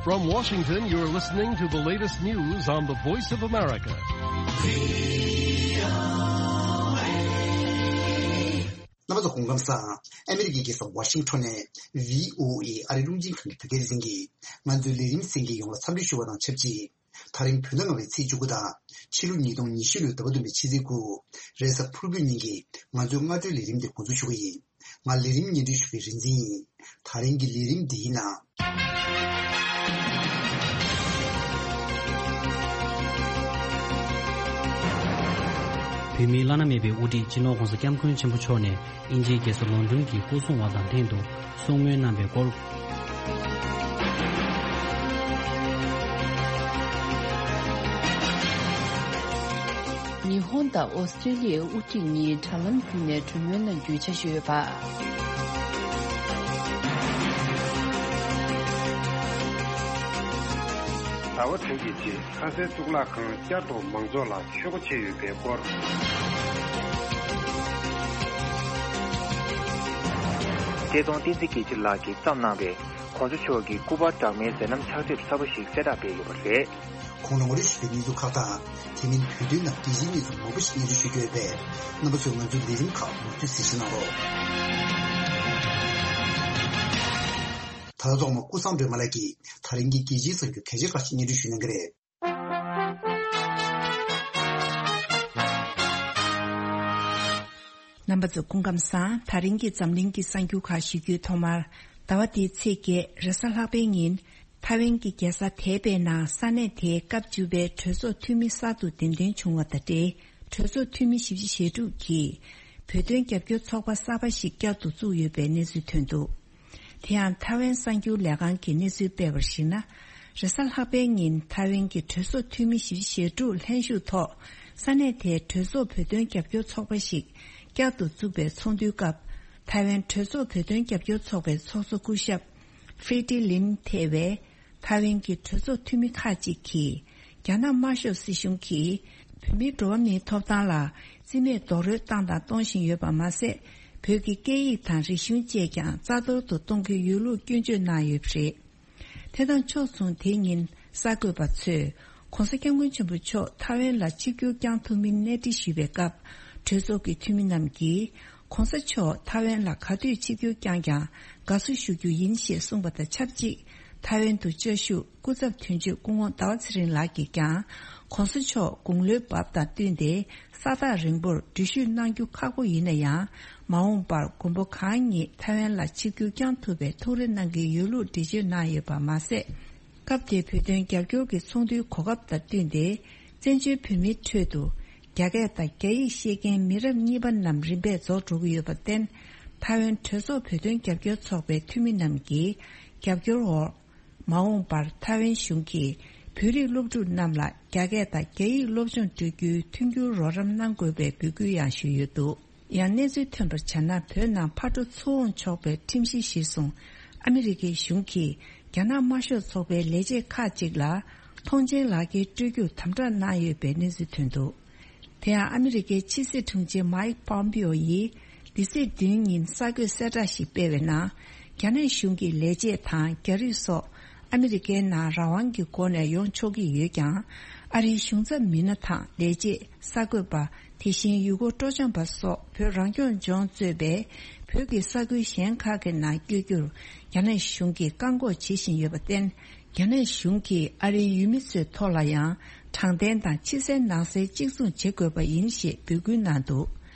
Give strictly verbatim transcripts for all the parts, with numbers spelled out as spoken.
From Washington, you're listening to the latest news on the Voice of America. རྣམ་པ་ཚོ་སྐུ་ཁམས་བཟང་། ཨ་མི་རི་ཀའི་རྒྱལ་ས་ཝ་ཤིང་ཊོན་ནས་བྷི་ཨོ་ཨེ་ཨ་རིའི་རླུང་འཕྲིན་ཁང་གི་བོད་སྐད་སྡེ་ཚན་གྱིས་ང་ཚོའི་ལས་རིམ་གསན་མཁན་ཡོངས་ལ་འཚམས་འདྲི་ཞུ་བ་དང་ཆབས་ཅིག་དེ་རིང་བོད་ཟླ་ལྔ་པའི་ཚེས་བཅུ་དགུ་དང་ཕྱི་ལོ་ཉིས་སྟོང་ཉི་ཤུ་ལོའི་ཟླ་བ་བདུན་པའི་ཕྱི་ཚེས་དགུ། རེས་གཟའ་ཕུར་བུའི་ཉིན་གྱི་ང་ཚོའི་སྔ་དྲོའི་ལས་རིམ་དེ་འགོ་འཛུགས་ཞུ་གི་ཡིན། ང་ལས་རིམ་སྙན་སྒྲོན་ཞུ་མཁན་རིག་འཛིན་ཡིན། དེ་རིང་གི་ལས་རིམ་འདིའི་ནང་། བོད་མིའི་བླ་ན་མེད་པའི་དབུ་ཁྲིད་སྤྱི་ནོར་༸གོང་ས་༸སྐྱབས་མགོན་ཆེན་པོ་མཆོག་ནས་དབྱིན་ཇིའི་རྒྱལ་ས་ལོན་ཌོན་གྱི་སྐུ་སྲུང་བ་དང་ལྷན་དུ་གསུང་མོལ་གནང་བའི་སྐོར། ཉི་ཧོང་དང་ཨོ་སི་ཀྲི་ལི་ཡའི་དབུ་ཁྲིད་གཉིས་དྲ་ལམ་བརྒྱུད་ནས་གྲོས་མོལ་གནང་རྒྱུའི་འཆར་གཞི་ཡོད་པ། ཟླ་བ་དྲུག་གི་རྗེས་ཁ་སའི་གཙུག་ལག་ཁང་བསྐྱར་དུ་མང་ཚོགས་ལ་ཕྱེ་སྒོ་ཕྱེ་ཡོད་པའི་སྐོར། བཀྲས་མཐོང་བསྟན་འཛིན་རྒྱལ་གཅེས་ལགས་ཀྱིས་བརྩམས་གནང་བའི་༸གོང་ས་མཆོག་གི་སྐུ་པར་འདྲ་མིན་མཛད་རྣམ་ཕྱག་དེབ་གསར་པ་ཞིག་གསལ་བསྒྲགས་སྤེལ་ཡོད་པ་རེད། གོང་ལ་ངོ་སྤྲོད་ཞུས་པའི་གནས་ཚུལ་ཁག་དང་། དེ་མིན་བོད་དོན་ནང་རྒྱལ་སྤྱིའི་གནས་ཚུལ་མང་པོ་ཞིག་སྙན་སྒྲོན་ཞུ་རྒྱུ་ཡོད་པས། རྣམ་པ་ཚོས་ང་ཚོའི་ལས་རིམ་ཁག་མུ་མཐུད་གཟིགས་ཞིབ་གནང་རོགས། ད་ལྟ་ཐོག་མ་ཀུན་བཟང་སྒྲོལ་མ་ལགས་ཀྱིས་དེ་རིང་གི་རྒྱལ་སྤྱིའི་གསར་འགྱུར་གལ་ཆེ་ཁག་ཅིག་སྙན་སྒྲོན་ཞུ་གནང་གི་རེད། རྣམ་པ་ཚོ་སྐུ་ཁམས་བཟང་། དེ་རིང་གི་འཛམ་གླིང་གི་གསར་འགྱུར་ཁག་ཞུ་རྒྱུའི་ཐོག་མར། ཟླ་བ་འདིའི་ཚེས་བརྒྱད་རེས་གཟའ་ལྷག་པའི་ཉིན། ཐའེ་ཝན་གྱི་རྒྱལ་ས་ཐའེ་པེ་ནང་ས་གནས་དེའི་སྐབས་བཅུ་པའི་གྲོས་ཚོགས་འཐུས་མི་གསར་དུ་གདན་འདྲེན་བྱུང་བ་དང་འབྲེལ། གྲོས་ཚོགས་འཐུས་མི་བཞི་བཅུ་ཞེ་དྲུག་གིས་བོད་དོན་རྒྱབ་སྐྱོར་ཚོགས་པ་གསར་པ་ཞིག་བསྐྱར་དུ་བཙུགས་ཡོད་པའི་གནས་ཚུལ་ཐོན་འདུག་དེ་ཡང་ཐའེ་ཝན་གསར་འགྱུར་ལས་ཁང་གིས་གནས་ཚུལ་སྤེལ་བར་གཞིགས་ན། རེས་གཟའ་ལྷག་པའི་ཉིན་ཐའེ་ཝན་གྱི་གྲོས་ཚོགས་འཐུས་མི་བཞི་བཅུ་ཞེ་དྲུག་ལྷན་ཞུགས་ཐོག་ས་གནས་དེའི་གྲོས་ཚོགས་བོད་དོན་རྒྱབ་སྐྱོར་ཚོགས་པ་ཞིག་བསྐྱར་དུ་བཙུགས་པའི་ཚོགས་འདུའི་སྐབས། ཐའེ་ཝན་གྲོས་ཚོགས་བོད་དོན་རྒྱབ་སྐྱོར་ཚོགས་པའི་ཚོགས་གཙོ་སྐུ་ཞབས་ཧྥེ་ཏི་ལིན་ཐེ་བས། ཐའེ་ཝན་གྱི་གྲོས་ཚོགས་འཐུས་མི་ཁག་ཅིག་གིས། རྒྱ་ནག་དམར་ཤོག་སྲིད་གཞུང་གིས། བོད་མིའི་འགྲོ་བ་མིའི་ཐོབ་ཐང་ལ་རྩིས་མེད་རྡོག་རོལ་བཏང་དང་གཏོང་བཞིན་ཡོད་པ་མ་ཟད། བོད་ཀྱི་སྐད་ཡིག་དང་རིག་གཞུང་བཅས་ཀྱང་རྩ་གཏོར་དུ་གཏོང་གི་ཡོད་ལུགས་སྐྱོན་བརྗོད་གནང་ཡོད་པ་རེད། དེ་དང་ཕྱོགས་མཚུངས། དེ་ཉིན་གསར་འགོད་པ་ཚོས་༸གོང་ས་༸སྐྱབས་མགོན་ཆེན་པོ་མཆོག་ཐའེ་ཝན་ལ་ཆིབས་བསྒྱུར་བསྐྱངས་ཐུབ་མིན་གནས་འདྲི་ཞུས་པའི་སྐབས། གྲོས་ཚོགས་ཀྱི་འཐུས་མི་རྣམས་ཀྱིས། ༸གོང་ས་མཆོག་ཐའེ་ཝན་ལ་ག་དུས་ཆིབས་བསྒྱུར་བསྐྱངས་ཀྱང་དགའ་བསུ་ཞུ་རྒྱུ་ཡིན་ཞེས་གསུངས་པ་དང་ཆབས་ཅིག་ཐའེ་ཝན་དུ་བཅའ་བཞུགས་སྐུ་ཚབ་དོན་གཅོད་སྐུ་ངོ་ཟླ་བ་ཚེ་རིང་ལགས་ཀྱིས་ཀྱང་༸གོང་ས་མཆོག་དགུང་ལོའི་བབ་དང་བསྟུན་ཏེ་ས་ཐག་རིང་པོར་འགྲུལ་བཞུད་གནང་རྒྱུ་ཁག་པོ་ཡིན་ན་ཡང་། མ་འོངས་པར་མགོན་པོ་གང་ཉིད་ཐའེ་ཝན་ལ་ཆིབས་བསྒྱུར་བསྐྱངས་ཐུབ་པའི་ཐུགས་རེ་གནང་གི་ཡོད་ལུགས་འགྲེལ་བརྗོད་གནང་ཡོད་པ་མ་ཟད། སྐབས་དེའི་བོད་དོན་རྒྱབ་སྐྱོར་གྱི་ཚོགས་འདུའི་གོ་སྐབས་དང་བསྟུན་ཏེ། བཙན་བྱོལ་བོད་མིའི་ཁྲོད་དུ། རྒྱ་སྐད་དང་རྒྱ་ཡིག་ཤེས་མཁན་མི་རབས་གཉིས་པ་རྣམས་རིམ་པས་རྫོགས་འགྲོ་གི་ཡོད་པར་བརྟེན། ཐའེ་ཝན་གྲོས་ཚོགས་བོད་དོན་རྒྱབ་སྐྱོར་ཚོགས་པའི་འཐུས་མི་རྣམས་ཀྱི་རྒྱབ་སྐྱོར་འོག་མ་འོངས་པར་ཐའེ་ཝན་གཞུང་གིས་བོད་རིགས་སློབ་ཕྲུག་རྣམས་ལ་རྒྱ་སྐད་དང་རྒྱ་ཡིག་སློབ་སྦྱོང་སྤྲོད་རྒྱུའི་མཐུན་འགྱུར་རོགས་རམ་གནང་དགོས་པའི་འབོད་སྐུལ་ཡང་ཞུས་ཡོད་འདུག་ཡང་གནས་ཚུལ་ཐོན་པར་བྱས་ན། བོད་ནང་ཕར་འགྲོ་ཚུར་འོང་ཆོག་པའི་ཁྲིམས་གཞི་གཞིར་བཟུང་། ཨ་མི་རི་ཀའི་གཞུང་གིས་རྒྱ་ནག་དམར་ཤོག་ཚོགས་པའི་ལས་བྱེད་ཁག་ཅིག་ལ་ཐོངས་མཆན་ལག་འཁྱེར་སྤྲོད་རྒྱུར་དམ་དྲག་གནང་ཡོད་པའི་གནས་ཚུལ་ཐོན་འདུག་དེ་ཡང་ཨ་མི་རི་ཀའི་ཕྱི་སྲིད་དྲུང་ཆེ་མཱིག་པོམ་པིའོ་ཡིས་འདི་ཚེས་བདུན་ཉིན་གསར་འགོད་གསལ་བསྒྲགས་ཤིག་སྤེལ་བའི་ནང་། རྒྱ་ནག་གཞུང་གི་ལས་བྱེད་དང་རྒྱ་རིགས་སོགས་ཨ་མི་རི་ཀའི་ནང་རང་དབང་གི་སྒོ་ནས་ཡོང་ཆོག་གི་ཡོད་ཀྱང་། ཨ་རིའི་གཞུང་ཚབ་མི་སྣ་དང་ལས་བྱེད། གསར་འགོད་པ། དེ་བཞིན་ཡུལ་སྐོར་སྤྲོ་འཆམ་པ་སོགས་བོད་རང་སྐྱོང་ལྗོངས་གཙོས་པའི་བོད་ཀྱི་ས་ཁུལ་གཞན་ཁག་གི་ནང་བསྐྱོད་རྒྱུར་རྒྱ་ནག་གཞུང་གིས་བཀག་འགོག་བྱེད་བཞིན་ཡོད་པར་བརྟེན། རྒྱ་ནག་གཞུང་གིས་ཨ་རིའི་ཡུལ་མི་ཚོའི་ཐོག་ལ་ཡང་དྲང་བདེན་དང་ཕྱི་གསལ་ནང་གསལ་གཅིག་མཚུངས་བྱེད་དགོས་པ་ཡིན་ཞེས་འབོད་སྐུལ་གནང་འདུག་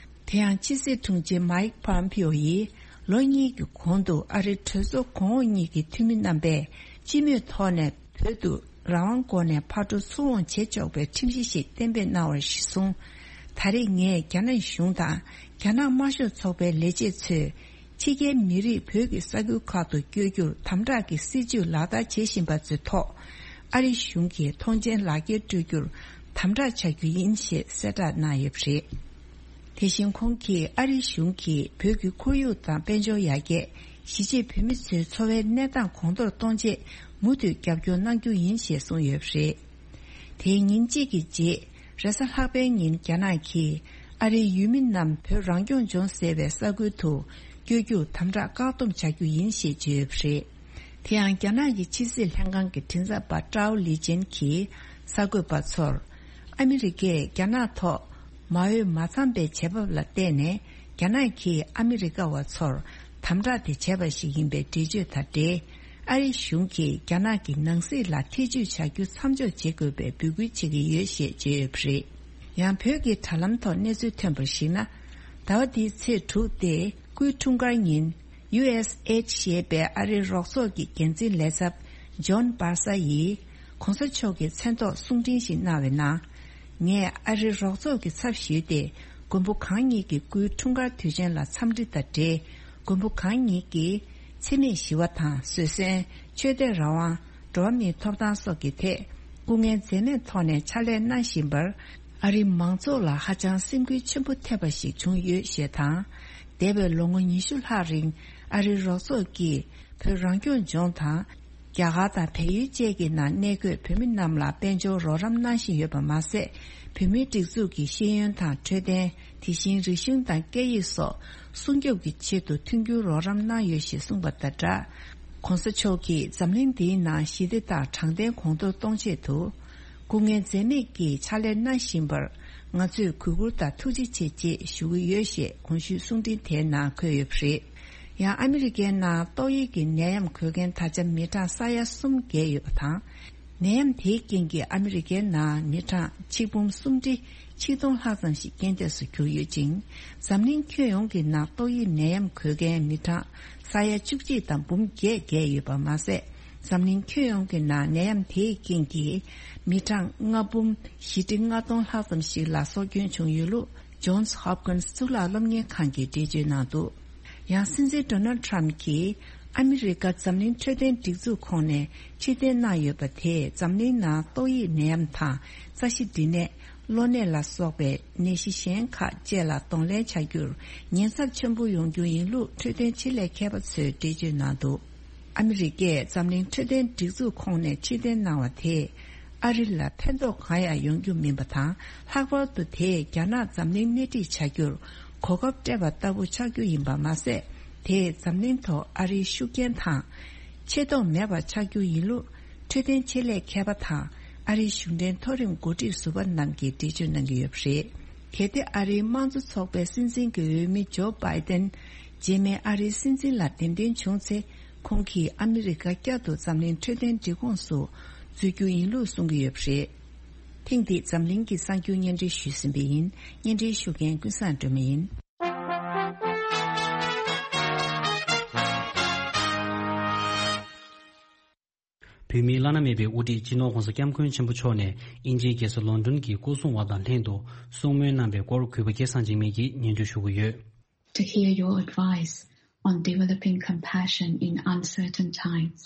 དེ་ཡང་ཕྱི་སྲིད་དྲུང་ཆེ་མཱིག་པོམ་པིའོ་ཡིས་ལོ་གཉིས་ཀྱི་གོང་དུ་ཨ་རིའི་གྲོས་ཚོགས་གོང་འོག་གཉིས་ཀྱི་འཐུས་མི་རྣམ་པས་སྤྱི་མོས་ཐོག་ནས་བོད་དུ་རང་དབང་སྒོ་ནས་ཕར་འགྲོ་ཚུར་འོང་བྱེད་ཆོག་པའི་ཁྲིམས་གཞི་ཞིག་གཏན་འབེབས་གནང་བར་གཞི་བཟུང་། ད་རེས་ངས་རྒྱ་ནག་གཞུང་དང་རྒྱ་ནག་དམར་ཤོག་ཚོགས་པའི་ལས་བྱེད་ཚོས་ཕྱི་རྒྱལ་མི་རིགས་བོད་ཀྱི་ས་ཁུལ་ཁག་ཏུ་བསྐྱོད་རྒྱུར་དམ་དྲག་གི་སྲིད་བྱུས་ལག་བསྟར་བྱེད་བཞིན་པ་ཚོའི་ཐོག་ཨ་རི་གཞུང་གིས་ཐོངས་མཆན་ལག་འཁྱེར་སྤྲོད་རྒྱུར་དམ་དྲག་བྱ་རྒྱུ་ཡིན་ཞེས་གསལ་བསྒྲགས་གནང་ཡོད་པ་རེད། དེ་བཞིན་ཁོང་གིས་ཨ་རིའི་གཞུང་གིས་བོད་ཀྱི་ཁོར་ཡུག་དང་དཔལ་འབྱོར་ཡར་རྒྱས། གཞིས་བྱེས་བོད་མི་ཚོའི་འཚོ་བའི་གནས་སྟངས་གོང་མཐོར་གཏོང་ཆེད་མུ་མཐུད་རྒྱབ་སྐྱོར་གནང་རྒྱུ་ཡིན་ཞེས་གསུངས་ཡོད་པ་རེད། དེའི་ཉིན་གཅིག་གི་རྗེས། རེས་གཟའ་ལྷག་པའི་ཉིན་རྒྱ་ནག་གིས་ཨ་རིའི་ཡུལ་མི་རྣམས་བོད་རང་སྐྱོང་ལྗོངས་ཟེར་བའི་ས་ཁུལ་དུ་བསྐྱོད་རྒྱུར་དམ་དྲག་བཀག་སྡོམ་བྱ་རྒྱུ་ཡིན་ཞེས་བརྗོད་ཡོད་པ་རེད། དེ་ཡང་རྒྱ་ནག་གི་ཕྱི་སྲིད་ལྷན་ཁང་གི་མགྲིན་ཚབ་པ་ཀྲའོ་ལི་ཅན་གྱིས་གསར་འགོད་པ་ཚོར། ཨ་མི་རི་ཀས་རྒྱ་ནག་ཐོག་མ་འོས་མ་འཚམས་པའི་བྱེད་བབ་ལ་བརྟེན་ནས་རྒྱ་ནག་གིས་ཨ་མི་རི་ཀ་བ་ཚོར་དམ་དྲག་དེ་བྱས་པ་ཞིག་ཡིན་པའི་འགྲེལ་བརྗོད་དང་འབྲེལ། ཨ་རིའི་གཞུང་གིས་རྒྱ་ནག་གི་ནང་སྲིད་ལ་ཐེ་ཇུས་བྱ་རྒྱུ་མཚམས་འཇོག་བྱེད་དགོས་པའི་འབོད་སྐུལ་བྱེད་ཀྱི་ཡོད་ཞེས་བརྗོད་ཡོད་པ་རེད། ཡང་བོད་ཀྱི་དྲ་ལམ་ཐོག་གནས་ཚུལ་ཐོན་པར་གཞིགས་ན། ཟླ་བ་འདིའི་ཚེས་དྲུག་སྟེ་སྐུའི་འཁྲུངས་སྐར་ཉིན། ཡུ་ཨེས་ཨེཆ་ཞེས་པའི་ཨ་རིའི་རོགས་ཚོགས་ཀྱི་འགན་འཛིན་ལས་ཚབ་ཇོན་སྦར་ས་ཡིས་༸གོང་ས་མཆོག་གི་མཚན་ཐོག་གསུང་འཕྲིན་ཞིག་གནང་བའི་ནང་། ངས་ཨ་རིའི་རོགས་ཚོགས་ཀྱི་ཚབ་ཞུས་ཏེ་མགོན་པོ་གང་ཉིད་ཀྱི་སྐུའི་འཁྲུངས་སྐར་དུས་ཆེན་ལ་འཚམས་འདྲི་དང་འབྲེལ། མགོན་པོ་གང་ཉིད་ཀྱིས་འཚེ་མེད་ཞི་བ་དང་བཟོད་བསྲན། ཆོས་དད་རང་དབང་། འགྲོ་བ་མིའི་ཐོབ་ཐང་སོགས་ཀྱི་ཐད་སྐུ་ངལ་འཛེམས་མེད་ཐོག་ནས་ཕྱག་ལས་གནང་བཞིན་པར། ཨ་རིའི་མང་ཚོགས་ལ་ཧ་ཅང་སེམས་འགུལ་ཆེན་པོ་ཐེབས་པ་ཞིག་བྱུང་ཡོད་ཞེས་དང་། འདས་པའི་ལོ་ངོ་ཉི་ཤུ་ལྷག་རིང་ཨ་རིའི་རོགས་ཚོགས་ཀྱིས་བོད་རང་སྐྱོང་ལྗོངས་དང་། རྒྱ་གར་དང་བལ་ཡུལ་བཅས་ཀྱི་ནང་གནས་འཁོད་བོད་མི་རྣམས་ལ་དཔལ་འབྱོར་རོགས་རམ་གནང་བཞིན་ཡོད་པ་མ་ཟད། བོད་མིའི་སྒྲིག་འཛུགས་ཀྱི་ཤེས་ཡོན་དང་འཕྲོད་བསྟེན། དེ་བཞིན་རིག་གཞུང་དང་སྐད་ཡིག་སོགས་སྲུང་སྐྱོབ་ཀྱི་ཆེད་དུ་མཐུན་འགྱུར་རོགས་རམ་གནང་ཡོད་ཞེས་གསུངས་པ་དང་སྦྲགས། ༸གོང་ས་མཆོག་གིས་འཛམ་གླིང་འདིའི་ནང་ཞི་བདེ་དང་དྲང་བདེན་གོང་མཐོར་གཏོང་ཆེད་དུ། སྐུ་ངལ་འཛེམས་མེད་ཀྱིས་ཕྱག་ལས་གནང་བཞིན་པར། ང་ཚོས་གུས་བཀུར་དང་ཐུགས་རྗེ་ཆེ་ཅེས་ཞུ་གི་ཡོད་ཞེས་གོང་ཞུས་གསུང་འཕྲིན་དེའི་ནང་འཁོད་ཡོད་པ་རེད། ཡང་ཨ་མི་རི་ཀའི་ནང་ཏོག་དབྱིབས་ཀྱི་ནད་ཡམས་འགོས་མཁན་ད་ཆ་མི་གྲངས་ས་ཡ་གསུམ་བརྒལ་ཡོད་པ་དང་། ནད་ཡམས་དེའི་རྐྱེན་གྱིས་ཨ་མི་རི་ཀའི་ནང་མི་གྲངས་ཆིག་འབུམ་སུམ་ཁྲི་ཆིག་སྟོང་ལྷག་ཙམ་ཞིག་རྐྱེན་འདས་སུ་གྱུར་ཡོད་ཅིང་། འཛམ་གླིང་ཁྱོན་ཡོངས་ཀྱི་ནང་ཏོག་དབྱིབས་ནད་ཡམས་འགོས་མཁན་མི་གྲངས་ས་ཡ་བཅུ་གཅིག་དང་འབུམ་བརྒྱད་བརྒལ་ཡོད་པ་མ་ཟད། འཛམ་གླིང་ཁྱོན་ཡོངས་ཀྱི་ནང་ནད་ཡམས་དེའི་རྐྱེན་གྱིས་མི་གྲངས་ལྔ་འབུམ་བཞི་ཁྲི་ལྔ་སྟོང་ལྷག་ཙམ་ཞིག་ལ་སྲོག་སྐྱོན་བྱུང་ཡོད་ལུགས་Johns Hopkins་གཙུག་ལག་སློབ་གཉེར་ཁང་གིས་འགྲེལ་བརྗོད་གནང་འདུག་ཡང་སྲིད་འཛིན་Donald Trump་གྱིས་ཨ་མི་རི་ཀ་འཛམ་གླིང་འཕྲོད་བསྟེན་སྒྲིག་འཛུགས་ཁོངས་ནས་ཕྱིར་འཐེན་གནང་ཡོད་པ་དེས་འཛམ་གླིང་ནང་ཏོག་དབྱིབས་ནད་ཡམས་དང་རྩ་ཤེད་འདི་ནས་གློ་ནད་ལ་སོགས་པའི་ནད་གཞི་གཞན་ཁག་བཅས་ལ་གདོང་ལེན་བྱ་རྒྱུར་ཉེན་ཚབས་ཆེན་པོ་ཡོང་རྒྱུ་ཡིན་ལུགས་འཕྲོད་བསྟེན་ཆེད་ལས་མཁས་པ་ཚོས་འགྲེལ་བརྗོད་གནང་འདུག་ཨ་མི་རི་ཀས་འཛམ་གླིང་འཕྲོད་བསྟེན་སྒྲིག་འཛུགས་ཁོངས་ནས་ཕྱིར་འཐེན་གནང་བ་དེས་ཨ་རི་ལ་ཕན་ཐོགས་གང་ཡང་ཡོང་རྒྱུ་མིན་པ་དང་། ལྷག་པར་དུ་དེས་རྒྱ་ནག་འཛམ་གླིང་སྣེ་ཁྲིད་བྱ་རྒྱུར་གོ་སྐབས་སྤྲད་པ་ལྟ་བུ་ཆགས་རྒྱུ་ཡིན་པ་མ་ཟད། དེས་འཛམ་གླིང་ཐོག་ཨ་རིའི་ཤུགས་རྐྱེན་དང་ཆེ་མཐོང་མེད་པ་ཆགས་རྒྱུ་ཡིན་ལུགས་འཕྲོད་བསྟེན་ཆེད་ལས་མཁས་པ་དང་ཨ་རིའི་གཞུང་འབྲེལ་མཐོ་རིམ་འགོ་ཁྲིད་ཟུར་པ་རྣམས་ཀྱིས་འགྲེལ་བརྗོད་གནང་གི་ཡོད་པ་རེད། གལ་ཏེ་ཨ་རིའི་དམངས་གཙོ་ཚོགས་པའི་སྲིད་འཛིན་གྱི་འོས་མི་ཇོ་བྷའི་ཏན་རྗེས་མའི་ཨ་རིའི་སྲིད་འཛིན་ལ་འདེམས་ཐོན་བྱུང་ཚེ། ཁོང་གིས་ཨ་མི་རི་ཀ་བསྐྱར་དུ་འཛམ་གླིང་འཕྲོད་བསྟེན་སྒྲིག་ཁོངས་སུ་འཛུལ་རྒྱུ་ཡིན་ལུགས་གསུང་གི་ཡོད་པ་རེད། ཐེངས་འདིའི་འཛམ་གླིང་གི་གསར་འགྱུར་སྙན་སྒྲོན་ཞུས་ཟིན་པ་ཡིན། སྙན་སྒྲོན་ཞུ་མཁན་ཀུན་བཟང་སྒྲོལ་མ་ཡིན། བོད་མིའི་བླ་ན་མེད་པའི་དབུ་ཁྲིད་སྤྱི་ནོར་༸གོང་ས་༸སྐྱབས་མགོན་ཆེན་པོ་མཆོག་ནས་དབྱིན་ཇིའི་རྒྱལ་ས་ལོན་ཌོན་གྱི་སྐུ་སྲུང་བ་དང་ལྷན་དུ་གསུང་མོལ་གནང་བའི་སྐོར་གུས་པ་སྐལ་བཟང་འཇིགས་མེད་ཀྱིས་སྙན་སྒྲོན་ཞུ་གི་ཡོད། To hear your advice on developing compassion in uncertain times.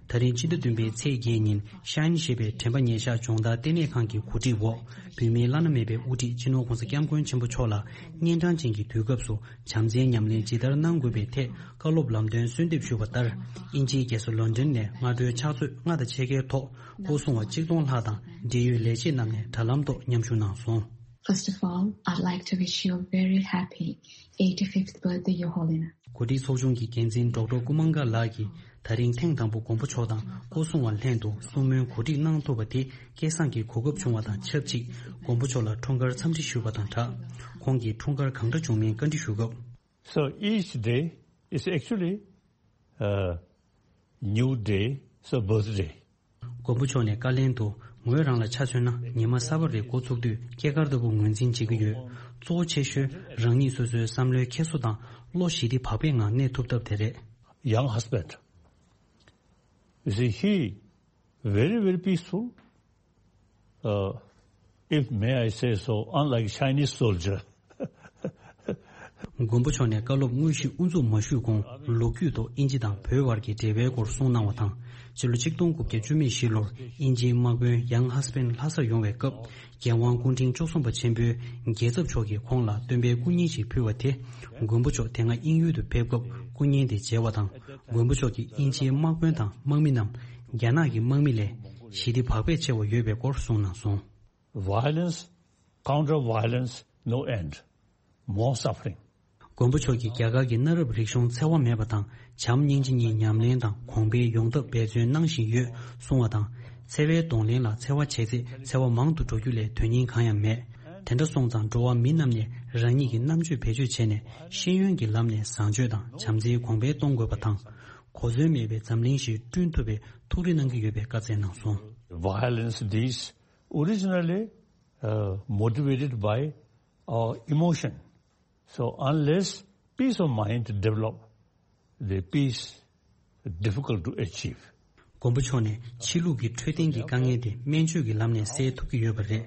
ད་རིང་སྤྱི་ཟླ་བདུན་པའི་ཚེས་བརྒྱད་ཉིན་ཤན་ཞེས་པའི་དྲན་པ་ཉེར་བཞག་སྦྱོང་བརྡར་ལྟེ་གནས་ཁང་གི་གོ་སྒྲིག་འོག་བོད་མིའི་བླ་ན་མེད་པའི་དབུ་ཁྲིད་སྤྱི་ནོར་༸གོང་ས་༸སྐྱབས་མགོན་ཆེན་པོ་མཆོག་ལ་གཉན་འཕྲང་ཅན་གྱི་དུས་སྐབས་སུ་བྱམས་བརྩེའི་ཉམས་ལེན་ཇི་ལྟར་གནང་དགོས་པའི་ཐད་བཀའ་སློབ་ལམ་སྟོན་གསོལ་འདེབས་ཞུས་པ་ལྟར། དབྱིན་ཇིའི་རྒྱལ་ས་ལོན་ཌོན་ནས་སྔ་དྲོའི་ཕྱག་ཚོད་ལྔ་དང་ཕྱེད་ཀའི་ཐོག་སྐུ་སྲུང་བ་གཅིག་སྟོང་ལྷག་དང་འབྲེལ་ཡོད་ལས་བྱེད་རྣམས་ནས་དྲ་ལམ་ཐོག་མཉམ་ཞུགས་གནང་སོང་། First of all, I'd like to wish you a very happy eighty-fifth birthday, Your Holiness. གོ་སྒྲིག་ཚོགས་ཆུང་གི་འགན་འཛིན་ཌོག་ཊར་ཀུ་མང་ག་ལགས་ཀྱིས་ད་རིང་ཐེངས་དང་པོ་མགོན་པོ་མཆོག་དང་སྐུ་སྲུང་བ་ལྷན་དུ་གསུང་མོལ་གོ་སྒྲིག་གནང་ཐུབ་པ་དེ་སྐལ་བཟང་གི་གོ་སྐབས་བྱུང་བ་དང་ཆབས་ཅིག་མགོན་པོ་མཆོག་ལ་འཁྲུངས་སྐར་འཚམས་འདྲི་ཞུས་པ་དང་སྦྲགས། ཁོང་གི་འཁྲུངས་སྐར་གང་འདྲ་བྱུང་མིན་བཀའ་འདྲི་ཞུ་སྐབས། So each day is actually a new day, so birthday. མགོན་པོ་མཆོག་ནས་བཀའ་ལན་དུ། ངོས་རང་ལ་ཆ་མཚོན་ན་ཉི་མ་གསར་པ་རེ་འགོ་ཚུགས་དུས་སྐྱེས་སྐར་ལྟ་བུ་ངོས་འཛིན་བྱེད་ཀྱི་ཡོད། གཙོ་བོ་ཆེ་ཤོས་རང་ཉིད་སོ་སོའི་བསམ་བློའི་འཁྱེར་སོ་དང་བློ་ཞི་བདེ་བག་ཕེབས་ངང་གནས་ཐུབ་ཐབས་དེ་རེད། Young husband. You see, he very, very peaceful, uh, if may I say so, unlike Chinese soldier. མགོན་པོ་མཆོག་ནས་བཀའ་སློབ་དངོས་གཞི་དབུ་འཛུགས་མ་ཞུས་གོང་ལོ་རྒྱུས་ཐོག་དབྱིན་ཇི་དང་བོད་བར་གྱི་འབྲེལ་བའི་སྐོར་གསུངས་གནང་བ་དང་། སྤྱི་ལོ་ཆིག་སྟོང་དགུ་བརྒྱ་བཅུ་མེད་བཞི་ལོར་དབྱིན་ཇིའི་དམག་དཔོན་ཡང་ཧ་སི་པན་ལྷ་སར་ཡོང་བའི་སྐབས། རྒྱལ་དབང་སྐུ་ཕྲེང་བཅུ་གསུམ་པ་ཆེན་པོས་རྒྱལ་ཚབ་མཆོག་གིས་ཁོང་ལ་སྟོན་པའི་སྐུ་བརྙན་ཞིག་ཕུལ་བ་དེ། མགོན་པོ་མཆོག་དེ་སྔ་དབྱིན་ཡུལ་དུ་ཕེབས་སྐབས་སྐུ་བརྙན་དེ་མཇལ་བ་དང་། མགོན་པོ་མཆོག་གིས་དབྱིན་ཇིའི་དམག་དཔོན་དང་དམག་མི་རྣམས་རྒྱ་ནག་གི་དམག་མི་ལས་ཞི་བདེ་བག་ཕེབས་ཆེ་བ་ཡོད་པའི་སྐོར་གསུངས་གནང་སོང་། Violence, counter violence, no end. More suffering. མགོན་པོ་མཆོག་གིས་རྒྱ་གར་གྱི་གནའ་རབས་རིག་གཞུང་འཚེ་བ་མེད་པ་དང་བྱམས་སྙིང་རྗེ་གཉིས་ཉམས་ལེན་དང་གོང་འཕེལ་ཡོང་ཐབས་འབད་བརྩོན་གནང་བཞིན་ཡོད་གསུང་བ་དང་། འཚེ་བའི་གདོང་ལེན་ལ་འཚེ་བ་བྱས་ཚེ་འཚེ་བ་མང་དུ་འགྲོ་རྒྱུ་ལས་དོན་སྙིང་གང་ཡང་མེད། དེ་འདྲ་སོང་ཙང་འགྲོ་བ་མི་རྣམས་ནས་རང་ཉིད་ཀྱི་རྣམ་དཔྱོད་བེད་སྤྱོད་བྱས་ནས་ཤེས་ཡོན་གྱི་ལམ་ནས་བཟང་སྤྱོད་དང་བྱམས་བརྩེའི་གོང་འཕེལ་གཏོང་དགོས་པ་དང་། གོ་མཚོན་མེད་པའི་འཛམ་གླིང་ཞིག་བསྐྲུན་ཐུབ་པའི་ཐུགས་རེ་གནང་གི་ཡོད་པའི་བཀའ་སྩལ་གནང་སོང་། Violence these originally uh, motivated by our emotion. So unless peace of mind develop, the peace difficult to achieve. མགོན་པོ་མཆོག་ནས་ཕྱི་ལུགས་ཀྱི་འཕྲོད་བསྟེན་གྱི་དཀའ་ངལ་དེ་སྨན་བཅོས་ཀྱི་ལམ་ནས་སེལ་ཐུབ་ཀྱི་ཡོད་པ་རེད།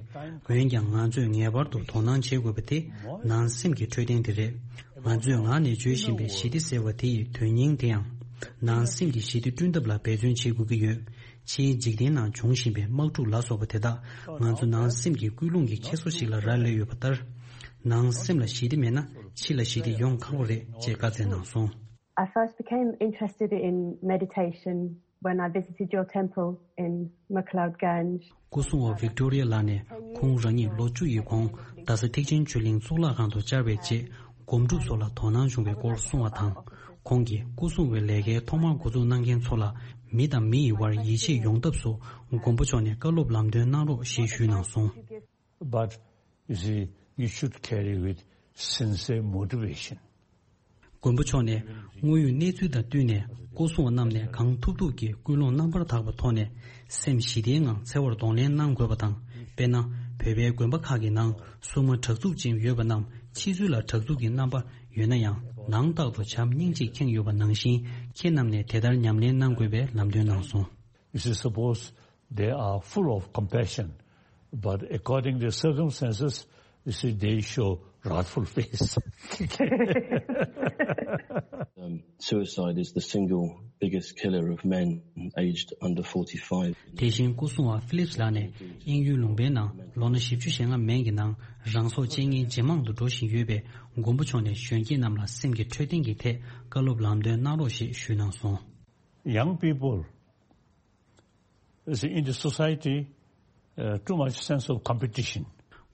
འོན་ཀྱང་ང་ཚོས་ངེས་པར་དུ་དོ་སྣང་བྱེད་དགོས་པ་དེ་ནང་སེམས་ཀྱི་འཕྲོད་བསྟེན་དེ་རེད། ང་ཚོས་ངག་ནས་བརྗོད་བཞིན་པའི་ཞི་བདེ་ཟེར་བ་དེ་ཡི་དོན་སྙིང་དེ་ཡང་། ནང་སེམས་ཀྱི་ཞི་བདེ་བསྐྲུན་ཐབས་ལ་འབད་བརྩོན་བྱེད་དགོས་ཀྱི་ཡོད། ཕྱིའི་འཇིག་རྟེན་ནང་འབྱུང་བཞིན་པའི་དམག་འཁྲུག་ལ་སོགས་པ་དེ་དག་ང་ཚོ་ནང་སེམས་ཀྱི་ཀུན་སློང་གི་འཁྱེར་སོ་ཞིག་ལ་རག་ལས་ཡོད་པ་ལྟར། ནང་སེམས་ལ་ཞི་བདེ་མེད་ན་ཕྱི་ལ་ཞི་བདེ་ཡོང་ཁག་པོ་རེད་ཅེས་བཀའ་སྩལ་གནང་སོང་། I first became interested in meditation when I visited your temple in McLeod Ganj. སྐུ་སྲུང་བ་ཝིག་ཏོ་རི་ཡ་ལགས་ནས་ཁོང་རང་ཉིད་ལོ་བཅུ་ཡི་གོང་རྡ་ས་ཐེག་ཆེན་ཆོས་གླིང་གཙུག་ལག་ཁང་དུ་བཅར་བའི་རྗེས་སྒོམ་སྒྲུབ་སོགས་ལ་དོ་སྣང་བྱུང་བའི་སྐོར་གསུང་བ་དང་། ཁོང་གིས་སྐུ་སྲུང་བའི་ལས་ཀའི་ཐོག་མར་འགོ་འཛུགས་གནང་མཁན་ཚོ་ལ་མི་དང་མི་ཡི་བར་ཡིད་ཆེས་ཡོང་ཐབས་སུ་མགོན་པོ་མཆོག་ནས་བཀའ་སློབ་ལམ་སྟོན་གནང་རོགས་ཞེས་ཞུས་གནང་སོང་། But you see, you should carry with sincere motivation. མགོན་པོ་མཆོག་ནས་དངོས་ཡོད་གནས་ཚུལ་དང་བསྟུན་ནས་སྐུ་སྲུང་བ་རྣམས་ནས་གང་ཐུབ་ཐུབ་ཀྱིས་ཀུན་སློང་རྣམ་པར་དག་པའི་ཐོག་ནས་སེམས་ཞི་བདེའི་ངང་འཚེ་བར་གདོང་ལེན་གནང་དགོས་པ་དང་། དཔེར་ན། བོད་པའི་དགོན་པ་ཁག་གི་ནང་སྲུང་མ་དྲག་རྩུབ་ཅན་ཡོད་པ་རྣམས་ཕྱི་ཚུལ་ལ་དྲག་རྩུབ་ཀྱི་རྣམ་པ་ཡོད་ན་ཡང་ནང་རྟག་ཏུ་བྱམས་སྙིང་རྗེས་ཁེངས་ཡོད་པ་ནང་བཞིན་ཁྱེད་རྣམས་ནས་དེ་ལྟར་ཉམས་ལེན་གནང་དགོས་པའི་ལམ་སྟོན་གནང་སོང་། You see, suppose they are full of compassion, but according to the circumstances, you see, they show wrathful face. Um, suicide is the single biggest killer of men aged under forty-five. དེ་བཞིན་སྐུ་སྲུང་བ་ཕི་ལིབ་སི་ལགས་ནས་དབྱིན་ཡུལ་ལུང་པའི་ནང་ལོ་ན་བཞི་བཅུ་ཞེ་ལྔ་མན་གྱི་ནང་རང་སྲོག་བཅད་མཁན་ཇེ་མང་དུ་འགྲོ་བཞིན་ཡོད་པས་མགོན་པོ་མཆོག་ནས་གཞོན་སྐྱེས་རྣམས་ལ་སེམས་ཀྱི་འཕྲོད་བསྟེན་གྱི་ཐད་བཀའ་སློབ་ལམ་སྟོན་གནང་རོགས་ཞེས་ཞུས་གནང་སོང་། Young people, you see, in the society, uh, too much sense of competition.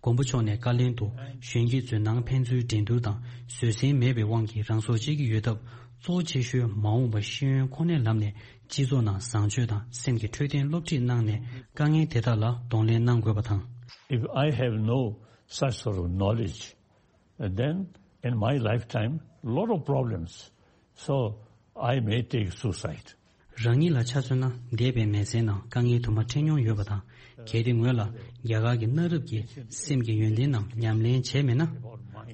མགོན་པོ་མཆོག་ནས་བཀའ་ལན་དུ་གཞོན་སྐྱེས་ཚོའི་ནང་ཕན་ཚུན་འགྲན་བསྡུར་དང་བཟོད་བསྲན་མེད་པའི་དབང་གིས་རང་སྲོག་བཅད་ཀྱི་ཡོད་སྟབས། གཙོ་ཆེ་ཤོས་མ་འོངས་པ་ཤེས་ཡོན་ཁོ་ནའི་ལམ་ནས་སྤྱི་ཚོགས་ནང་བཟང་སྤྱོད་དང་སེམས་ཀྱི་འཕྲོད་བསྟེན་སློབ་ཁྲིད་གནང་ནས་དཀའ་ངལ་དེ་དག་ལ་གདོང་ལེན་གནང་དགོས་པ་དང་། If I have no such sort of knowledge, then in my lifetime, lot of problems. So I may take suicide. རང་ཉིད་ལ་ཆ་མཚོན་ན་འདས་པའི་མི་ཚེའི་ནང་དཀའ་ངལ་དུ་མ་འཕྲད་མྱོང་ཡོད་པ་དང་། གལ་ཏེ་ངོས་ལ་རྒྱ་གར་གྱི་གནའ་རབས་ཀྱི་སེམས་ཀྱི་ཡོན་ཏན་རྣམས་ཉམས་ལེན་བྱས་མེད་ན།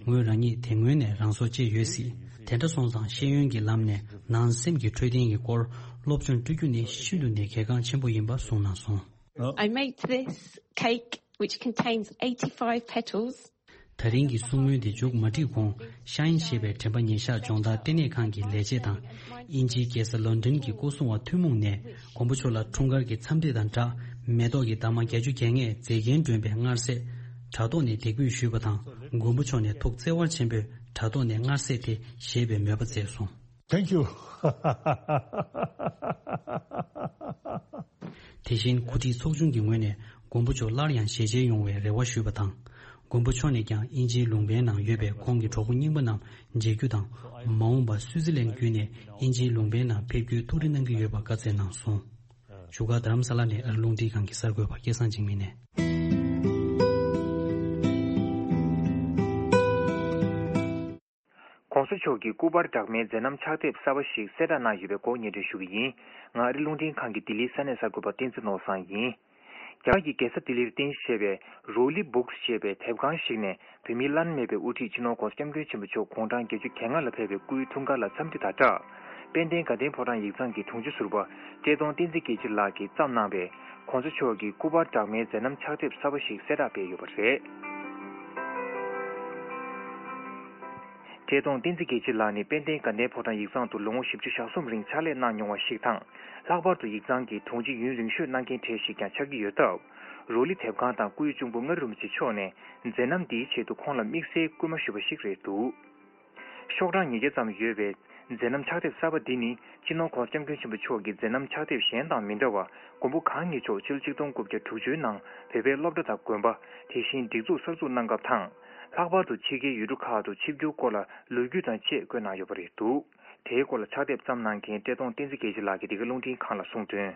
ངོས་རང་ཉིད་དེ་སྔོན་ནས་རང་སྲོག་བཅད་ཡོད་སྲིད། དེ་འདྲ་སོང་ཙང་ཤེས་ཡོན་གྱི་ལམ་ནས་ནང་སེམས་ཀྱི་འཕྲོད་བསྟེན་གྱི་སྐོར་སློབ་སྦྱོང་སྤྲོད་རྒྱུ་ནི་ཤིན་ཏུ་ནས་གལ་འགངས་ཆེན་པོ་ཡིན་པ་གསུངས་གནང་སོང་། I made this cake which contains eighty-five petals. ད་རིང་གི་གསུང་མོལ་འདི་མཇུག་མ་སྒྲིལ་གོང་ཤ་ཡིན་ཞེས་པའི་དྲན་པ་ཉེར་བཞག་སྦྱོང་བརྡར་ལྟེ་གནས་ཁང་གི་ལས་བྱེད་དང་། དབྱིན་ཇིའི་རྒྱལ་ས་ལོན་ཌོན་གྱི་སྐུ་སྲུང་བ་ཐུན་མོང་ནས་མགོན་པོ་མཆོག་ལ་འཁྲུངས་སྐར་གྱི་འཚམས་འདྲི་དང་སྦྲགས་མེ་ཏོག་གི་འདབ་མ་བརྒྱད་ཅུ་གྱ་ལྔས་མཛེས་རྒྱན་སྒྲོན་པའི་མངར་ཟས་དྲ་ཐོག་ནས་འདེགས་འབུལ་ཞུས་པ་དང་། མགོན་པོ་མཆོག་ནས་ཐུགས་བརྩེ་བ་ཆེན་པོས་དྲ་ཐོག་ནས་མངར་ཟས་དེ་བཞེས་པའི་མོས་པ་མཛད་སོང་། Thank you. དེ་བཞིན་གོ་སྒྲིག་ཚོགས་ཆུང་གི་ངོས་ནས་མགོན་པོ་མཆོག་སླར་ཡང་ཞལ་མཇལ་ཡོང་བའི་རེ་བ་ཞུས་པ་དང་། མགོན་པོ་མཆོག་ནས་ཀྱང་དབྱིན་ཇིའི་ལུང་པའི་ནང་ཡོད་པའི་ཁོང་གི་གྲོགས་པོ་རྙིང་པ་རྣམས་མཇལ་རྒྱུ་དང་། མ་འོངས་པར་སུའུ་ཙི་ལན་བརྒྱུད་ནས་དབྱིན་ཇིའི་ལུང་པའི་ནང་ཕེབས་རྒྱུའི་ཐུགས་རེ་གནང་གི་ཡོད་པ་བཀའ་སྩལ་གནང་སོང་། བཞུགས་སྒར་རྡ་རམ་ས་ལ་ནས་ཨ་རི་རླུང་འཕྲིན་ཁང་གི་གསར་འགོད་པ་སྐལ་བཟང་འཇིགས་མེད་ནས། ༸གོང་ས་མཆོག་གི་སྐུ་པར་འདྲ་མིན་མཛད་རྣམ་ཕྱག་དེབ་གསར་པ་ཞིག་གསལ་བསྒྲགས་གནང་ཡོད་པའི་སྐོར་སྙན་སྒྲོན་ཞུ་གི་ཡིན། ང་ཨ་རི་རླུང་འཕྲིན་ཁང་གི་ལྡི་ལིའི་ས་གནས་གསར་འགོད་པ་བསྟན་འཛིན་ནོར་བཟང་ཡིན། རྒྱ་གར་གྱི་རྒྱལ་ས་ལྡི་ལིར་རྟེན་གཞི་བྱས་པའི་རོ་ལི་བུག་སི་ཞེས་པའི་དེབ་ཁང་ཞིག་ནས་བོད་མིའི་བླ་ན་མེད་པའི་དབུ་ཁྲིད་སྤྱི་ནོར་༸གོང་ས་༸སྐྱབས་མགོན་ཆེན་པོ་མཆོག་དགུང་གྲངས་བརྒྱད་ཅུ་གྱ་ལྔ་ལ་ཕེབས་པའི་སྐུའི་འཁྲུངས་སྐར་ལ་འཚམས་འདྲི་དང་སྦྲགས། དཔལ་ལྡན་དགའ་ལྡན་ཕོ་བྲང་ཡིག་ཚང་གི་དྲུང་ཆེ་ཟུར་པ་བཀྲས་མཐོང་བསྟན་འཛིན་རྒྱལ་མཚན་ལགས་ཀྱིས་བརྩམས་གནང་བའི་༸གོང་ས་མཆོག་གི་སྐུ་པར་འདྲ་མིན་མཛད་རྣམ་ཕྱག་དེབ་གསར་པ་ཞིག་གསལ་བསྒྲགས་སྤེལ་ཡོད་པ་རེད། བཀྲས་མཐོང་བསྟན་འཛིན་རྒྱལ་མཚན་ལགས་ནི་དཔལ་ལྡན་དགའ་ལྡན་ཕོ་བྲང་ཡིག་ཚང་དུ་ལོ་ངོ་བཞི་བཅུ་ཞེ་གསུམ་རིང་ཕྱག་ལས་གནང་མྱོང་བ་ཞིག་དང་། ལྷག་པར་དུ་ཡིག་ཚང་གི་དྲུང་ཆེ་ཡུན་རིང་ཤོས་གནང་མཁན་གྲས་ཤིག་ཀྱང་ཆགས་ཀྱི་ཡོད་སྟབས། རོ་ལི་དེབ་ཁང་དང་སྐུའི་གཅུང་པོ་མངའ་རིས་རིན་པོ་ཆེ་མཆོག་ནས་མཛད་རྣམ་འདིའི་ཆེད་དུ་ཁོང་ལ་དམིགས་བསལ་སྐུལ་མ་ཞུས་པ་ཞིག་རེད་འདུག་ཤོག་གྲངས་ཉིས་བརྒྱ་ཙམ་ཡོད་པའི་མཛད་རྣམ་ཕྱག་དེབ་གསར་པ་འདི་ནི་སྤྱི་ནོར་༸གོང་ས་༸སྐྱབས་མགོན་ཆེན་པོ་མཆོག་གི་མཛད་རྣམ་ཕྱག་དེབ་གཞན་དང་མི་འདྲ་བར། མགོན་པོ་གང་ཉིད་མཆོག་ཕྱི་ལོ་ཆིག་སྟོང་དགུ་བརྒྱ་དྲུག་ཅུའི་ནང་བོད་པའི་སློབ་གྲྭ་དང་དགོན་པ། དེ་བཞིན་སྒྲིག་འཛུགས་གསར་འཛུགས་གནང་སྐབས་དང་ ལྷག་པར་དུ་ཕྱི་རྒྱལ་ཡུལ་གྲུ་ཁག་ཏུ་ཆིབས་བསྒྱུར་སྐོར་ལ་ལོ་རྒྱུས་དང་བཅས་བཀོད་གནང་ཡོད་པ་རེད་འདུག་དེའི་སྐོར་ལ་ཕྱག་དེབ་བརྩམས་གནང་མཁན་བཀྲས་མཐོང་བསྟན་འཛིན་རྒྱལ་མཚན་ལགས་ཀྱིས་འདི་ག་རླུང་འཕྲིན་ཁང་ལ་གསུངས་དོན།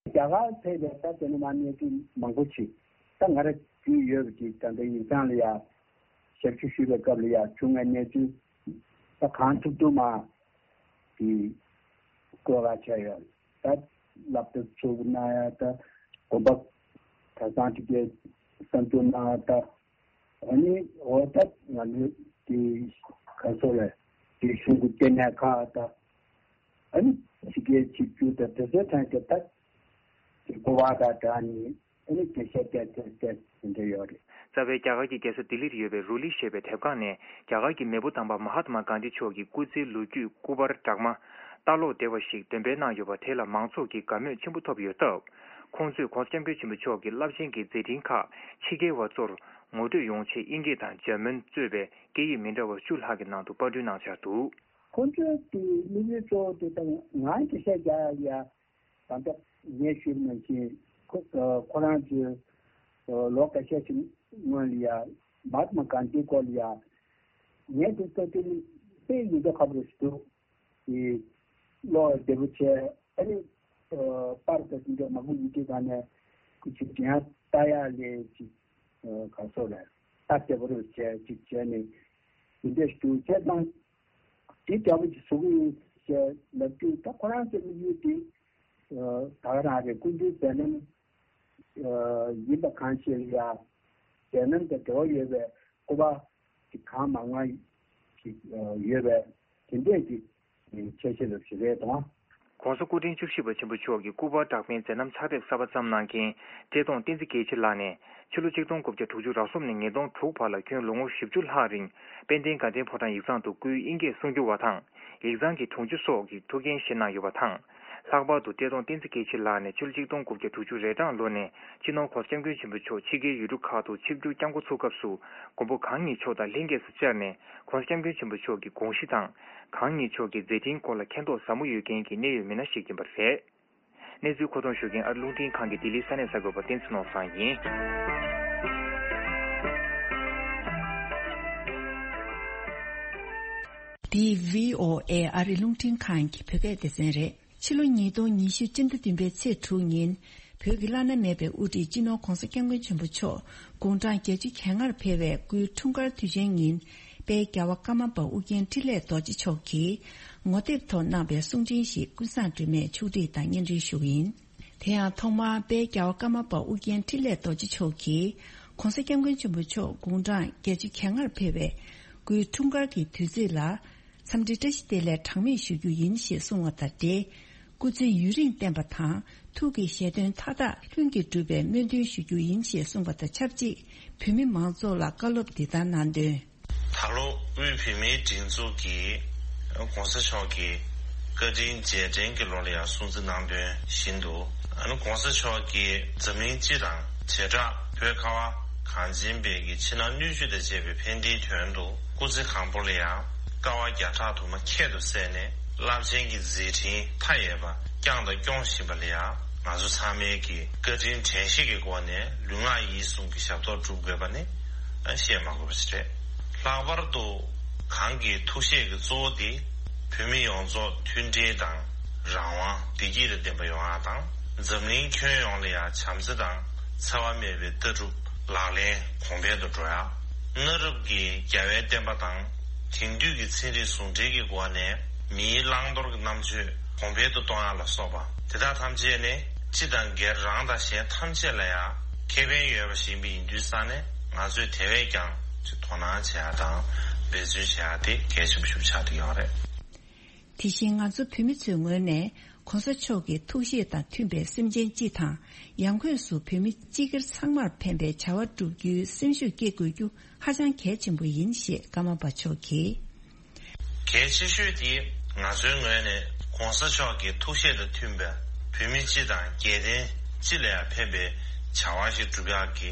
རྒྱ་གར་ཕེབས་པའི་ད་དེ་ནས་མར་གནས་ཚུལ་མང་པོ་ཞིག་ད་ང་རང་རྒྱུས་ཡོད་པ་ཅིག་ད་ལྟ་ཡིག་ཚང་ལ་ཡ་ཞབས་ཞུ་ཞུས་པའི་སྐབས་ལ་ཡ་བྱུང་བའི་གནས་ཚུལ་ད་གང་ཐུབ་ཐུབ་མ་དེ་བཀོད་པ་བྱས་ཡོད། ད་སློབ་གྲྭ་ཚུགས་གནང་ཡ་ད་དགོན་པ་གྲྭ་ཚང་དེ་གའི་གསར་འཛུགས་གནང་ཡ་ད། ཨ་ནི་འོ་ད་ང་ནི་དེ་ག་སོ་ལས་དེ་གཞུང་གི་ལྟེ་གནས་ཁག་དང་ཨ་ནི་ཕྱི་རྒྱལ་ཆིབས་བསྒྱུར་དང་དེ་ཚོའི་ཐད་ཀྱི་ད་དེ་གོ་བ་དང་སྦྲགས་ནས་ཨ་ནི་དེ་བཤད་བསྡད་དེ་བསྡད་དེ་འདྲ་ཡོད་རེད། རྩ་བའི་རྒྱ་གར་གྱི་རྒྱལ་ས་ལྡི་ལིར་ཡོད་པའི་རུ་ལི་ཞེས་པའི་དེབ་ཁང་ནས་རྒྱ་གར་གྱི་མེས་པོ་དམ་པ་མ་ཧཱ་ཏ་མ་གྷན་དྷི་མཆོག་གི་སྐུ་ཚེའི་ལོ་རྒྱུས་སྐུ་པར་སྦྲགས་མ་ལྟ་ཀློག་བདེ་བ་ཞིག་འདོན་སྤེལ་གནང་ཡོད་པ་དེ་ལ་མང་ཚོགས་ཀྱིས་དགའ་མོས་ཆེན་པོ་ཐོབ་ཡོད་སྟབས། ཁོང་ཚོས་༸གོང་ས་༸སྐྱབས་མགོན་ཆེན་པོ་མཆོག་གི་རླབས་ཆེན་གྱི་མཛད་འཕྲིན་ཁག་ཕྱི་རྒྱལ་བ་ཚོར་ངོ་སྤྲོད་ཡོང་ཆེད་དབྱིན་སྐད་དང་འཇར་མན་གཙོས་པའི་སྐད་ཡིག་མི་འདྲ་བ་བཅུ་ལྷག་གི་ནང་དུ་པར་སྐྲུན་གནང་འཆར་འདུག་ཁོང་ཚོའི་དེ་དམིགས་ཡུལ་གཙོ་བོ་དེ་དང་ང་འགྲེལ་བཤད་རྒྱག་ཡ་ད་ལྟ་ངས་ཞུས་པ་ནང་བཞིན་ཁོ་ཁོ་རང་ཚོའི་ལོ་འགའ་ཤས་ཤིག་སྔོན་ལ་ཡ་མ་ཧཱ་ཏ་མ་གྷན་དྷིའི་སྐོར་ལ་ཡ་ངས་དེ་ལྟ་དུས་ནི་དཔེ་ཡིན་འདོད་ཁ་པོ་རེད་འདུག་གི་བློ་བདེ་པོ་བྱས་ཨ་ནི་པར་དང་དེ་འདྲ་མང་པོ་ཡིན་དུས་ག་ནས་ཁོ་ཅིག་དྲན་ལྟ་ཡག་ལས་ཅིག་ག་སོགས་ལ་ལྟ་བདེ་པོ་རེད་བྱས་ཅིག་བྱས་ནས་དེ་འདྲ་ཞིག་བྱས་ཙང་དེ་འདྲ་པོ་ཅིག་བཟོ་གི་ཡིན་ཞེས་ལབ་དུས་ད་ཁོ་རང་ཚོའི་དམིགས་ཡུལ་དེ་ད་ག་རང་རེད། སྐུ་མདུན་མཛད་རྣམ་ཡིན་པ་གང་ཞིག་ལ་ཡ་མཛད་རྣམ་དང་འབྲེལ་བ་ཡོད་པའི་སྐུ་པར་གྱི་གང་མང་མང་ཞིག་ཡོད་པས་དེ་འདྲས་ཀྱི་ཁྱད་ཆོས་ལ་ཞིག་རེད་དང་། ༸གོང་ས་སྐུ་ཕྲེང་བཅུ་བཞི་པ་ཆེན་པོ་མཆོག་གི་སྐུ་པར་འདྲ་མིན་མཛད་རྣམ་ཕྱག་དེབ་གསར་པ་བརྩམས་གནང་མཁན་བཀྲས་མཐོང་བསྟན་འཛིན་རྒྱལ་མཚན་ལགས་ནས་ཕྱི་ལོ་ཆིག་སྟོང་དགུ་བརྒྱ་དྲུག་ཅུ་རབ་གསུམ་ནས་ཉིས་སྟོང་དྲུག་བར་ལ་ཁྱོན་ལོ་ངོ་བཞི་བཅུ་ལྷག་རིང་དཔལ་ལྡན་དགའ་ལྡན་ཕོ་བྲང་ཡིག་ཚང་དུ་སྐུའི་དབྱིན་སྐད་གསུང་སྒྱུར་བ་དང་ཡིག་ཚང་གི་དྲུང་ཆེ་སོགས་ཀྱི་ཐུགས་འགན་བཞེས་གནང་ཡོད་པ་དང་། ལྷག་པར་དུ་བཀྲས་མཐོང་བསྟན་འཛིན་རྒྱལ་མཚན་ལགས་ནས་ཕྱི་ལོ་ཆིག་སྟོང་དགུ་བརྒྱ་དྲུག་ཅུ་རེ་གྲངས་ལོ་ནས་སྤྱི་ནོར་༸གོང་ས་༸སྐྱབས་མགོན་ཆེན་པོ་མཆོག་ཕྱི་རྒྱལ་ཡུལ་གྲུ་ཁག་ཏུ་ཆིབས་བསྒྱུར་བསྐྱངས་འགོ་ཚུགས་སྐབས་སུ་མགོན་པོ་གང་ཉིད་མཆོག་དང་ལྷན་རྒྱས་སུ་བཅར་ནས་༸གོང་ས་༸སྐྱབས་མགོན་ཆེན་པོ་མཆོག་གི་དགོངས་གཞི་དང་། གང་ཉིད་མཆོག་གི་མཛད་འཕྲིན་སྐོར་ལ་མཁྱེན་རྟོགས་ཟབ་མོ་ཡོད་མཁན་གྱི་གནད་ཡོད་མི་སྣ་ཞིག་ཡིན་པ་རེད། གནས་ཚུལ་མཁོ་གཏོང་ཞུ་མཁན་ཨ་རི་རླུང་འཕྲིན་ཁང་གི་ལྡི་ལིའི་ས་གནས་གསར་འགོད་པ་བསྟན་འཛིན་ནོར་བཟང་ཡིན། འདི་བྷི་ཨོ་ཨེ་ཨ་རི་རླུང་འཕྲིན་ཁང་གི་བོད་སྐད་སྡེ་ཚན་རེད། ཕྱི་ལོ་ཉིས་སྟོང་ཉི་ཤུ་སྤྱི་ཟླ་བདུན་པའི་ཚེས་དྲུག་ཉིན། བོད་ཀྱི་བླ་ན་མེད་པའི་དབུ་ཁྲིད་སྤྱི་ནོར་༸གོང་ས་༸སྐྱབས་མགོན་ཆེན་པོ་མཆོག་དགུང་གྲངས་བརྒྱད་ཅུ་གྱ་ལྔར་ཕེབས་པའི་སྐུའི་འཁྲུངས་སྐར་དུས་ཆེན་ཉིན། དཔལ་རྒྱལ་བ་ཀརྨ་པ་ཨོ་རྒྱན་འཕྲིན་ལས་རྡོ་རྗེ་མཆོག་གིས་ངོ་དེབ་ཐོག་གནང་པའི་གསུང་འཕྲིན་ཞིག་ཀུན་བཟང་སྒྲོལ་མས་ཕྱོགས་སྒྲིག་དང་སྙན་སྒྲོན་ཞུ་གི་ཡིན། དེ་ཡང་ཐོག་མར་དཔལ་རྒྱལ་བ་ཀརྨ་པ་ཨོ་རྒྱན་འཕྲིན་ལས་རྡོ་རྗེ་མཆོག་གིས་༸གོང་ས་༸སྐྱབས་མགོན་ཆེན་པོ་མཆོག་དགུང་གྲངས་བརྒྱད་ཅུ་གྱ་ལྔར་ཕེབས་པའི་སྐུའི་འཁྲུངས་སྐར་གྱི་དུས་ཚིགས་ལ། འཚམས་འདྲི་བཀྲ་ཤིས་བདེ་ལེགས་གྲངས་མེད་ཞུ་རྒྱུ་ཡིན་ཞེས་གསུངས་པ་དང་འབྲེལ། སྐུ་ཚེ་ཡུན་རིང་བརྟན་པ་དང་ཐུགས་ཀྱི་བཞེད་དོན་མཐའ་དག་ལྷུན་གྱིས་གྲུབ་པའི་སྨོན་འདུན་ཞུ་རྒྱུ་ཡིན་ཞེས་གསུངས་པ་དང་ཆབས་ཅིག་བོད་མི་མང་ཚོགས་ལ་བཀའ་སློབ་འདི་ལྟར་གནང་དོན། ད་ལོ་དབུས་བོད་མིའི་སྒྲིག་འཛུགས་ཀྱིས་༸གོང་ས་མཆོག་གི་བཀའ་དྲིན་རྗེས་དྲན་གྱི་ལོ་ལ་ཡང་སྲུང་བརྩི་གནང་དོན་བཞིན་དུ། ༸གོང་ས་མཆོག་གིས་འཛམ་གླིང་སྤྱི་དང་བྱེ་བྲག་བོད་ཁ་བ་གངས་ཅན་པའི་གི་ཕྱི་ནང་སྣོད་བཅུད་དང་བཅས་པའི་ཕན་བདེའི་དོན་དུ་སྐུ་ཚེ་གང་པོ་ལ་ཡང་དཀའ་བ་བརྒྱ་ཕྲག་དུ་མ་ཁྱད་དུ་བསད་ནས་རླབས་ཆེན་གྱི་མཛད་འཕྲིན་མཐའ་ཡས་པ་བསྐྱངས་དང་སྐྱོང་བཞིན་པ་ལ་ཡང་ང་ཚོ་ཚང་མའི་གི་བཀའ་དྲིན་དྲན་ཤེས་ཀྱི་སྒོ་ནས་ལུས་ངག་ཡིད་གསུམ་གྱི་ཞབས་ཏོག་སྒྲུབ་དགོས་པ་ནི་བཤད་མ་དགོས་པ་ཞིག་རེད། ལྷག་པར་དུ་གང་གི་ཐུགས་བཞེད་ཀྱི་གཙོ་བོ་དེ་བོད་མི་ཡོངས་རྫོགས་མཐུན་སྒྲིལ་དང་རང་དབང་བདེ་སྐྱིད་དང་ལྡན་པ་ཡོང་བ་དང་། འཛམ་གླིང་ཁྱོན་ཡོངས་ལ་ཡང་བྱམས་བརྩེ་དང་འཚེ་བ་མེད་པའི་ལྟ་གྲུབ་ལག་ལེན་གོང་འཕེལ་དུ་འགྲོ་ཡ། གནའ་རབས་ཀྱི་རྒྱལ་བའི་བསྟན་པ་དང་དེང་དུས་ཀྱི་ཚན་རིག་ཟུང་འབྲེལ་གྱི་སྒོ་ནས་མིའི་བླང་དོར་གྱི་རྣམ་དཔྱོད་གོང་འཕེལ་དུ་གཏོང་ཡ་ལ་སོགས་པ་དེ་དག་ཐམས་ཅད་ནི་སྤྱི་དང་སྒེར་རང་དང་གཞན་ཐམས་ཅད་ལ་ཡང་ཁེ་ཕན་ཡོད་པ་ཞིག་ཡིན་པའི་ཡིན་དུས་ཙང་ནས་ང་ཚོས་དེ་བས་ཀྱང་དོ་སྣང་བྱེད་ཡ་དང་འབད་བརྩོན་བྱེད་ཡ་དེ་གལ་ཆེན་པོ་ཞིག་ཆགས་བསྡད་ཡོད་རེད། དེ་བཞིན་ང་ཚོ་བོད་མི་ཚོའི་ངོས་ནས་༸གོང་ས་མཆོག་གི་ཐུགས་བཞེད་དང་མཐུན་པའི་སེམས་ཅན་སྤྱི་དང་ཡང་སྒོས་སུ་བོད་མི་སྤྱི་སྒེར་ཚང་མར་ཕན་པའི་བྱ་བ་བསྒྲུབ་རྒྱུའི་སེམས་ཤུགས་སྐྱེད་དགོས་རྒྱུ་ཧ་ཅང་གལ་ཆེན་པོ་ཡིན་ཞེས་ཀརྨ་པ་མཆོག་གིས། གལ་ཆེ་ཤོས་དེ་ང་ཚོའི་ངོས་ནས་༸གོང་ས་མཆོག་གི་ཐུགས་བཞེད་དང་མཐུན་པའི་བོད་མི་སྤྱི་དང་རྒྱལ་བསྟན་སྤྱི་ལ་ཡང་ཕན་པའི་བྱ་བ་ཞིག་སྒྲུབ་ཡག་གི་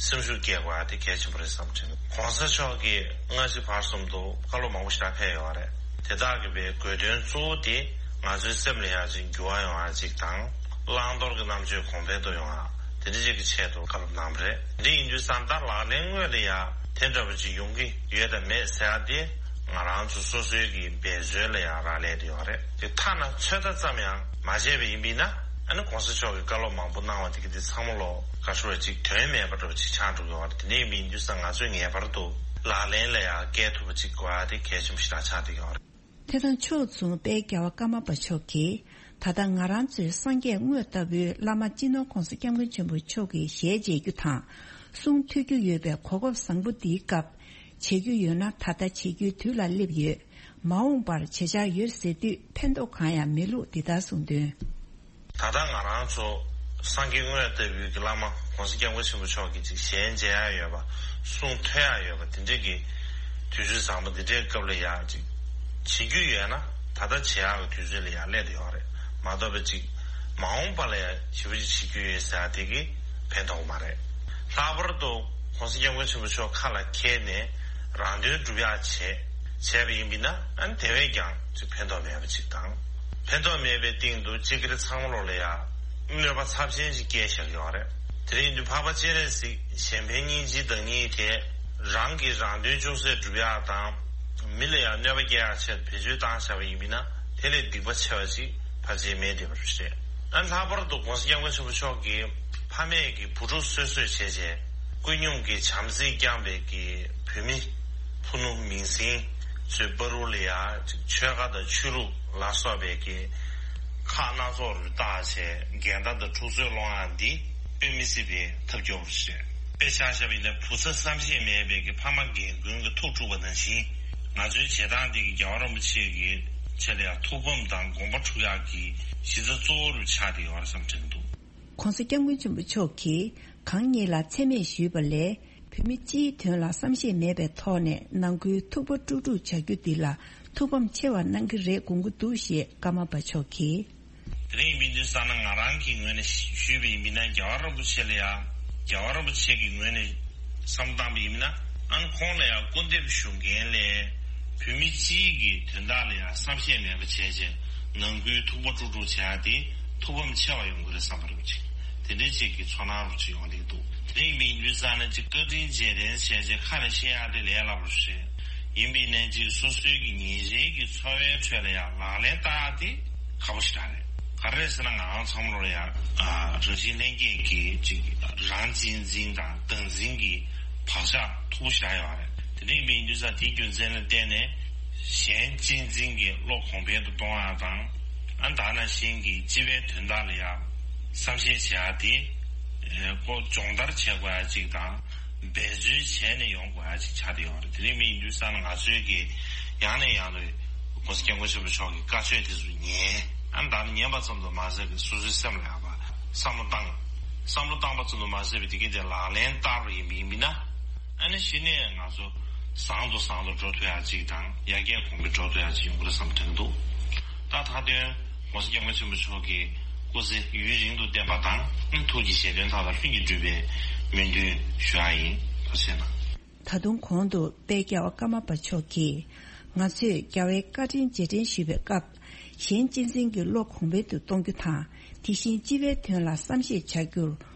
སེམས་ཤུགས་སྐྱེད་དགོས་ཡག་དེ་གལ་ཆེན་པོ་རེད་བསམ་དྲན། ༸གོང་ས་མཆོག་གིས་སྔ་ཕྱི་བར་གསུམ་དུ་བཀའ་སློབ་མང་པོ་ཞིག་ཕེབས་ཡོད་རེད། དེ་དག་གི་བའི་དགོས་དོན་གཙོ་བོ་དེ་ང་ཚོའི་སེམས་ལ་ཡང་ཅིག་འགྱུར་བ་ཡོང་ཡག་ཅིག་དང་། བླང་དོར་གྱི་རྣམ་དཔྱོད་གོང་འཕེལ་དུ་ཡོང་ཡག་དེ་འདྲ་ཅིག་གི་ཆེད་དུ་བཀའ་སློབ་གནང་བ་རེད། འདི་ཡིན་དུས་ཙང་ད་ལག་ལེན་དངོས་ལ་ཡང་དེ་འདྲ་བ་ཅིག་ཡོང་གི་ཡོད་དམ་མེད་ཟེར་ཡ་དེ་ང་རང་ཚོ་སོ་སོའི་གི་འབད་རྩོལ་ལ་ཡང་རག་ལས་དེ་ཡོད་རེད། དེ་ཐ་ན་ཚོད་ལྟ་ཙམ་ཡང་མ་བྱས་པ་ཡིན་པས་ན་ཨ་ནི་གོང་ས་མཆོག་གི་བཀའ་སློབ་མང་པོ་གནང་བ་དེ་གི་དེ་ཚང་མ་ལོ་ག་ཤོར་བ་ཅིག་དོན་མེད་པ་འདྲ་བ་ཅིག་ཆགས་འགྲོ་གི་ཡོད་རེད། དེ་འདྲ་ཡིན་པ་ཡིན་དུས་ཙང་ང་ཚོས་ངེས་པར་དུ་ལག་ལེན་ལ་ཡང་བཀལ་ཐུབ་པ་ཅིག་དགོས་ཡ་དེ་གལ་ཆེན་པོ་ཞིག་ད་ཆགས་བསྡད་ཀྱི་ཡོད་རེད། དེ་དང་ཕྱོགས་མཚུངས་དཔལ་རྒྱལ་བ་ཀརྨ་པ་མཆོག་གིས་ད་ལྟ་ང་རང་ཚོའི་སངས་རྒྱས་དངོས་ལྟ་བུའི་བླ་མ་སྤྱི་ནོར་༸གོང་ས་༸སྐྱབས་མགོན་ཆེན་པོ་མཆོག་གི་ཞལ་མཇལ་རྒྱུ་དང་། གསུང་ཐོས་རྒྱུ་ཡོད་པའི་གོ་སྐབས་བཟང་པོ་འདིའི་སྐབས་བྱེད་རྒྱུ་ཡོད་ན་ད་ལྟ་བྱེད་རྒྱུའི་དུས་ལ་སླེབས་ཡོད། མ་འོངས་པར་བྱེད་འཆར་ཡོད་ཟེར་དུས་ཕན་ཐོགས་གང་ཡང་མེད་ལུགས་འདི་ལྟར་གསུངས་དོན། ད་ལྟ་ང་རང་ཚོ་སངས་རྒྱས་དངོས་ལྟ་བུའི་གི་བླ་མ་༸གོང་ས་༸སྐྱབས་མགོན་ཆེན་པོ་མཆོག་གི་ཅིག་ཞལ་མཇལ་ཡ་ཡོད་པ། གསུང་ཐོས་ཡ་ཡོད་པ་དེ་འདྲའི་གི་དུས་ཚོད་བཟང་པོ་འདི་འདྲའི་སྐབས་ལ་ཡ་ཅིག་བྱེད་རྒྱུ་ཡོད་ན་ད་ལྟ་བྱེད་ཡག་གི་དུས་ཚོད་ལ་ཡ་སླེབས་ཡོད་རེད། མ་གཏོགས་པ་ཅིག་མ་འོངས་པ་ལ་ཡ་ཞེ་པོ་ཅིག་བྱེད་རྒྱུ་ཡོད་ཟེར་ཡ་དེ་གི་ཕན་ཐོགས་མ་རེད། ལྷག་པར་དུ་༸གོང་ས་༸སྐྱབས་མགོན་ཆེན་པོ་མཆོག་ཁ་ལ་འཁྱེར་ནས་རང་དོན་སྒྲུབ་ཡག་བྱས་བྱས་པ་ཡིན་པས་ན་ཨ་ནི་དེ་བས་ཀྱང་ཅིག་ཕན་ཐོགས་མེད་པ་ཅིག་དང་། ཕན་ཐོགས་མེད་པའི་སྟེང་དུ་སྤྱི་སྒེར་ཚང་མ་ལོག་ལ་ཡ་གནོད་པ་ཚབས་ཆེན་ཞིག་སྐྱེལ་བཞག་ཡོད་རེད། དེ་རིང་དུས་འཕགས་པ་སྤྱན་རས་གཟིགས་གཞན་ཕན་སྙིང་རྗེའི་བདག་ཉིད་དེ་རང་གི་རང་དོན་ཅུང་ཟད་སྒྲུབ་ཡག་དང་། མི་ལ་ཡང་གནོད་པ་སྐྱེལ་ཡག་ཆེད་དུ་བེད་སྤྱོད་བཏང་བཞག་པ་ཡིན་པས་ན་དེ་ལས་སྡིག་པ་ཆེ་བ་ཞིག་ཕལ་ཆེར་མེད་བསྡད་པ་རེད། ཨ་ལྷག་པར་དུ་༸གོང་ས་༸སྐྱབས་མགོན་ཆེན་པོ་མཆོག་གིས་ཕ་མས་ཀྱི་བུ་ཕྲུག་གསོད་གསོད་བྱས་བྱས་ཀུན་སྙོམས་ཀྱི་བྱམས་བརྩེས་བསྐྱངས་པའི་གི་བོད་མི་ཕུ་ནུ་མིང་སྲིང་ཚོའི་བར་དུ་ལ་ཡ་ཆོལ་ཁ་དང་ཆོས་ལུགས་ལ་སོགས་པའི་གི་ཁག་སྣ་ཚོགས་རུ་བཏགས་བྱས་འགལ་ཟླ་དང་འཁྲུག་རྩོད་སློང་ཡག་འདི་དཔེ་མི་སྲིད་པའི་ཐབས་སྐྱོ་བོ་རེད། དཔེ་ཆ་བཞག་པ་ཡིན་ན་བུ་ཚ་བསམ་ཤེས་མེད་པའི་གི་ཕ་མ་རྒན་རྒོན་གྱི་ཐུགས་དཀྲུགས་པ་ནང་བཞིན་ང་ཚོའི་བྱེད་སྟངས་འདི་གི་རྒྱལ་བ་རིན་པོ་ཆེ་གི་ཆེད་ལ་ཡང་ཐུགས་ཕམ་དང་དགོངས་པ་འཁྲུག་ཡག་གི་གཞི་རྩ་གཙོ་བོ་རུ་ཆགས་བསྡད་ཡོད་རེད་བསམ་དྲན་འདུག། ༸གོང་ས་༸སྐྱབས་མགོན་ཆེན་པོ་མཆོག་གིས་གང་ཉིད་ལ་མཚན་སྨད་ཞུས་པ་ལས་བོད་མི་སྤྱིའི་དོན་ལ་བསམ་ཤེས་མེད་པའི་ཐོག་ནས་ནང་ཁུལ་ཐུག་པ་དཀྲུག་དཀྲུག་བྱ་རྒྱུ་འདི་ལ་ཐུགས་ཕམ་ཆེ་བ་གནང་གི་རེད་དགོངས་ཀྱི་འདུག་ཞེས་ཀརྨ་པ་མཆོག་གིས། དེ་རིང་ཡིན་པའི་དུས་ཙམ་ན་ང་རང་གི་ངོས་ནས་ཞུས་པ་ཡིན་པས་ན་རྒྱལ་བ་རིན་པོ་ཆེ་ལ་ཡང་རྒྱལ་བ་རིན་པོ་ཆེ་གི་ངོས་ནས་བསམ་བློ་བཏང་པ་ཡིན་ན་ཨ་ནི་ཁོང་ལ་ཡང་སྐུར་འདེབས་ཞུ་མཁན་ལས་བོད་མི་སྤྱིའི་གི་དོན་དག་ལ་ཡང་བསམ་ཤེས་མེད་པ་བྱས་རྗེས་ནང་ཁུལ་ཐུག་པ་དཀྲུག་དཀྲུག་བྱས་ཏེ་ཐུགས་ཕམ་ཆེ་བ་ཡོང་གི་རེད་བསམ་པ་རེད་པ་ཅིག་དེ་འདྲའི་ཅིག་གི་ཚོར་སྣང་རུ་ཅིག་ཡོང་བསྡད་འདུག་དེ་རིང་ཡིན་པའི་དུས་ཙམ་ན་ཅིག་བཀའ་དྲིན་རྗེས་དྲན་བྱས་རྗེས་ཁ་ནས་བཤད་ཡག་དེ་ལས་སླ་པོ་རེད། ཡིན་པའི་ནན་ཅིག་སོ་སོའི་གི་ཉིན་རེའི་གི་འཚོ་བའི་ཁྲོད་ལ་ཡང་ལག་ལེན་བསྟར་ཡག་དེ་ཁག་པོ་ཞིག་རེད། ག་རེ་ཟེར་ན་ང་རང་ཚང་མ་ལོ་ལ་ཡང་རང་བཞིན་ལྷན་སྐྱེས་ཀྱི་ཅིག་རང་གཅེས་འཛིན་དང་བདག་འཛིན་གྱི་བག་ཆགས་མཐུག་པོ་ཞིག་ཡོད་རེད། དེ་འདྲ་ཡིན་པའི་དུས་ཙམ་དེའི་རྒྱུ་མཚན་ལ་བརྟེན་ནས་གཞན་གཅེས་འཛིན་གྱི་བློ་གོང་འཕེལ་དུ་གཏོང་ཡག་དང་ཨ་ད་ནང་བཞིན་གྱི་སྤྱི་པའི་དོན་དག་ལ་ཡང་བསམ་ཤེས་བྱེད་ཡག་དེ་ཁོ་སྦྱོང་བརྡར་བྱེད་དགོས་ཡག་ཅིག་དང་། འབད་རྩོལ་བྱས་ནས་ཡོང་དགོས་ཡ་ཅིག་ཆགས་བསྡད་ཡོད་རེད། དེ་རིང་མི་ཡིན་དུས་ཙང་ང་ཚོའི་གི་ཡང་ནས་ཡང་དུ་༸གོང་ས་༸སྐྱབས་མགོན་ཆེན་པོ་མཆོག་གི་བཀའ་ཆོས་དེ་ཚོ་ཉན། ཨ་ནི་ད་ནི་ཉན་པ་ཙམ་དུ་མ་ཟད་པའི་སོ་སོའི་སེམས་ལ་ཡག་པ་བསམ་བློ་བཏང་། བསམ་བློ་བཏང་པ་ཙམ་དུ་མ་ཟད་པའི་དེ་གི་དེ་ལག་ལེན་བསྟར་བ་ཡིན་པ་ཡིན་པ་ན། ཨ་ནི་གཞི་ནས་ང་ཚོ་བཟང་དུ་བཟང་དུ་འགྲོ་ཐུབ་ཡ་ཅིག་དང་ཡར་རྒྱས་གོང་འཕེལ་འགྲོ་ཐུབ་ཡ་ཅིག་ཡོང་གི་རེད་བསམ་དྲན་འདུག་ད་མཐའ་དོན་༸གོང་ས་༸སྐྱབས་མགོན་ཆེན་པོ་མཆོག་གི་སྐུ་ཚེ་ཡུན་རིང་དུ་བརྟན་པ་དང་ཐུགས་ཀྱི་བཞེད་དོན་མཐའ་དག་ལྷུན་གྱིས་འགྲུབ་པའི་སྨོན་འདུན་ཞུ་ཡ་ཡིན། ཐུགས་རྗེ་གནང་། ད་དུང་གོང་དུ་དཔལ་རྒྱལ་བ་ཀརྨ་པ་མཆོག་གིས་ང་ཚོས་རྒྱལ་བའི་བཀའ་དྲིན་རྗེས་དྲན་ཞུ་བའི་སྐབས་གཞན་གཅེས་འཛིན་གྱི་བློ་གོང་འཕེལ་དུ་གཏོང་རྒྱུ་དང་དེ་བཞིན་སྤྱི་པའི་དོན་ལ་བསམ་ཤེས་བྱ་རྒྱུར་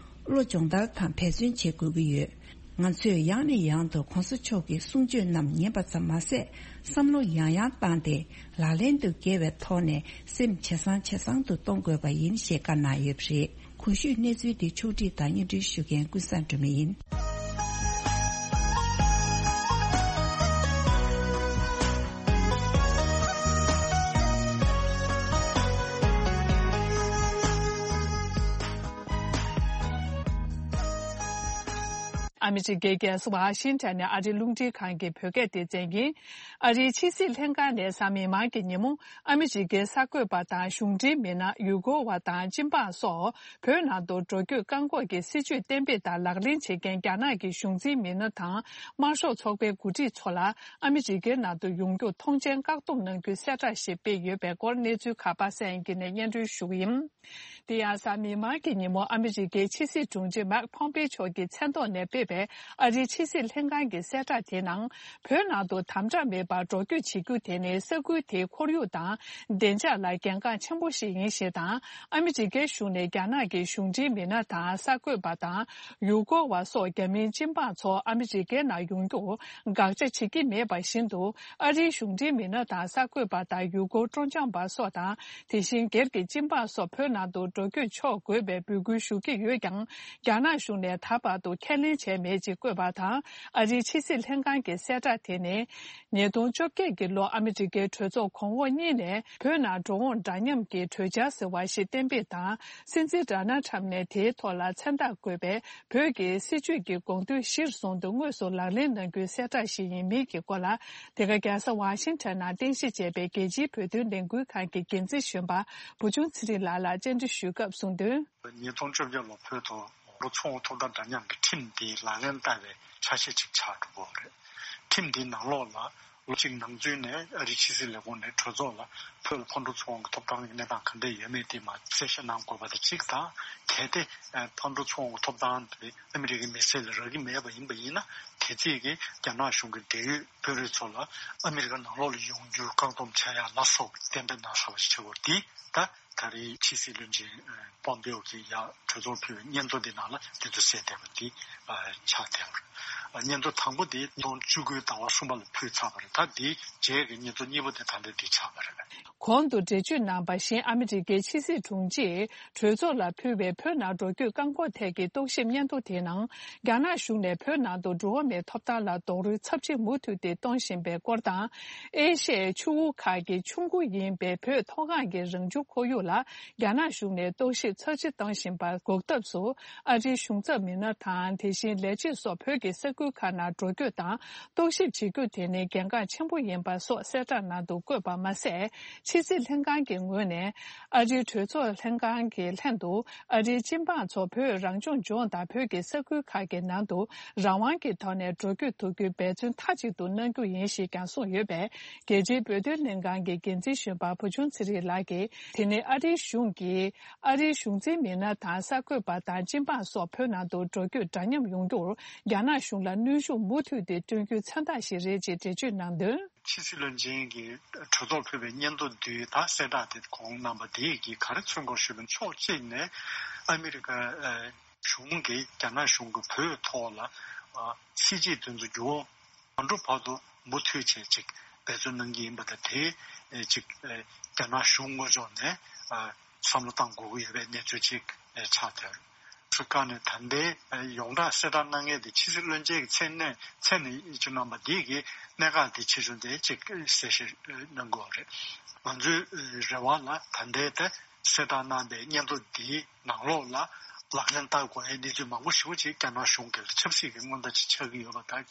བློ་སྦྱོང་བརྡར་དང་འབད་བརྩོན་བྱེད་དགོས་ཀྱི་ཡོད། ང་ཚོས་ཡང་ནས་ཡང་དུ་གོང་ས་མཆོག་གི་གསུང་ཆོས་རྣམས་ཉན་པ་ཙམ་མ་ཟད་བསམ་བློ་ཡང་ཡང་བཏང་སྟེ་ལག་ལེན་དུ་འགེལ་བའི་ཐོག་ནས་སེམས་ཇེ་བཟང་ཇེ་བཟང་དུ་གཏོང་དགོས་པ་ཡིན་ཞེས་བཀའ་གནང་ཡོད་པ་རེད། གོང་ཞུས་གནས་ཚུལ་འདི་ཕྱོགས་སྒྲིག་དང་སྙན་སྒྲོན་ཞུ་མཁན་ཀུན་བཟང་སྒྲོལ་མ་ཡིན། ཨ་མི་རི་ཀའི་རྒྱལ་ས་ཝ་ཤིང་ཊོན་ནས་ཨ་རིའི་རླུང་འཕྲིན་ཁང་གི་བོད་སྐད་སྡེ་ཚན་ཡིན། ཨ་རིའི་ཕྱི་སྲིད་ལྷན་ཁང་ནས་གཟའ་མིག་དམར་གྱི་ཉིན་མོ་ཨ་མི་རི་ཀའི་གསར་འགོད་པ་དང་གཞུང་འབྲེལ་མི་སྣ་ཡུལ་སྐོར་བ་དང་སྤྱི་འབངས་སོགས་བོད་ནང་དུ་འགྲོ་སྐྱོད་བཀག་འགོག་གི་སྲིད་བྱུས་གཏན་འབེབས་དང་ལག་ལེན་བྱེད་མཁན་རྒྱ་ནག་གི་གཞུང་འཛིན་མི་སྣ་དང་དམར་ཤོག་ཚོགས་པའི་འགོ་ཁྲིད་ཚོ་ལ་ཨ་མི་རི་ཀའི་ནང་དུ་ཡོང་རྒྱུར་ཐོངས་མཆན་བཀག་སྡོམ་གནང་རྒྱུའི་གསལ་བསྒྲགས་ཤིག་སྤེལ་ཡོད་པའི་སྐོར་གནས་ཚུལ་ཁག་པ་སངས་དབྱངས་སྐྱིད་ནས་སྙན་སྒྲོན་ཞུ་གི་ཡིན། དེ་ཡང་གཟའ་མིག་དམར་གྱི་ཉིན་མོ་ཨ་མི་རི་ཀའི་ཕྱི་སྲིད་དྲུང་ཆེ་མཱིག་ཕོམ་པེ་མཆོག་གི་མཚན་ཐོག་ནས་སྤེལ་བའི་ཨ་རིའི་ཕྱི་སྲིད་ལྷན་ཁང་གི་གསལ་བསྒྲགས་དེའི་ནང་། བོད་ནང་དུ་དམ་དྲག་མེད་པར་འགྲོ་སྐྱོད་བྱེད་རྒྱུ་དེ་ནི་ས་ཁུལ་དེའི་ཁོར་ཡུག་དང་བདེ་འཇགས་ལ་གལ་འགངས་ཆེན་པོ་ཞིག་ཡིན་ཞེས་དང་། ཨ་མི་རི་ཀའི་གཞུང་ནས་རྒྱ་ནག་གི་གཞུང་འབྲེལ་མི་སྣ་དང་གསར་འགོད་པ་དང་ཡུལ་སྐོར་བ་སོགས་རྒྱ་མིའི་སྤྱི་འབངས་ཚོ་ཨ་མི་རི་ཀའི་ནང་ཡོང་རྒྱུར་དགག་བྱ་བྱེད་ཀྱི་མེད་པ་བཞིན་དུ། ཨ་རིའི་གཞུང་འབྲེལ་མི་སྣ་དང་གསར་འགོད་པ་དང་ཡུལ་སྐོར་སྤྲོ་འཆམ་པ་སོགས་དང་། དེ་བཞིན་སྒེར་གྱི་སྤྱི་འབངས་སོགས་བོད་ནང་དུ་འགྲོ་སྐྱོད་ཆོག་དགོས་པའི་འབོད་སྐུལ་ཞུ་གི་ཡོད་ཀྱང་། རྒྱ་ནག་གཞུང་ནས་ད་བར་དུ་ཁས་ལེན་བྱས་མེད་ཅེས་བཀོད་པ་དང་། ཨ་རིའི་ཕྱི་སྲིད་ལྷན་ཁང་གི་གསལ་བསྒྲགས་དེ་ནི། ཉིས་སྟོང་བཅོ་བརྒྱད་ཀྱི་ལོ་ཨ་མི་རི་ཀའི་གྲོས་ཚོགས་གོང་འོག་གཉིས་ནས་བོད་ནང་འགྲོ་འོང་འདྲ་མཉམ་གྱི་གྲོས་འཆར་ཟེར་བ་ཞིག་གཏན་འབེབས་དང་། སྲིད་འཛིན་ཌོ་ནལ་ཊམ་ནས་དེའི་ཐོག་ལ་མཚན་རྟགས་བཀོད་པའི་བོད་ཀྱི་སྲིད་བྱུས་ཀྱི་དགོངས་དོན་གཞིར་བཟུང་དུ་དངོས་སུ་ལག་ལེན་གནང་རྒྱུའི་གསལ་བསྒྲགས་ཤིག་ཡིན་མིན་གྱི་སྐོར་ལ། དེ་ག་རྒྱལ་ས་ཝ་ཤིང་ཊོན་ནང་རྟེན་གཞི་བྱས་པའི་རྒྱལ་སྤྱིའི་བོད་དོན་ལས་འགུལ་ཁང་གི་འགན་འཛིན་གཞོན་པ་བུ་ཆུང་ཚེ་རིང་ལགས་ལ་བཅར་འདྲི་ཞུས་སྐབས་གསུངས་དོན། ཉིས་སྟོང་བཅོ་བརྒྱད་ལོ་བོད་དུ་ལོ་ཚོང་ཐོབ་ཐང་འདྲ་མཉམ་གྱི་ཁྲིམས་འདི་ལག་ལེན་བསྟར་བའི་ཆ་ཤས་ཅིག་ཆགས་འགྲོ་གི་ཡོད་རེད། ཁྲིམས་འདིའི་ནང་ལོགས་ལ་ལོ་གཅིག་ནང་ཚུད་ནས་ཨ་རིའི་ཕྱི་སྲིད་ལས་ཁུངས་ནས་གྲོས་ཚོགས་ལ་བོད་ལ་ཕར་འགྲོ་ཚུར་འོང་གི་ཐོབ་ཐང་གི་གནས་སྟངས་ག་འདྲ་ཡོད་མེད་དེ་མར་གསལ་བཤད་གནང་དགོས་པ་དང་གཅིག་དང་། གལ་ཏེ་ཕར་འགྲོ་ཚུར་འོང་གི་ཐོབ་ཐང་དེ་ཨ་མི་རི་ཀའི་མི་སེར་ལ་རག་གི་མེད་པ་ཡིན་པ་ཡིན་ན། དེ་རྩིས་ཀྱིས་རྒྱ་ནག་གཞུང་གིས་འབྲེལ་ཡོད་བོད་རིགས་ཚོ་ལ་ཨ་མི་རི་ཀ་ནང་ལོགས་ལ་ཡོང་རྒྱུར་བཀག་སྡོམ་བྱ་ཡ་ལ་སོགས་གཏན་འབེབས་གནང་ཚར་བ་ཞིག་ཆགས་ཡོད་དེ། ད་ད་རེས་ཕྱི་སྲིད་བློན་ཆེན་པོམ་པེའོ་གིས་ཡར་གྲོས་ཚོགས་ཕུལ་བའི་སྙན་ཐོ་འདི་ནང་ལ་འདི་ཚོ་གསལ་བསྡད་པ་འདི་ཆགས་བསྡད་ཡོད། སྙན་ཐོ་དང་པོ་དེ་ཉིས་སྟོང་བཅུ་དགུའི་ཟླ་བ་གསུམ་པ་ལ་ཕུལ་ཚར་བ་རེད། ད་འདིའི་རྗེས་ཀྱི་སྙན་ཐོ་གཉིས་པ་དེ་ད་ལྟ་འདི་ཆགས་པ་རེད། གོང་དུ་འགྲེལ་བརྗོད་གནང་བ་བཞིན། ཨ་མི་རི་ཀའི་ཕྱི་སྲིད་དྲུང་ཆེས་གྲོས་ཚོགས་ལ་ཕུལ་བའི་བོད་ནང་འགྲོ་སྐྱོད་བཀག་འགོག་ཐད་ཀྱི་རྟོག་ཞིབ་སྙན་ཐོ་དེའི་ནང་། རྒྱ་ནག་གཞུང་ནས་བོད་ནང་དུ་འགྲོ་བ་མིའི་ཐོབ་ཐང་ལ་རྡོག་རོལ་ཚབས་ཆེ་མུ་མཐུད་དེ་གཏོང་བཞིན་པའི་སྐོར་དང་། ཨེ་ཤི་ཡའི་ཆུ་བོ་ཁག་གི་ཆུ་མགོ་ཡིན་པའི་བོད་མཐོ་སྒང་གི་རང་བྱུང་ཁོར་ཡུག་ལ་རྒྱ་ནག་གཞུང་ནས་རྟོག་ཞིབ་ཚབས་ཆེ་གཏོང་བཞིན་པ་འགོག་ཐབས་སུ། ཨ་རིའི་གཞུང་ཚབ་མི་སྣ་དང་། དེ་བཞིན་ལས་བྱེད་སོགས་བོད་ཀྱི་ས་ཁུལ་ཁག་ནང་འགྲོ་སྐྱོད་དང་རྟོག་ཞིབ་བྱེད་རྒྱུ་དེ་ནི་གལ་འགངས་ཆེན་པོ་ཡིན་པ་སོགས་གསལ་བསྒྲགས་ནང་དུ་བཀོད་པ་མ་ཟད། ཕྱི་སྲིད་ལྷན་ཁང་གི་ངོས་ནས་ཨ་རིའི་གྲོས་ཚོགས་ལྷན་ཁང་གི་ལྷན་དུ། ཨ་རིའི་སྤྱི་འབངས་ཚོ་བོད་རང་སྐྱོང་ལྗོངས་དང་བོད་ཀྱི་ས་ཁུལ་ཁག་གི་ནང་དུ་རང་དབང་གི་ཐོག་ནས་འགྲོ་སྐྱོད་ཐུབ་རྒྱུའི་འབད་བརྩོན་མཐའ་གཅིག་ཏུ་གནང་རྒྱུ་ཡིན་ཞེས་ཀྱང་གསུངས་ཡོད་པས། རྒྱལ་སྤྱིའི་བོད་དོན་ལྷན་ཁང་གི་འགན་འཛིན་གཞོན་པ་བུ་ཆུང་ཚེ་རིང་ལགས་ཀྱིས། དེ་ནི་ཨ་རིའི་གཞུང་གིས་ཨ་རིའི་གཞུང་འཛིན་མི་སྣ་དང་གསར་འགོད་པ་དང་སྤྱི་འབངས་སོགས་བོད་ནང་དུ་འགྲོ་སྐྱོད་འདྲ་མཉམ་ཡོང་རྒྱུར་རྒྱ་ནག་གཞུང་ལ་གནོན་ཤུགས་མུ་མཐུད་དེ་སྤྲོད་རྒྱུའི་མཚོན་རྟགས་ཤིག་རེད་ཅེས་འགྲེལ་བརྗོད་གནང་དོན། ཕྱི་སྲིད་བློན་ཆེན་གྱིས་གྲོས་ཚོགས་ཕུལ་བའི་སྙན་ཐོ་བསྡུས་དང་གསལ་བསྒྲགས་དེ་གོང་གནང་པ་དེ་གིས་ག་རེ་མཚོན་གྱི་ཡོད་ཞུས་པ་ན། ཕྱོགས་གཅིག་ནས་ཨ་མི་རི་ཀ་གཞུང་གིས་རྒྱ་ནག་གཞུང་གིས་བོད་ཐོག་ལ་སྲིད་ཇུས་དེ་ཚོ་འགྱུར་བ་མ་འགྲོ་བར་དུ་མུ་མཐུད་བྱས་ཅིག་འབད་བརྩོན་གནང་གི་ཡིན་པ་དང་། དེ་ཅིག་རྒྱ་ནག་གཞུང་ངོས་ཕྱོགས་ནས་བསམ་བློ་བཏང་དགོས་ཀྱི་ཡོད་པའི་གནས་ཚུལ་ཅིག་ཆགས་བསྡད། ཧྥི་ཀ་ནས་ད་ལྟའི་ཡོངས་གྲགས་གསལ་བསྒྲགས་གནང་མཁན་དེ་ཕྱི་སྲིད་བློན་ཆེན་གྱི་མཚན་གནས་མཚན་ནས་ཡིད་ཆེས་གནང་པ་འདི་གི་གནད་འགག་དེ་ཆེ་ཆུང་དེ་གཅིག་གསལ་བཤད་གནང་དགོས་པ་རེད། ང་ཚོའི་རེ་བ་ལ་ད་ལྟའི་དེ་གསལ་བསྒྲགས་གནང་པའི་སྙན་ཐོ་འདིའི་ནང་ལོགས་ལ་ལག་ལེན་བསྟར་དགོས་ཡའི་གནས་ཚུལ་མང་པོ་ཞེ་པོ་ཅིག་རྒྱ་ནག་གཞུང་གིས་ཆབ་སྲིད་ཀྱི་སྔོན་བརྡ་ཅིག་ཆགས་ཀྱི་ཡོད་པ་དང་།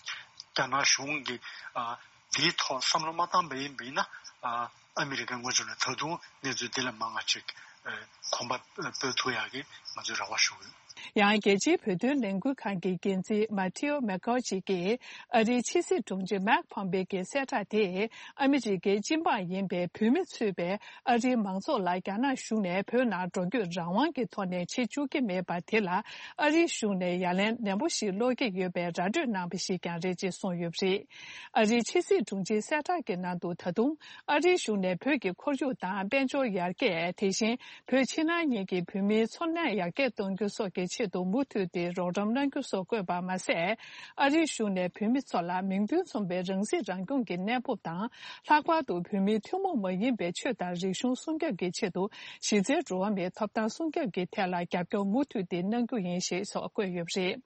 རྒྱ་ནག་གཞུང་གིས་ཨ་འདིའི་ཐོག་བསམ་བློ་མ་བཏང་པ་ཡིན་པ་ཡིན་ན། ཨ་ཨ་མི་རི་ཀའི་ངོས་ཕྱོགས་ནས་ད་དུང་གནས་ཚུལ་འདི་ལས་མང་བ་ཅིག་ཨ་གོམ་པ་སྤོས་ཐུབ་ཡག་གི་ང་ཚོས་རེ་བ་ཞུ་གི་ཡོད། ཡང་རྒྱལ་སྤྱིའི་བོད་དོན་ལས་འགུལ་ཁང་གི་འགན་འཛིན་མ་ཐེའོ་མེ་ཀོ་ཅི་གིས། ཨ་རིའི་ཕྱི་སྲིད་དྲུང་ཆེ་མཱིག་ཕོམ་པེ་གྱི་གསལ་བསྒྲགས་དེས། ཨ་མི་རི་ཀའི་སྤྱི་འབངས་ཡིན་པའི་བོད་མི་ཚུད་པའི་ཨ་རིའི་མང་ཚོགས་ལ་རྒྱ་ནག་གཞུང་ནས་བོད་ནང་འགྲོ་སྐྱོད་རང་དབང་གི་ཐོག་ནས་བྱེད་བཅུག་གི་མེད་པ་དེ་ལ། ཨ་རིའི་གཞུང་ནས་ཡ་ལན་ནན་པོ་ཞིག་སློག་གི་ཡོད་པའི་ར་སྤྲོད་གནང་བ་ཞིག་ཀྱང་རེད་ཅེས་གསུངས་ཡོད་པ་རེད། ཨ་རིའི་ཕྱི་སྲིད་དྲུང་ཆེའི་གསལ་བསྒྲགས་ཀྱི་ནང་དུ། ད་དུང་ཨ་རིའི་གཞུང་ནས་བོད་ཀྱི་ཁོར་ཡུག་དང་དཔལ་འབྱོར་ཡར་རྒྱས། དེ་བཞིན་བོད་ཕྱི་ནང་གཉིས་ཀྱི་བོད་མིའི་འཚོ་གནས་ཡར་རྒྱས་གཏོང་རྒྱུ་སོགས་ཀྱི་ཆེད་དུ་མུ་མཐུད་དེ་རོགས་རམ་གནང་རྒྱུ་སོགས་བཀོད་པ་མ་ཟད། ཨ་རིའི་གཞུང་ནས་བོད་མི་ཚོ་ལ་མིང་དོན་མཚུངས་པའི་རང་སྲིད་རང་སྐྱོང་གི་གནས་བབ་དང་། ལྷག་པར་དུ་བོད་མིའི་ཐུན་མོང་མ་ཡིན་པའི་ཆོས་དང་རིག་གཞུང་སྲུང་སྐྱོབ་ཀྱི་ཆེད་དུ་གཞི་རྩའི་འགྲོ་བ་མིའི་ཐོབ་ཐང་སྲུང་སྐྱོབ་ཀྱི་ཐད་ལ་རྒྱབ་སྐྱོར་མུ་མཐུད་དེ་གནང་རྒྱུ་ཡིན་ཞེས་སོགས་བཀོད་ཡོད་པ་རེད།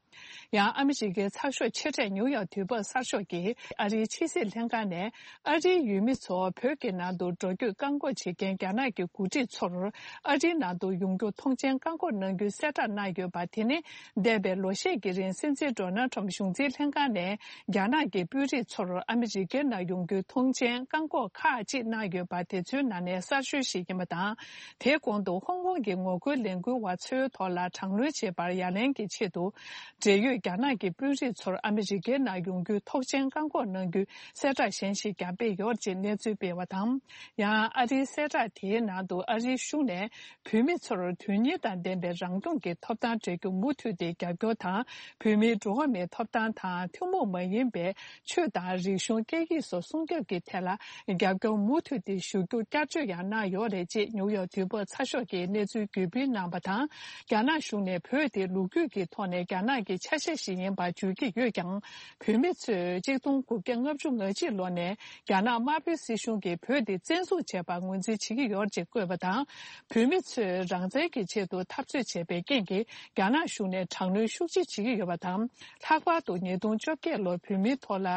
ཡང་ཨ་མི་རི་ཀའི་ཚགས་ཤོག་ཆེ་གྲས་ནིའུ་ཡོག་དུས་བབ་གསར་ཤོག་གིས་ཨ་རིའི་ཕྱི་སྲིད་ལྷན་ཁང་ནས་ཨ་རིའི་ཡུལ་མི་ཚོ་བོད་ཀྱི་ནང་དུ་འགྲོ་སྐྱོད་བཀག་འགོག་བྱེད་མཁན་རྒྱ་ནག་གི་འགོ་ཁྲིད་ཚོར་ཨ་རིའི་ནང་དུ་ཡོང་རྒྱུ་ཐོངས་མཆན་བཀག་འགོག་གནང་རྒྱུའི་གསལ་བསྒྲགས་གནང་ཡོད་པ། པ་དེ་ནི། འདས་པའི་ལོ་ཤས་ཀྱི་རིང་སྲིད་འཛིན་ཌོ་ནལ་ཁྲམ་གཞུང་འཛིན་ལྷན་ཁང་ནས་རྒྱ་ནག་གི་དཔོན་རིགས་ཚོར་ཨ་མི་རི་ཀའི་ནང་ཡོང་རྒྱུའི་ཐོངས་མཆན་བཀག་འགོག་ཁག་ཅིག་གནང་ཡོད་པ་དེ་ཚོའི་ནང་ནས་གསར་ཤོས་ཤིག་ཡིན་པ་དང་། དེའི་གོང་དུ་ཧོང་ཀོང་གི་ངོ་རྒོལ་ལས་འགུལ་བ་ཚོའི་ཐོག་ལ་དྲག་གནོན་བྱེད་པར་ཡ་ལན་གྱི་ཆེད་དུ། འབྲེལ་ཡོད་རྒྱ་ནག་གི་དཔོན་རིགས་ཚོར་ཨ་མི་རི་ཀའི་ནང་ཡོང་རྒྱུའི་ཐོག་མཆན་བཀག་འགོག་གནང་རྒྱུའི་གསལ་བསྒྲགས་གཞན་ཞིག་ཀྱང་སྤེལ་ཡོད་ཅེས་གནས་ཚུལ་སྤེལ་བ་དང་། ཡང་ཨ་རིའི་གསལ་བསྒྲགས་དེའི་ནང་དུ་ཨ་རིའི་གཞུང་ནས་བོད་མི་ཚོར་དོན་གཉེར་དང་ལྡན་པའི་རང་སྐྱོང་གི་ཐོབ་ཐང་སྤྲད་རྒྱུ་མུ་མཐུད་དེ་རྒྱབ་སྐྱོར་དང་། བོད་མིའི་འགྲོ་བ་མིའི་ཐོབ་ཐང་དང་ཐུན་མོང་མ་ཡིན་པའི་ཆོས་དང་རིག་གཞུང་སྐད་ཡིག་སོགས་སྲུང་སྐྱོབ་ཀྱི་ཐད་ལ་རྒྱབ་སྐྱོར་མུ་མཐུད་དེ་ཞུ་རྒྱུ་བསྐྱར་བརྗོད་ཡང་གནང་ཡོད་རེད་ཅེས་ནིའུ་ཡོག་དུས་བབ་ཚགས་ཤོག་གིས་གནས་ཚུལ་བརྒྱུད་སྤེལ་གནང་བ་དང་། རྒྱ་ནག་གཞུང་ནས་བོད་དེ་ལོ་རྒྱུས་ཀྱི་ཐོག་ནས་རྒྱ་ནག་གི་ཆ་ཤས་ཤིག་ཡིན་པར་བརྗོད་ཀྱི་ཡོད་ཀྱང་། བོད་མི་ཚོས་གཅིག་སྟོང་དགུ་བརྒྱ་ལྔ་བཅུ་ང་གཅིག་ལོ་ནས་རྒྱ་ནག་དམར་པོའི་སྲིད་གཞུང་གིས་བོད་དེ་བཙན་བཟུང་བྱས་པར་ངོས་འཛིན་བྱེད་ཀྱི་ཡོད་ཅེས་བཀོད་པ་དང་། བོད་མི་ཚོས་རང་བཙན་གྱི་ཆེད་དུ་འཐབ་རྩོད་བྱས་པའི་རྐྱེན་གྱིས་རྒྱ་ནག་གཞུང་ནས་དྲག་གནོན་ཤུགས་ཆེ་བྱེད་ཀྱི་ཡོད་པ་དང་། ལྷག་པར་དུ་ཉིས་སྟོང་བཅོ་བརྒྱད་ལོར་བོད་མིའི་ཐོག་ལ་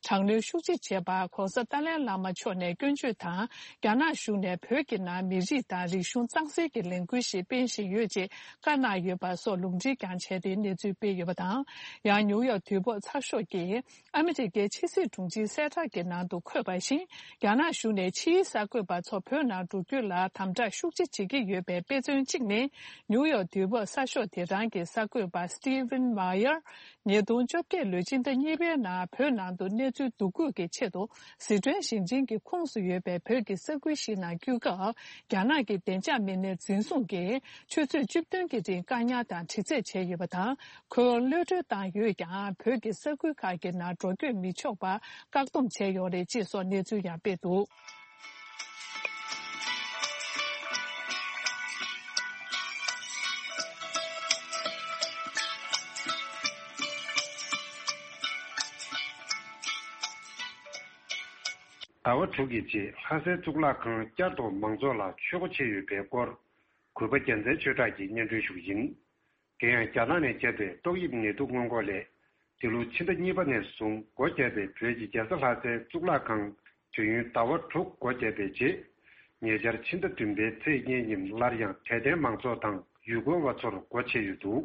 དྲག་གནོན་ཤུགས་ཆེ་བྱས་པར་༧གོང་ས་ཏཱ་ལའི་བླ་མ་མཆོག་ནས་སྐྱོན་བརྗོད་དང་། རྒྱ་ནག་གཞུང་ནས་བོད་ཀྱི་ནང་མི་རིགས་དང་རིག་གཞུང་གཙང་སེལ་གྱི་ལས་འགུལ་ཞིག་སྤེལ་བཞིན་ཡོད་ཅེས་བཀའ་གནང་ཡོད་པ་སོགས་ལུང་འདྲེན་ཀྱང་བྱས་ཏེ་གནས་ཚུལ་སྤེལ་ཡོད་པ་དང་། ཡང་ནིའུ་ཡོག་དུས་བབ་ཚགས་ཤོག་གིས་ཨ་མི་རི་ཀའི་ཕྱི་སྲིད་དྲུང་ཆེའི་གསལ་བསྒྲགས་ཀྱི་ནང་དུ་འཁོད་པ་བཞིན། རྒྱ་ནག་གཞུང་ནས་ཕྱིའི་གསར་འགོད་པ་ཚོ་བོད་ནང་འགྲོ་རྒྱུ་ལ་དམ་དྲག་ཤུགས་ཆེ་བྱེད་ཀྱི་ཡོད་པའི་དཔེ་མཚོན་གཅིག་ནི། ནིའུ་ཡོག་དུས་བབ་གསར་ཤོག་དེ་རང་གི་གསར་འགོད་པ་Stephen Meyer། ཉིས་སྟོང་བཅོ་བརྒྱད་ལོའི་ཕྱི་ཟླ་གཉིས་པའི་ནང་བོད་ནང་དུ་གནས་ཚུལ་བསྡུ་སྐུལ་གྱི་ཆེད་དུ་ཟི་ཁྲོན་ཞིང་ཆེན་གྱི་ཁོངས་སུ་ཡོད་པའི་བོད་ཀྱི་ས་ཁུལ་ཞིག་ནང་སྐྱོད་སྐབས། རྒྱ་ནག་གི་བདེ་འཇགས་མི་སྣའི་འཛིན་བཟུང་གིས་ཆུ་ཚོད་བཅུ་བདུན་གྱི་རིང་བཀག་ཉར་དང་དྲི་རྩད་བྱས་ཡོད་པ་དང་། ཁོས་གློད་གྲོལ་བཏང་ཡོད་ཀྱང་། བོད་ཀྱི་ས་ཁུལ་ཁག་གི་ནང་འགྲོ་སྐྱོད་མི་ཆོག་པར་བཀག་སྡོམ་བྱས་ཡོད་རེད་ཅེས་སོགས་གནས་ཚུལ་ཡང་སྤེལ་འདུག་ཟླ་བ་དྲུག་གི་རྗེས་ལྷ་སའི་གཙུག་ལག་ཁང་བསྐྱར་དུ་མང་ཚོགས་ལ་ཆོས་སྒོ་ཕྱེ་ཡོད་པའི་སྐོར། གུས་པ་རྒྱལ་མཚན་ཆོས་གྲགས་ཀྱིས་སྙན་སྒྲོན་ཞུ་གི་ཡིན། དེ་ཡང་རྒྱ་ནག་ནས་བསྐྱབས་པའི་ཏོག་དབྱིབས་ནད་དུག་སྔོན་འགོག་ལས། འདི་ལོ་ཕྱི་ཟླ་གཉིས་པ་ནས་བཟུང་སྒོ་བརྒྱབ་པའི་བོད་ཀྱི་རྒྱལ་ས་ལྷ་སའི་གཙུག་ལག་ཁང་དུས་ཡུན་ཟླ་བ་དྲུག་སྒོ་བརྒྱབ་པའི་རྗེས། ཉེ་ཆར་ཕྱི་ཟླ་བདུན་པའི་ཚེས་གཉིས་ཉིན་སླར་ཡང་དད་ལྡན་མང་ཚོགས་དང་ཡུལ་སྐོར་བ་ཚོར་སྒོ་ཕྱེ་ཡོད་འདུག་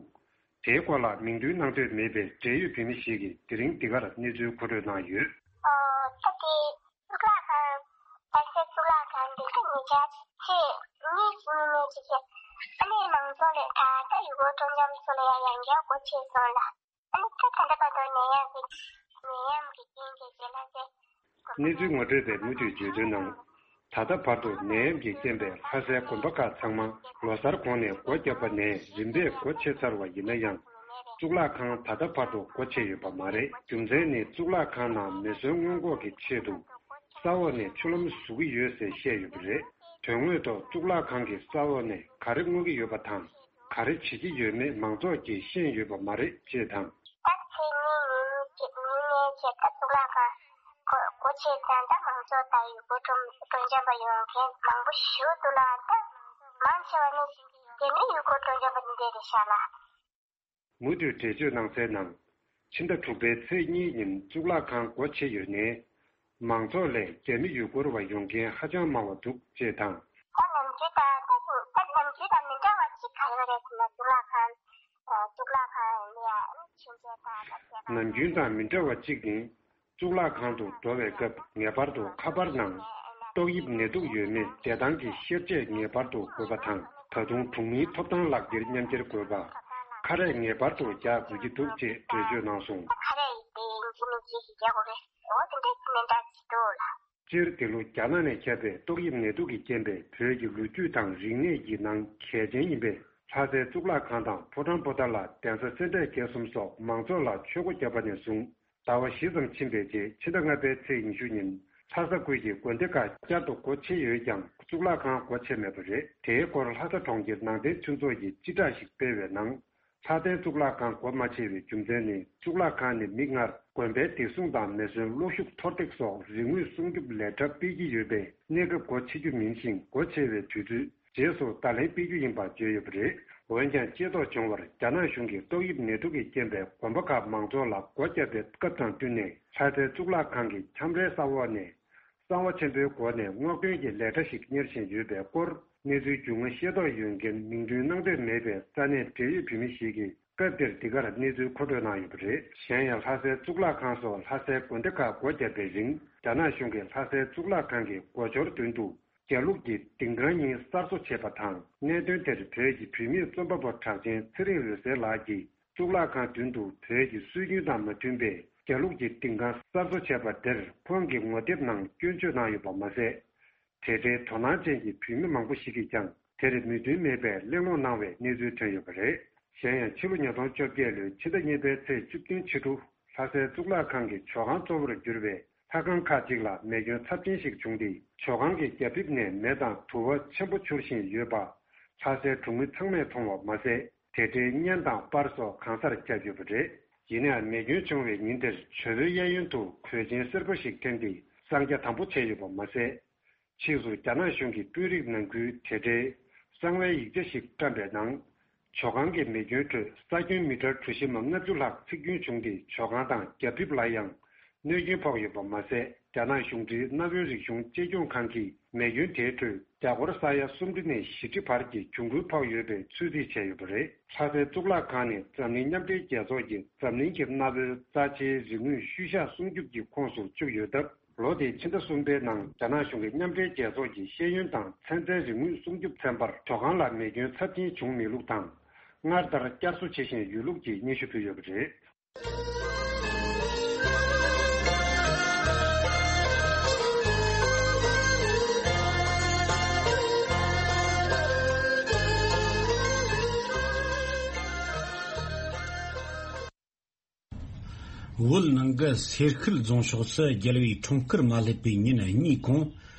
དེའི་སྐོར་ལ་མིང་འདོན་གནང་འདོད་མེད་པའི་འབྲེལ་ཡོད་བོད་མི་ཞིག་གིས་དེ་རིང་འདི་གར་གནས་ཚུལ་མཁོ་སྤྲོད་གནང་ཡོད། ཨོ། ད་དེ་གཙུག་ལག་ཁང་། ལྷ་སའི་གཙུག་ལག་ཁང་འདི་ག་ཉེ་ཆར་ཚེས་གཉིས་ཉིན་ནས་ཅིག་ཨ་ནི་མང་ཚོགས་ལས་ད་ལྟ་ཡུལ་སྐོར་སྤྲོ་འཆམ་ཚོ་ལ་ཡང་ཡང་བསྐྱར་སྒོ་ཕྱེ་སོང་ལ། ཨ་ནི་ད་ད་ལྟ་བར་དུ་ནད་ཡམས་ཀྱི་ནད་ཡམས་ཀྱི་རྐྱེན་གྱིས་རྗེས་ལྷ་སའི། གནས་ཚུལ་ངོ་སྤྲོད་པས་མུ་མཐུད་བརྗོད་དོན་ནང་། ད་ལྟ་བར་དུ་ནད་ཡམས་ཀྱི་རྐྱེན་པས་ལྷ་སའི་དགོན་པ་ཁག་ཚང་མ་ལོ་སར་གོང་ནས་སྒོ་བརྒྱབ་པ་ནས་རིམ་པས་སྒོ་ཕྱེ་ཚར་བ་ཡིན་ན་ཡང་། གཙུག་ལག་ཁང་ད་ལྟ་བར་དུ་སྒོ་ཕྱེ་ཡོད་པ་མ་རེད། རྒྱུ་མཚན་ནི་གཙུག་ལག་ཁང་ནང་མེ་ཟོན་སྔོན་འགོག་གི་ཆེད་དུ། ས་འོག་ནས་ཆུ་ལམ་བཟོ་གི་ཡོད་ཟེར་བཤད་ཡོད་པ་རེད། དོན་དངོས་ཐོག་གཙུག་ལག་ཁང་གི་ས་འོག་ནས་ག་རེ་མངོན་གྱི་ཡོད་པ་དང་། ག་རེ་བྱེད་ཀྱི་ཡོད་མེད་མང་ཚོགས་ཀྱིས་ཤེས་ཡོད་པ་མ་རེད་ཅེས་དང་། ད་ཚེས་གཉིས་ཉིན་གྱི་ཉིན་ནས་བྱས་ད་གཙུག་ལག་ཁང་སྒོ་སྒོ་ཕྱེ་ཚར། ད་མང་ཚོགས་དང་ཡུལ་སྐོར་སྤྲོ་སྤྲོ་འཆམ་པ་ཡོང་མཁན་མང་པོ་ཞིག་འདུག་ལ། ད་མང་ཆེ་བ་ནི་དེ་ནི་ཡུལ་སྐོར་སྤྲོ་འཆམ་པ་འདི་འདྲ་རེད་ཤག་ལ། མུ་མཐུད་འགྲེལ་བརྗོད་གནང་གསལ་ནང་། ཕྱི་ཟླ་དྲུག་པའི་ཚེས་གཉིས་ཉིན་གཙུག་ལག་ཁང་སྒོ་ཕྱེ་ཡོད་ནའི། མང་ཚོགས་ལས་རྒྱ་མི་ཡུལ་སྐོར་བ་ཡོང་མཁན་ཧ་ཅང་མང་བ་འདུག་ཅེས་དང་། ད་ནམ་རྒྱུན་དང་ད་ད་ནམ་རྒྱུན་དང་མི་འདྲ་བ་གཅིག་ག་ཡོད་རེད་ཟེར་ན། གཙུག་ལག་ཁང་། གཙུག་ལག་ཁང་ནི་ཡང་ཕྱིན་ཆད་དང་ད་ནམ་རྒྱུན་དང་མི་འདྲ་བ་གཅིག་ནི། གཙུག་ལག་ཁང་དུ་འགྲོ་བའི་སྐབས་ངེས་པར་དུ་ཁ་པར་ནང་ཏོག་དབྱིབས་ནད་དུག་ཡོད་མེད་བདེ་ཐང་གི་ཤེར་ཆས་ངེས་པར་དུ་དགོས་པ་དང་། ད་དུང་གྲོང་མིའི་ཐོབ་ཐང་ལག་འཁྱེར་མཉམ་འཁྱེར་དགོས་པ། ཁ་རས་ངེས་པར་དུ་རྒྱག་དགོས་ཀྱི་འདུག་ཅེས་འགྲེལ་བརྗོད་གནང་སོང་། ཁ་རས་ཡིན་གཅིག་མིན་གཅིག་ཞིག་རྒྱག་དགོས་རེད། འོ་དེ་འདྲ་ཞིག་མི་འདྲ་ཞིག་འདུག་ལ། སྤྱིར་འདི་ལོ་རྒྱ་ནག་ནས་ཁྱབ་པའི་ཏོག་དབྱིབས་ནད་དུག་གི་རྐྱེན་པས་བོད་ཀྱི་ལོ་རྒྱུས་དང་རིག་གནས་ཀྱི་ནང་གལ་ཆེན་ཡིན་པའི་ལྷ་སའི་གཙུག་ལག་ཁང་དང་ཕོ་བྲང་པོ་ཏཱ་ལ། གདན་ས་སེ་འབྲས་དགེ་གསུམ་སོགས་མང་ཚོགས་ལ་ཆོས་སྒོ་བརྒྱབ་པ་ནས་བཟུང་ཟླ་བ་བཞི་ཙམ་ཕྱིན་པའི་རྗེས་ཕྱི་ཟླ་ལྔ་པའི་ཚེས་ཉི་ཤུ་ཉིན་ལྷ་ས་ཁུལ་གྱི་དགོན་སྡེ་ཁག་བསྐྱར་དུ་སྒོ་ཕྱེ་ཡོད་ཀྱང་གཙུག་ལག་ཁང་སྒོ་ཕྱེ་མེད་པ་རེད། དེའི་སྐོར་ལྷ་ས་གྲོང་ཁྱེར་ནང་བསྟན་མཐུན་ཚོགས་ཀྱིས་སྤྱི་བསྒྲགས་ཤིག་སྤེལ་བའི་ནང་། ལྷ་སའི་གཙུག་ལག་ཁང་སྒོ་མ་ཕྱེ་བའི་རྒྱུ་མཚན་ནི། གཙུག་ལག་ཁང་ནི་མིག་སྔར་དགོན་པའི་བདེ་སྲུང་དང་མེ་ཟོན་གློག་ཤུགས་མཐོར་འདེགས་སོགས་རིག་དངོས་སྲུང་སྐྱོབ་ལས་གྲྭ་སྤེལ་གྱི་ཡོད་པས། གནས་སྐབས་སྒོ་ཕྱེ་རྒྱུ་མིན་ཞིང་། སྒོ་ཕྱེ་བའི་དུས་ཚོད་རྗེས་སུ་བརྡ་ལན་སྤེལ་རྒྱུ་ཡིན་པ་བརྗོད་ཡོད་པ་རེད། འོན་ཀྱང་ཤེས་རྟོགས་བྱུང་བར། རྒྱ་ནག་གཞུང་གིས་ཏོག་དབྱིབས་ནད་དུག་གི་རྐྱེན་པས་དགོན་པ་ཁག་མང་ཚོགས་ལ་སྒོ་བརྒྱབ་པའི་སྐབས་དང་བསྟུན་ནས། ལྷ་སའི་གཙུག་ལག་ཁང་གི་ཁྱམས་རའི་ས་འོག་ནས། གསང་བ་ཆེན་པོའི་སྒོ་ནས་སྔོག་འདོན་གྱི་ལས་གྲྭ་ཞིག་གཉེར་བཞིན་ཡོད་པའི་སྐོར། གནས་ཚུལ་རྒྱུས་མངའ་ཤེས་རྟོགས་ཡོད་མཁན་མིང་འདོན་གནང་འདོད་མེད་པའི་ས་གནས་འབྲེལ་ཡོད་བོད་མི་ཞིག་གིས་སྐབས་དེར་འདི་གར་གནས་ཚུལ་མཁོ་སྤྲོད་གནང་ཡོད་པ་རེད། གཞན་ཡང་ལྷ་སའི་གཙུག་ལག་ཁང་སོགས་ལྷ་སའི་དགོན་སྡེ་ཁག་སྒོ་བརྒྱབ་པའི་རིང་རྒྱ་ནག་གཞུང་གིས་ལྷ་སའི་གཙུག་ལག་ཁང་གི་སྒོ་འབྱོར་མདུན་དུ་རྒྱ་ལུགས་ཀྱི་ལྡིང་ཁང་གཉིས་གསར་བཟོ་བྱས་པ་དང་། གནད་དོན་དེར་བོད་ཀྱི་བུད་མེད་རྩོམ་པ་པོ་གྲགས་ཅན་ཚེ་རིང་འོད་ཟེར་ལགས་ཀྱིས་གཙུག་ལག་ཁང་མདུན་དུ་བོད་ཀྱི་སྲོལ་རྒྱུན་དང་མ་མཐུན་པའི་རྒྱ་ལུགས་ཀྱི་ལྡིང་ཁང་གསར་བཟོ་བྱས་པ་དེར་ཁོང་གི་ངོ་དེབ་ནང་སྐྱོན་བརྗོད་གནང་ཡོད་པ་མ་ཟད། དེ་འདྲའི་དོ་སྣང་ཅན་གྱི་བུད་མེད་མང་པོ་ཞིག་གིས་ཀྱང་དེར་མོས་མཐུན་མེད་པའི་གླེང་སློང་གནང་བའི་གནས་ཚུལ་ཐོན་ཡོད་པ་རེད། གཞན་ཡང་ཕྱི་ལོ་ཉིས་སྟོང་བཅོ་བརྒྱད་ལོའི་ཕྱི་ཟླ་གཉིས་པའི་ཚེས་བཅུ་བདུན་ཕྱི་དྲོ་ལྷ་སའི་གཙུག་ལག་ཁང་གི་ཇོ་ཁང་གཙོ་བོར་གྱུར་བའི་ལྷ་ཁང་ཁག་ཅིག་ལ་མེ་སྐྱོན་ཚབས་ཆེན་ཞིག་བྱུང་སྟེ། ཇོ་ཁང་གི་རྒྱ་ཕིབས་ནས་མེ་དང་དུ་བ་ཆེན་པོ་འཕྱུར་བཞིན་ཡོད་པ་ལྷ་སའི་གྲོང་མི་ཚང་མས་མཐོང་བ་མ་ཟད། དེ་འདྲའི་བརྙན་དང་པར་སོགས་གང་སར་ཁྱབ་ཡོད་པ་རེད། ཡིན་ནའང་མེ་སྐྱོན་བྱུང་བའི་ཉིན་དེར་ཇོ་བོའི་གཡས་གཡོན་དུ་གོས་ཆེན་སེར་པོ་ཞིག་འཐེན་ཏེ་གསང་རྒྱ་དམ་པོ་བྱས་ཡོད་པ་མ་ཟད། ཕྱིས་སུ་རྒྱ་ནག་གཞུང་གི་དཔོན་རིགས་ནང་ཁུལ་དེ་འདྲའི་གསང་བའི་ཡིག་ཆ་ཞིག་བཀྲམ་པའི་ནང་། ཇོ་ཁང་གི་མེ་སྐྱོན་ཁྲོད་ས་ཁྱོན་མི་ཊར་གྲུ་བཞི་མ་ལྔ་བཅུ་ལྷག་ཚིག་སྐྱོན་བྱུང་སྟེ། ཇོ་ཁང་དང་རྒྱ་ཕིབས་ལ་ཡང་གནོད་སྐྱོན་ཕོག་ཡོད་པ་མ་ཟད། རྒྱ་ནག་གཞུང་འབྲེལ་གནའ་བོའི་རིག་གཞུང་གཅེས་སྐྱོང་ཁང་གིས་མེ་སྐྱོན་དེའི་ཁྲོད་རྒྱ་སྒོར་ས་ཡ་སུམ་ཁྲི་ནས་བཞི་ཁྲི་བར་གྱི་གྱོང་གུན་ཕོག་ཡོད་པའི་ཚོད་རྩིས་བྱས་ཡོད་པ་རེད། ལྷ་སའི་གཙུག་ལག་ཁང་ནི་འཛམ་གླིང་མཉམ་འབྲེལ་རྒྱལ་ཚོགས་ཀྱིས་འཛམ་གླིང་གི་གནའ་བོའི་རྩ་ཆེའི་རིག་དངོས་ཤུལ་བཞག་སྲུང་སྐྱོབ་ཀྱི་ཁོངས་སུ་བཅུག་ཡོད་སྟབས། ལོ་དེའི་ཕྱི་ཟླ་གསུམ་པའི་ནང་རྒྱ་ནག་གཞུང་གིས་མཉམ་འབྲེལ་རྒྱལ་ཚོགས་ཀྱི་ཤེས་ཡོན་དང་ཚན་རྩལ་རིག་དངོས་སྲུང་སྐྱོབ་ཚན་པར་ཇོ་ཁང་ལ་མེ་སྐྱོན་ཚབས་ཆེན་བྱུང་མེད་ལུགས་དང་། སྔར་ལྟར་བསྐྱར་གསོ་བྱེད་བཞིན་ཡོད་ལུགས་ཀྱི་སྙན་ཞུ་ཕུལ་ཡོད་པ་རེད། བོད་ནང་གི་སེར་ཤུལ་རྫོང་ཕྱོགས་སུ་རྒྱལ་བའི་འཁྲུངས་སྐར་མ་སླེབས་པའི་ཉིན་གཉིས་གོང་།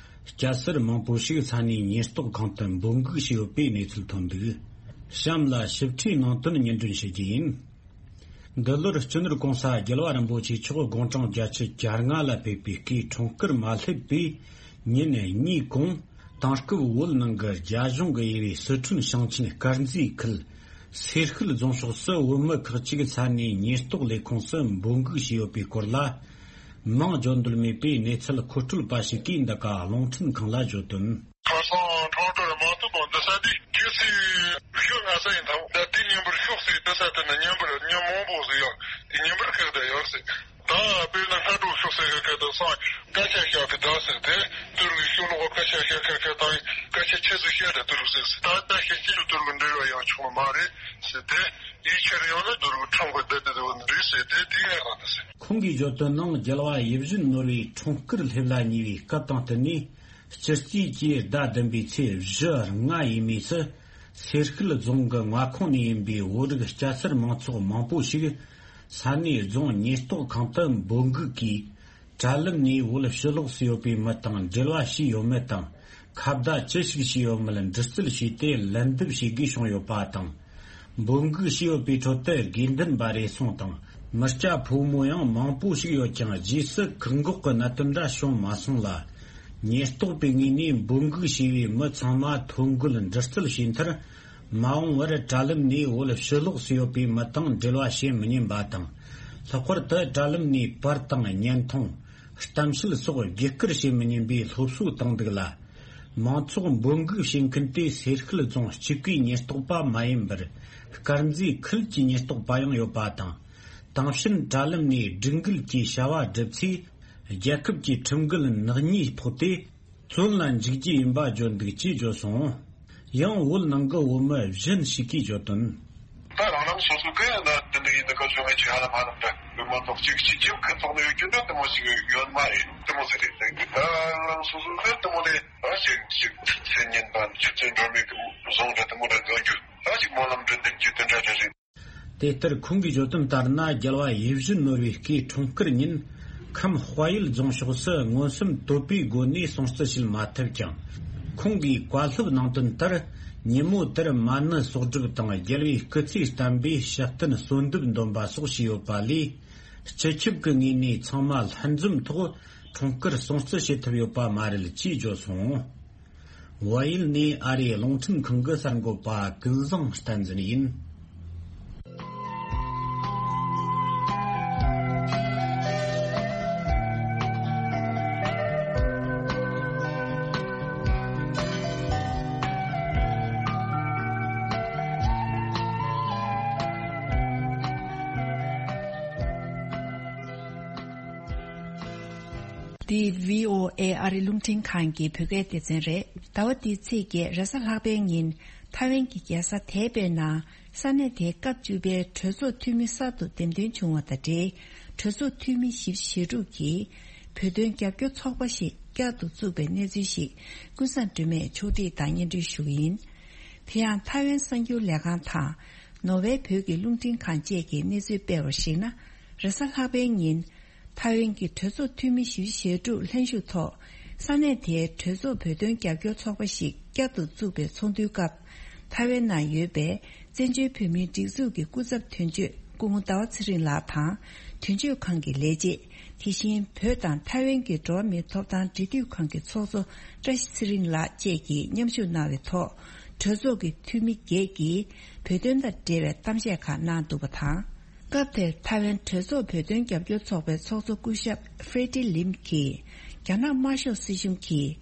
སྐྱ་སེར་མང་པོ་ཞིག་ས་གནས་ཉེན་རྟོག་ཁང་དུ་འབོད་འགུག་བྱས་ཡོད་པའི་གནས་ཚུལ་ཐོན་འདུག་གཤམ་ལ་ཞིབ་ཕྲའི་ནང་དོན་སྙན་སྒྲོན་ཞུ་རྒྱུ་ཡིན། འདི་ལོར་སྤྱི་ནོར་༸གོང་ས་༸རྒྱལ་བ་རིན་པོ་ཆེ་མཆོག་དགུང་གྲངས་བརྒྱད་ཅུ་གྱ་ལྔ་ལ་ཕེབས་པའི་སྐུའི་འཁྲུངས་སྐར་མ་སླེབས་པའི་ཉིན་གཉིས་གོང་། དེང་སྐབས་བོད་ནང་གི་རྒྱ་གཞུང་གི་དབྱེ་བའི་སི་ཁྲོན་ཞིང་ཆེན་དཀར་མཛེས་ཁུལ་སེར་ཤུལ་རྫོང་ཕྱོགས་སུ་བོད་མི་ཁག་ཅིག་ས་གནས་ཉེན་རྟོག་ལས་ཁུངས་སུ་འབོད་འགུག་བྱས་ཡོད་པའི་སྐོར་ལ། མིང་བརྗོད་འདོད་མེད་པའི་གནས་ཚུལ་མཁོ་སྤྲོད་པ་ཞིག་གིས་འདི་ག་རླུང་འཕྲིན་ཁང་ལ་བརྗོད་དོན། ཁ་སང་འཁྲུངས་སྐར་མ་ཐུབ་པ་འདི་ས་དེ་ཁྱེད་ཚོས་ཞུ་ང་ས་ཡིན་དང་། ད་དེ་ཉིན་པར་ཤོག་ཟེར། འདི་ས་དེ་ན་ཉིན་པར་ཉིན་མང་པོ་ཟིག་ཡོད། དེ་ཉིན་པར་ཁག་ད་ཡོད་ཟེར། ད་དཔེར་ན་སྔ་དྲོ་ཤོག་ཟེར་གི་ཁ་ད་སང་སྐད་ཆ་བཤད་གི་ད་ཟེར་ཏེ། དུར་གི་ཤོག་ལོག་སྐད་ཆ་བཤད་ཁ་ཁ་དང་སྐད་ཆ་ཆེ་ཟིག་བཤད་ད་དུར་ཟེར་ཟེར། ད་ད་ཤེས་ཀྱི་དུར་གི་འབྲེལ་བ་ཡང་བྱུང་མ་རེད་ཟེར་ཏེ། ཡིད་ཆེར་ཡོང་ན་དུར་གི་ཁྲོམ་གི་བསྡད་དེ་འདུག་རེད་ཟེར་ཏེ། དེ་ཡང་རང་དུ་ཟེར། ཁོང་གིས་བརྗོད་དོན་ནང་རྒྱལ་བ་ཡིད་བཞིན་ནོར་བུའི་འཁྲུངས་སྐར་སླེབས་ལ་ཉེ་བའི་སྐབས་དང་བསྟུན་ནས། སྤྱི་རྩིས་ཀྱི་ཟླ་བདུན་པའི་ཚེས་བཞི་ལྔ་ཡས་མས་སུ། སེར་ཤུལ་རྫོང་གི་མངའ་ཁོངས་ནས་ཡིན་པའི་བོད་རིགས་སྐྱ་སེར་མང་ཚོགས་མང་པོ་ཞིག་ས་གནས་རྫོང་ཉེན་རྟོག་ཁང་དུ་འབོད་འགུག་གིས། དྲ་ལམ་ནས་བོད་ཕྱི་ལོགས་སུ་ཡོད་པའི་མི་དང་འབྲེལ་བ་བྱས་ཡོད་མེད་དང་། ཁ་བརྡ་ཅི་ཞིག་བྱས་ཡོད་མེད་འདྲི་རྩད་བྱས་ཏེ། ལན་འདེབས་བྱེད་དགོས་བྱུང་ཡོད་པ་དང་། འབོད་འགུག་བྱས་ཡོད་པའི་ཁྲོད་དུ་དགོས་འདུན་པ་རེ་ཟུང་དང་། མི་སྐྱ་ཕོ་མོ་ཡང་མང་པོ་ཞིག་ཡོད་ཀྱང་། རྗེས་སུ་བཀག་འགོག་གི་གནད་དོན་འདྲ་བྱུང་མ་སོང་ལ། ཉེན་རྟོག་པའི་ངོས་ནས་འབོད་འགུག་བྱས་པའི་མི་ཚང་མ་ཐོ་འགོད་འདྲི་རྩད་བྱས་མཐར། མ་འོངས་པར་དྲ་ལམ་ནས་བོད་ཕྱི་ལོགས་སུ་ཡོད་པའི་མི་དང་འབྲེལ་བ་བྱེད་མི་ཉན་པ་དང་། ལྷག་པར་དུ་དྲ་ལམ་ནས་པར་དང་བརྙན་ཐུང་། གཏམ་བཤད་སོགས་བརྒྱུད་བསྐུར་བྱེད་མི་ཉན་པའི་སློབ་གསོ་བཏང་འདུག་ལ། མང་ཚོགས་འབོད་འགུག་བྱེད་མཁན་དེ་སེར་ཤུལ་རྫོང་གཅིག་པུའི་ཉེན་རྟོག་པ་མ་ཡིན་པར། དཀར་མཛེས་ཁུལ་གྱི་ཉེན་རྟོག་པ་ཡང་ཡོད་པ་དང་། དེང་ཕྱིན་དྲ་ལམ་ནས་སྒྲིག་འགལ་གྱི་བྱ་བ་བསྒྲུབས་ཚེ། རྒྱལ་ཁབ་ཀྱི་ཁྲིམས་འགལ་ནག་ཉེས་ཕོག་སྟེ། བཙོན་ལ་འཇུག་རྒྱུ་ཡིན་པ་བརྗོད་འདུག་ཅེས་བརྗོད་སོང་། ཡང་བོད་ནང་གི་བོད་མི་གཞན་ཞིག་གིས་བརྗོད་དོན། ད་རང་རང་སོ་སོ་གི་ན་དེ་འདྲ་ཡིན་ན་ག་བྱུང་ངེས་ཀྱི་ཧ་ལམ་ཧ་ལམ་འདྲ། བོད་མི་ཚོགས་གཅིག་གཅིག་གཅིག་གི་ཚོགས་ནས་ཡོད་རྒྱུ་འདྲ་དེ་མོ་ཞིག་ཡོད་མ་རེད། དེ་མོ་ཟེར་རེད། ད་རང་རང་སོ་སོ་གི་དེ་མོ་ནས་ད་ཞིག་ཞིག་མཚན་སྙན་དང་སྤྱི་ཚོགས་འགྲོ་མི་གི་བཟུང་འདྲ་དེ་མོ་འདྲ་འཛོམས་རྒྱུ་ད་ཞིག་སྨོན་ལམ་འདྲ་འདེབས་རྒྱུ་དེ་འདྲ་འདྲ་རེད། དེ་ལྟར་ཁོང་གིས་བརྗོད་དོན་ལྟར་ན། རྒྱལ་བ་ཡིད་བཞིན་ནོར་བུའི་སྐུའི་འཁྲུངས་སྐར་ཉིན་ཁམས་དཔལ་ཡུལ་རྫོང་ཕྱོགས་སུ་མངོན་སུམ་དོད་པའི་སྒོ་ནས་སྲུང་བརྩི་བྱེད་མ་ཐུབ་ཀྱང་། ཁོང་གིས་བཀའ་སློབ་གནང་དོན་ལྟར། ཉིན་མོ་དེར་མ་ཎི་གསོག་སྒྲུབ་དང་རྒྱལ་བའི་སྐུ་ཚེ་བརྟན་པའི་ཕྱག་རྟེན་གསོལ་འདེབས་འདོན་པ་སོགས་བྱས་ཡོད་པ་ལས། སྤྱི་ཁྱབ་ཀྱི་ངོས་ནས་ཚང་མ་ལྷན་འཛོམས་ཐོག་འཁྲུངས་སྐར་སྲུང་བརྩི་བྱེད་ཐུབ་ཡོད་པ་མ་རེད་ཅེས་བརྗོད་སོང་། བལ་ཡུལ་ནས་ཨ་རིའི་རླུང་འཕྲིན་ཁང་གི་གསར་འགོད་པ་ཀུན་བཟང་བསྟན་འཛིན་ཡིན། འདི་བྷི་ཨོ་ཨེ་ཨ་རི་རླུང་འཕྲིན་ཁང་གི་བོད་སྐད་སྡེ་ཚན་རེད། ཟླ་བ་འདིའི་ཚེས་བརྒྱད་རེས་གཟའ་ལྷག་པའི་ཉིན། ཐའེ་ཝན་གྱི་རྒྱལ་ས་ཐའེ་པེ་ནང་ས་གནས་དེའི་སྐབས་བཅུ་པའི་གྲོས་ཚོགས་འཐུས་མི་གསར་དུ་འདེམས་ཐོན་བྱུང་བ་དང་འབྲེལ། གྲོས་ཚོགས་འཐུས་མི་བཞི་བཅུ་ཞེ་དྲུག་གིས་བོད་དོན་རྒྱབ་སྐྱོར་ཚོགས་པ་ཞིག་བསྐྱར་དུ་བཙུགས་པའི་གནས་ཚུལ་ཞིག་ཀུན་བཟང་སྒྲོལ་མས་ཕྱོགས་སྒྲིག་དང་སྙན་སྒྲོན་ཞུ་གི་ཡིན། དེ་ཡང་ཐའེ་ཝན་གསར་འགྱུར་ལས་ཁང་དང་ནོར་ཝེ་བོད་ཀྱི་རླུང་འཕྲིན་ཁང་བཅས་ཀྱིས་གནས་ཚུལ་སྤེལ་བར་གཞིགས་ན། རེས་གཟའ་ལྷག་པའི་ཉིན། ཐའེ་ཝན་གྱི་གྲོས་ཚོགས་འཐུས་མི་བཞི་བཅུ་ཞེ་དྲུག་ལྷན་ཞུགས་ཐོག་ས་གནས་དེའི་གྲོས་ཚོགས་བོད་དོན་རྒྱབ་སྐྱོར་ཚོགས་པ་ཞིག་བསྐྱར་དུ་བཙུགས་པའི་ཚོགས་འདུའི་སྐབས། ཐའེ་ཝན་ནང་ཡོད་པའི་བཙན་བྱོལ་བོད་མིའི་སྒྲིག་འཛུགས་ཀྱི་སྐུ་ཚབ་དོན་གཅོད་སྐུ་ངོ་ཟླ་བ་ཚེ་རིང་ལགས་དང་། དོན་གཅོད་ཁང་གི་ལས་བྱེད། དེ་བཞིན་བོད་དང་ཐའེ་ཝན་གྱི་འགྲོ་བ་མིའི་ཐོབ་ཐང་འབྲེལ་མཐུད་ཁང་གི་ཚོགས་གཙོ་བཀྲ་ཤིས་ཚེ་རིང་ལགས་བཅས་ཀྱིས་མཉམ་ཞུགས་གནང་བའི་ཐོག་གྲོས་ཚོགས་ཀྱི་འཐུས་མི་བརྒྱད་ཀྱིས་བོད་དོན་དང་འབྲེལ་བའི་གཏམ་བཤད་ཁག་གནང་འདུག་པ་དང་། སྐབས་དེར་ཐའེ་ཝན་གྲོས་ཚོགས་བོད་དོན་རྒྱབ་སྐྱོར་ཚོགས་པའི་ཚོགས་གཙོ་སྐུ་ཞབས་ཧྥེ་ཏི་ལིམ་གྱིས། རྒྱ་ནག་དམར་ཤོག་སྲིད་གཞུང་གིས་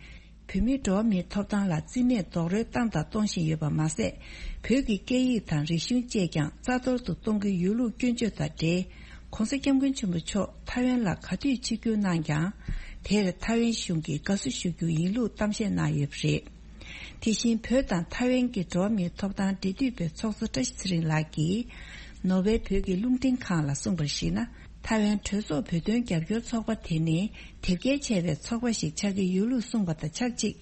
བོད་མིའི་འགྲོ་བ་མིའི་ཐོབ་ཐང་ལ་རྩིས་མེད་རྡོག་རོལ་བཏང་དང་གཏོང་བཞིན་ཡོད་པ་མ་ཟད། བོད་ཀྱི་སྐད་ཡིག་དང་རིག་གཞུང་བཅས་ཀྱང་རྩ་གཏོར་དུ་གཏོང་གི་ཡོད་ལུགས་སྐྱོན་བརྗོད་དང་འབྲེལ། ྋགོང་ས་ྋསྐྱབས་མགོན་ཆེན་པོ་མཆོག་ཐའེ་ཝན་ལ་ག་དུས་ཆིབས་བསྒྱུར་གནང་ཀྱང་། དེར་ཐའེ་ཝན་གཞུང་གིས་དགའ་བསུ་ཞུ་རྒྱུ་ཡིན་ལུགས་གཏམ་བཤད་གནང་ཡོད་པ་རེད། དེ་བཞིན་བོད་དང་ཐའེ་ཝན་གྱི་འགྲོ་བ་མིའི་ཐོབ་ཐང་འབྲེལ་མཐུད་པའི་ཚོགས་གཙོ་བཀྲ་ཤིས་ཚེ་རིང་ལགས་ཀྱིས། ནོར་ཝེ་བོད་ཀྱི་རླུང་འཕྲིན་ཁང་ལ་གསུངས་པར་གཞིགས་ན། ཐའེ་ཝན་གྲོས་ཚོགས་བོད་དོན་རྒྱབ་སྐྱོར་ཚོགས་པ་དེ་ནི་དེབ་སྐྱེལ་བྱས་པའི་ཚོགས་པ་ཞིག་ཆགས་ཀྱི་ཡོད་ལུགས་གསུངས་པ་དང་ཆབས་ཅིག་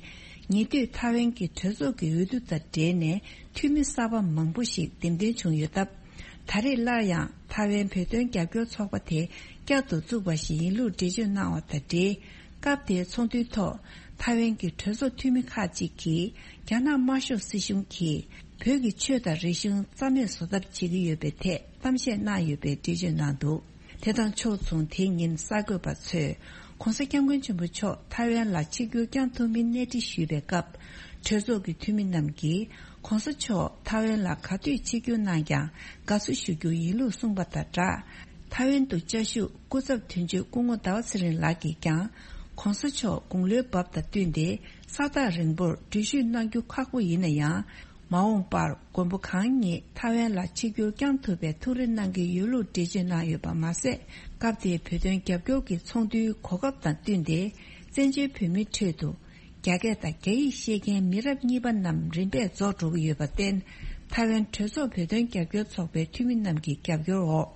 ཉེ་དུས་ཐའེ་ཝན་གྱི་གྲོས་ཚོགས་ཀྱི་འོས་བསྡུ་དང་འབྲེལ་ནས་འཐུས་མི་གསར་པ་མང་པོ་ཞིག་འདེམས་ཐོན་བྱུང་ཡོད་སྟབས། ད་རེས་སླར་ཡང་ཐའེ་ཝན་བོད་དོན་རྒྱབ་སྐྱོར་ཚོགས་པ་དེ་བསྐྱར་དུ་བཙུགས་པ་ཞིག་ཡིན་ལུགས་འགྲེལ་བརྗོད་གནང་བ་དང་འབྲེལ། སྐབས་དེའི་ཚོགས་འདུའི་ཐོག་ཐའེ་ཝན་གྱི་གྲོས་ཚོགས་འཐུས་མི་ཁག་ཅིག་གིས་རྒྱ་ནག་དམར་ཤོག་སྲིད་གཞུང་གིས་བོད་ཀྱི་ཆོས་དང་རིག་གཞུང་རྩ་མེད་བཟོ་ཐབས་བྱེད་ཀྱི་ཡོད་པའི་ཐད་གཏམ་བཤད་གནང་ཡོད་པའི་འགྲེལ་བརྗོད་གནང་འདུག་དེ་དང་ཕྱོགས་མཚུངས། དེའི་ཉིན་གསར་འགོད་པ་ཚོས་ྋགོང་ས་ྋསྐྱབས་མགོན་ཆེན་པོ་མཆོག་ཐའེ་ཝན་ལ་ཆིབས་བསྒྱུར་བསྐྱངས་ཐུབ་མིན་གནས་འདྲི་ཞུས་པའི་སྐབས། གྲོས་ཚོགས་ཀྱི་འཐུས་མི་རྣམས་ཀྱིས་ྋགོང་ས་མཆོག་ཐའེ་ཝན་ལ་ག་དུས་ཆིབས་བསྒྱུར་གནང་ཀྱང་དགའ་བསུ་ཞུ་རྒྱུ་ཡིན་ལུགས་གསུངས་པ་དང་སྦྲགས། ཐའེ་ཝན་དུ་བཅའ་བཞུགས་སྐུ་ཚབ་དོན་གཅོད་སྐུ་ངོ་ཟླ་བ་ཚེ་རིང་ལགས་ཀྱིས་ཀྱང་། ྋགོང་ས་མཆོག་དགུང་ལོའི་བབ་དང་བསྟུན་ཏེ་ས་ཐག་རིང་པོར་འགྲུལ་བཞུད་གནང་རྒྱུ་ཁག་པོ་ཡིན་ན་ཡང་། མ་འོངས་པར་མགོན་པོ་གང་ཉིད་ཐའེ་ཝན་ལ་ཆིབས་བསྒྱུར་བསྐྱངས་ཐུབ་པའི་ཐུགས་རེ་གནང་གི་ཡོད་ལུགས་འགྲེལ་བརྗོད་གནང་ཡོད་པ་མ་ཟད། སྐབས་དེའི་བོད་དོན་རྒྱབ་སྐྱོར་གྱི་ཚོགས་འདུའི་གོ་སྐབས་དང་བསྟུན་ཏེ། བཙན་བྱོལ་བོད་མིའི་ཁྲོད་དུ་རྒྱ་སྐད་དང་རྒྱ་ཡིག་ཤེས་མཁན་མི་རབས་གཉིས་པ་རྣམས་རིམ་པས་རྫོགས་འགྲོ་གི་ཡོད་པར་བརྟེན། ཐའེ་ཝན་གྲོས་ཚོགས་བོད་དོན་རྒྱབ་སྐྱོར་ཚོགས་པའི་འཐུས་མི་རྣམས་ཀྱི་རྒྱབ་སྐྱོར་འོག་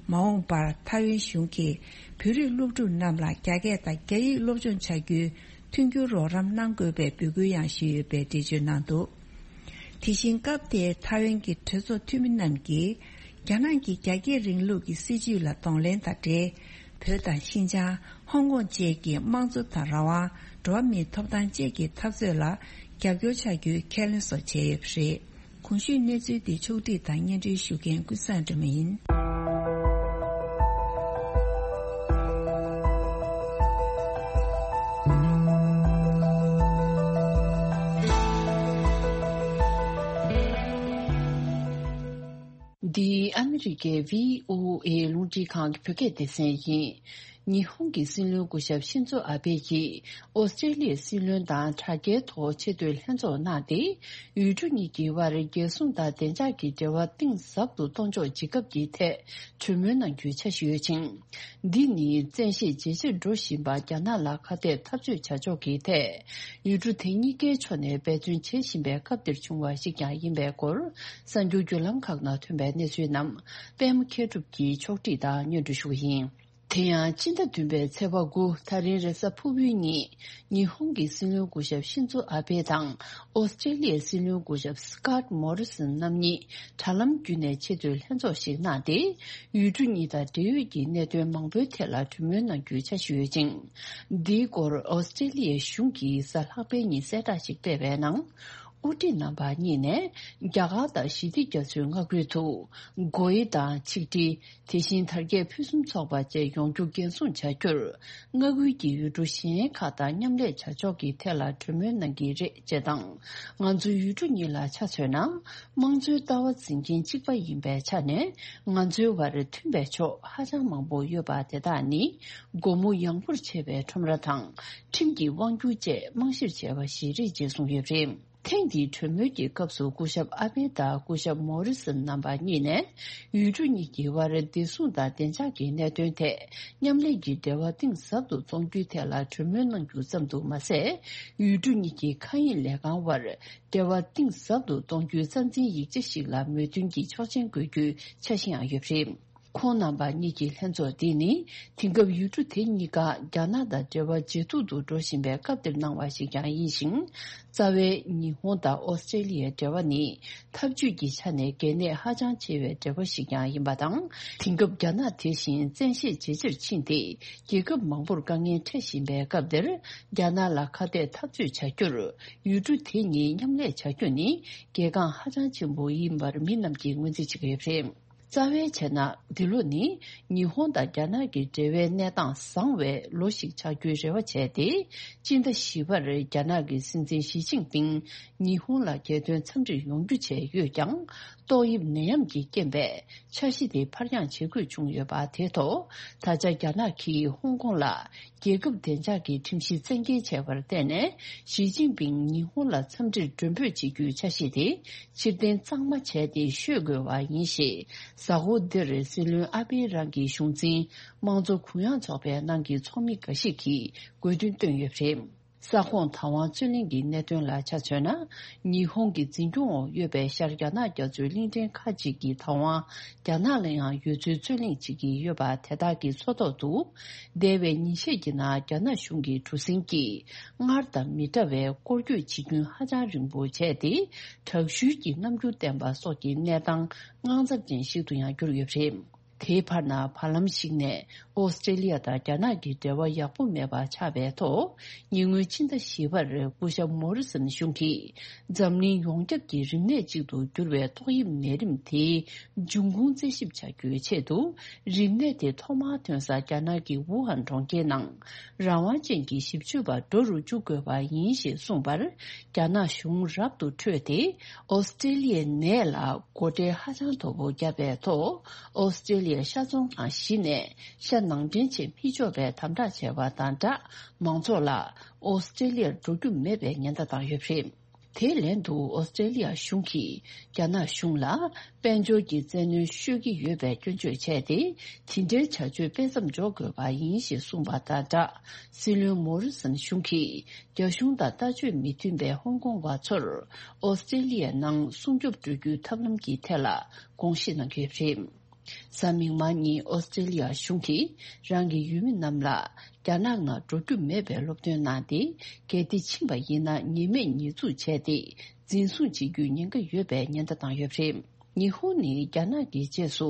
མ་འོངས་པར་ཐའེ་ཝན་གཞུང་གིས་བོད་རིགས་སློབ་ཕྲུག་རྣམས་ལ་རྒྱ་སྐད་དང་རྒྱ་ཡིག་སློབ་སྦྱོང་བྱ་རྒྱུའི་མཐུན་འགྱུར་རོགས་རམ་གནང་དགོས་པའི་འབོད་སྐུལ་ཡང་ཞུས་ཡོད་པའི་འགྲེལ་བརྗོད་གནང་འདུག་དེ་བཞིན་སྐབས་དེའི་ཐའེ་ཝན་གྱི་གྲོས་ཚོགས་འཐུས་མི་རྣམས་ཀྱིས། རྒྱ་ནག་གི་རྒྱ་སྐྱེད་རིང་ལུགས་ཀྱི་སྲིད་བྱུས་ལ་གདོང་ལེན་དང་འབྲེལ། བོད་དང་ཤིན་ཅང་། ཧོང་ཀོང་བཅས་ཀྱི་དམངས་གཙོ་དང་རང་དབང་། འགྲོ་བ་མིའི་ཐོབ་ཐང་བཅས་ཀྱི་འཐབ་རྩོད་ལ་རྒྱབ་སྐྱོར་བྱ་རྒྱུའི་ཁས་ལེན་སོགས་བྱས་ཡོད་པ་རེད། གོང་ཞུས་གནས་ཚུལ་འདི་ཕྱོགས་བསྒྲིགས་དང་སྙན་སྒྲོན་ཞུ་མཁན་ཀུན་བཟང་སྒྲོལ་མ་ཡིན། འདི་ཨ་མི་རི་ཀའི་བྷི་ཨོ་ཨེ་རླུང་འཕྲིན་ཁང་གི་བོད་སྐད་སྡེ་ཚན་ཡིན། ཉི་ཧོང་གི་སྲིད་བློན་སྐུ་ཞབས་ཤིན་ཛོ་ཨ་བྷེ་ཡིས་ཨོ་སི་ཀྲེ་ལི་ཡའི་སྲིད་བློན་དང་དྲ་རྒྱའི་ཐོག་ཆེས་མཐོའི་ལྷན་ཚོགས་གནང་སྟེ། ཡུལ་གྲུ་གཉིས་ཀྱི་དབར་རྒྱལ་སྲུང་དང་བདེ་འཇགས་ཀྱི་འབྲེལ་བ་གཏིང་ཟབ་ཏུ་གཏོང་ཕྱོགས་ཇི་སྐབས་ཀྱི་ཐད་གྲོས་མོལ་གནང་རྒྱུའི་འཆར་གཞི་ཡོད་ཅིང་། འདི་ནི་བཙན་ཤེད་ཇེ་ཆེར་འགྲོ་བཞིན་པ་རྒྱ་ནག་ལ་ཁ་གཏད་འཐབ་རྩོད་བྱ་ཕྱོགས་ཀྱི་ཐད། ཡུལ་གྲུ་དེ་གཉིས་ཀའི་ཕྱོགས་ནས་འབད་བརྩོན་བྱེད་བཞིན་པའི་སྐབས་འདིར་བྱུང་བ་ཞིག་ཀྱང་ཡིན་པའི་སྐོར། གསར་འགྱུར་བརྒྱུད་ལམ་ཁག་ནང་ཐོན་པའི་གནས་ཚུལ་རྣམས་པད་མ་མཁས་གྲུབ་ཀྱིས་ཕྱོགས་སྒྲིག་དང་སྙན་སྒྲོན་ཞུ་གི་ཡིན། དེ་ཡང་སྤྱི་ཟླ་བདུན་པའི་ཚེས་པ་དགུ་ད་རིང་རེས་གཟའ་ཕུར་བུའི་ཉིན། ཉི་ཧོང་གི་སྲིད་བློན་སྐུ་ཞབས་ཤིན་ཛོ་ཨ་བྷེ་དང་ཨོ་སི་ཀྲེ་ལི་ཡའི་སྲིད་བློན་སྐུ་ཞབས་སི་ཀཱད་མོ་རི་སན་རྣམ་གཉིས་དྲ་ལམ་བརྒྱུད་ནས་ཆེས་མཐོའི་ལྷན་ཚོགས་ཤིག་གནང་སྟེ། ཡུལ་གྲུ་གཉིས་དང་འབྲེལ་ཡོད་ཀྱི་གནད་དོན་མང་པོའི་ཐད་ལ་གྲོས་མོལ་གནང་རྒྱུའི་འཆར་གཞི་ཡོད་ཅིང་། འདིའི་སྐོར་ཨོ་སི་ཀྲེ་ལི་ཡའི་གཞུང་གིས་གཟའ་ལྷག་པའི་ཉིན་གསལ་བསྒྲགས་ཤིག་སྤེལ་བའི་ནང་། དབུ་ཁྲིད་རྣམ་པ་གཉིས་ནས་རྒྱ་གར་དང་ཞི་བདེ་རྒྱ་མཚོའི་མངའ་ཁུལ་དུ་སྒོ་དབྱེ་དང་ཆིག་སྒྲིལ། དེ་བཞིན་དར་རྒྱས་ཕུན་སུམ་ཚོགས་པ་བཅས་ཡོང་རྒྱུ་འགན་སྲུང་བྱ་རྒྱུར། མངའ་ཁུལ་གྱི་ཡུལ་གྲུ་གཞན་ཁག་དང་མཉམ་ལས་བྱ་ཕྱོགས་ཀྱི་ཐད་ལ་གྲོས་མོལ་གནང་གི་རེད་ཅེས་དང་། ང་ཚོའི་ཡུལ་གྲུ་གཉིས་ལ་ཆ་མཚོན་ན། དམངས་གཙོའི་ལྟ་བ་འཛིན་མཁན་གཅིག་པ་ཡིན་པའི་ཆ་ནས། ང་ཚོའི་བར་མཐུན་པའི་ཕྱོགས་ཧ་ཅང་མང་པོ་ཡོད་པ་དེ་དག་ནི། སྒོ་མོ་ཡངས་པོར་ཕྱེ་བའི་ཁྲོམ་ར་དང་། ཁྲིམས་ཀྱི་དབང་སྒྱུར་བཅས་རྨང་གཞིར་བྱས་པ་ཞིག་རེད་ཅེས་གསུངས་ཡོད་པ་རེད། ཐེངས་འདིའི་གྲོས་མོལ་གྱི་སྐབས་སུ་སྐུ་ཞབས་ཨ་པེ་དང་སྐུ་ཞབས་མོ་རི་སོན་རྣམ་པ་གཉིས་ནས། ཡུལ་གྲུ་གཉིས་ཀྱི་དབར་བདེ་སྲུང་དང་བདེ་འཇགས་ཀྱི་གནད་དོན་ཐད་མཉམ་ལས་ཀྱི་འབྲེལ་བ་གཏིང་ཟབ་ཏུ་གཏོང་རྒྱུའི་ཐད་ལ་གྲོས་མོལ་གནང་རྒྱུ་ཙམ་དུ་མ་ཟད། ཡུལ་གྲུ་གཉིས་ཀྱི་མཁའ་དབྱིངས་ལས་ཁང་དབར་འབྲེལ་བ་གཏིང་ཟབ་ཏུ་གཏོང་རྒྱུའི་རྩ་འཛིན་ཡིག་ཆ་ཞིག་ལ་མོས་མཐུན་གྱི་ཆོག་མཆན་འགོད་རྒྱུའི་འཆར་གཞི་ཡང་ཡོད་པ་རེད། ཁོང་རྣམ་པ་གཉིས་ཀྱི་ལྷན་ཚོགས་འདི་ནི། དེང་སྐབས་ཡུལ་གྲུ་དེ་གཉིས་ཀ་རྒྱ་ནག་དང་འབྲེལ་བ་ཇེ་སྡུག་ཏུ་འགྲོ་བཞིན་པའི་སྐབས་འདིར་གནང་བ་ཞིག་ཀྱང་ཡིན་ཞིང་། རྩ་བའི་ཉི་ཧོང་དང་ཨོ་སི་ཀྲེ་ལི་ཡའི་འབྲེལ་བ་ནི། འཐབ་ཇུས་ཀྱི་ཆ་ནས་གལ་གནད་ཧ་ཅང་ཆེ་བའི་འབྲེལ་བ་ཞིག་ཀྱང་ཡིན་པ་དང་། དེང་སྐབས་རྒྱ་ནག་དེ་བཞིན་བཙན་ཤེད་ཇེ་ཆེར་ཕྱིན་ཏེ། རྒྱལ་ཁབ་མང་པོར་དཀའ་ངལ་འཕྲད་བཞིན་པའི་སྐབས་འདིར། རྒྱ་ནག་ལ་ཁ་གཏད་འཐབ་རྩོད་བྱ་རྒྱུར། ཡུལ་གྲུ་དེ་གཉིས་མཉམ་ལས་བྱ་རྒྱུ་ནི། གལ་འགངས་ཧ་ཅང་ཆེན་པོ་ཡིན་པར་མི་རྣམས་ཀྱིས་ངོས་འཛིན་བྱེད་ཀྱི་ཡོད་པ་རེད། རྩ་བའི་བྱས་ན། འདི་ལོ་ནི་ཉི་ཧོང་དང་རྒྱ་ནག་གི་འབྲེལ་བའི་གནས་སྟངས་བཟང་བའི་ལོ་ཞིག་ཆགས་རྒྱུའི་རེ་བ་བྱས་ཏེ། སྤྱི་ཟླ་བཞི་པར་རྒྱ་ནག་གི་སྲིད་འཛིན་ཞི་ཅིན་ཕིང་ཉི་ཧོང་ལ་རྒྱལ་དོན་འཚམས་འདྲིར་ཡོང་རྒྱུ་བྱས་ཡོད་ཀྱང་། ཏོག་དབྱིབས་ནད་ཡམས་ཀྱི་རྐྱེན་པས་འཆར་གཞི་དེ་ཕར་འགྱངས་བྱེད་དགོས་བྱུང་ཡོད་པ་དེ་ཐོག་ད་ཆ་རྒྱ་ནག་གིས་ཧོང་ཀོང་ལ། རྒྱལ་ཁབ་བདེ་འཇགས་ཀྱི་ཁྲིམས་གཞི་བཙན་འགེལ་བྱས་པར་བརྟེན་ནས། ཞི་ཅིན་ཕིང་ཉི་ཧོང་ལ་འཚམས་འདྲིར་མགྲོན་འབོད་བྱེད་རྒྱུའི་འཆར་གཞི་དེ་ཕྱིར་འཐེན་གཙང་མ་བྱས་ཏེ་ཤོད་དགོས་པ་ཡིན་ཞེས། གཟའ་འཁོར་འདིར་སྲིད་བློན་ཨ་པེ་རང་གི་གཞུང་འཛིན་དམངས་གཙོ་གུ་ཡངས་ཚོགས་པའི་ནང་གི་ཚོགས་མི་འགའ་ཞིག་གིས་དགོས་འདུན་བཏོན་ཡོད་པ་རེད། ས་ཁོངས་བདག་དབང་རྩོད་གླེང་གི་གནད་དོན་ལ་ཆ་མཚོན་ན། ཉི་ཧོང་གི་འཛིན་སྐྱོང་འོག་ཡོད་པའི་ཤར་རྒྱ་ནག་རྒྱ་མཚོའི་གླིང་ཕྲན་ཁག་ཅིག་གི་བདག་དབང་རྒྱ་ནག་ལ་ཡང་ཡོད་ཚུལ་རྩོད་གླེང་བྱེད་ཀྱི་ཡོད་པ་དེ་དག་གི་མཚོ་ཐོག་ཏུ། འདས་པའི་ཉིན་ཤས་ཀྱི་ནང་རྒྱ་ནག་གཞུང་གི་གྲུ་གཟིངས་ཀྱིས་སྔར་དང་མི་འདྲ་བའི་སྐོར་སྐྱོད་བྱེད་རྒྱུན་ཧ་ཅང་རིང་པོ་བྱས་ཏེ། དྲག་ཤུལ་གྱི་རྣམ་འགྱུར་བསྟན་པ་སོགས་ཀྱི་གནས་སྟངས་དངངས་འཚབ་ཅན་ཞིག་ཏུ་ཡང་གྱུར་ཡོད་པ་རེད། དེའི་བར་ན་བར་ལམ་ཞིག་ནས་ཨོ་སི་ཀྲེ་ལི་ཡ་དང་རྒྱ་ནག་གི་འབྲེལ་བ་ཡག་པོ་མེད་པ་ཆགས་པའི་ཐོག་ཉེ་སྔོན་ཕྱི་ཟླ་བཞི་པར་སྐུ་ཞབས་མོ་རི་སོན་གཞུང་གིས་འཛམ་གླིང་ཡོངས་ཁྱབ་ཀྱི་རིམས་ནད་ཅིག་ཏུ་གྱུར་བའི་ཏོག་དབྱིབས་ནད་རིམས་དེའི་འབྱུང་ཁུངས་རྩད་ཞིབ་བྱ་རྒྱུའི་ཆེད་དུ། རིམས་ནད་དེ་ཐོག་མར་ཐོན་ས་རྒྱ་ནག་གི་ཝུ་ཧན་གྲོང་ཁྱེར་ནང་རང་དབང་ཅན་གྱི་ཞིབ་དཔྱོད་པ་འགྲོ་རུ་བཅུག་དགོས་པ་ཡིན་ཞེས་གསུངས་པར། རྒྱ་ནག་གཞུང་རབ་ཏུ་ཁྲོས་ཏེ། ཨོ་སི་ཀྲེ་ལི་ཡའི་ནད་ལ་སྒོ་ཁྲལ་ཧ་ཅང་མཐོ་པོ་བརྒྱབ་པའི་ཐོག་ཨོ་སི་ཀྲེ་ལི་ཡའི་ཤ་ཚོང་ཁང་བཞི་ནས་ཤ་ནང་འདྲེན་བྱེད་མི་ཆོག་པའི་དམ་དྲག་བྱས་པ་དང་སྦྲགས། མང་ཚོགས་ལ་ཨོ་སི་ཀྲེ་ལི་ཡར་འགྲོ་རྒྱུ་མེད་པའི་ཉེན་བརྡ་བཏང་ཡོད་པ་རེད། དེའི་ལན་དུ་ཨོ་སི་ཀྲེ་ལི་ཡ་གཞུང་གིས་རྒྱ་ནག་གཞུང་ལ་དཔལ་འབྱོར་གྱི་བཙན་གནོན་ཤོད་ཀྱི་ཡོད་པའི་སྐྱོན་བརྗོད་བྱས་ཏེ། དེ་འདྲའི་བྱ་སྤྱོད་སྤེལ་མཚམས་འཇོག་དགོས་པ་ཡིན་ཞེས་གསུངས་པ་དང་སྦྲགས། སྲིད་བློན་མོ་རི་སོན་གཞུང་གིས་རྒྱ་གཞུང་དང་ལྟ་སྤྱོད་མི་མཐུན་པའི་ཧོང་ཀོང་བ་ཚོར་ཨོ་སི་ཀྲེ་ལི་ཡའི་ནང་སྲུང་སྐྱོབ་སྤྲོད་རྒྱུའི་ཐབས་ལམ་གྱི་ཐད་ལ་དགོངས་བཞེས་གནང་གི་ཡོད་པ་རེད། གཟའ་མིག་དམར་ཉིན་ཨོ་སི་ཀྲེ་ལི་ཡ་གཞུང་གིས་རང་གི་ཡུལ་མི་རྣམས་ལ་རྒྱ་ནག་ནང་འགྲོ་རྒྱུ་མེད་པའི་སློབ་སྟོན་གནང་སྟེ། གལ་ཏེ་ཕྱིན་པ་ཡིན་ན་ཉེས་མེད་ཉེས་འཛུགས་བྱས་ཏེ། འཛིན་བཟུང་བྱེད་རྒྱུའི་ཉེན་ཁ་ཡོད་པའི་ཉེན་བརྡ་བཏང་ཡོད་པ་རེད། ཉི་ཧོང་ནི་རྒྱ་ནག་གི་རྗེས་སུ་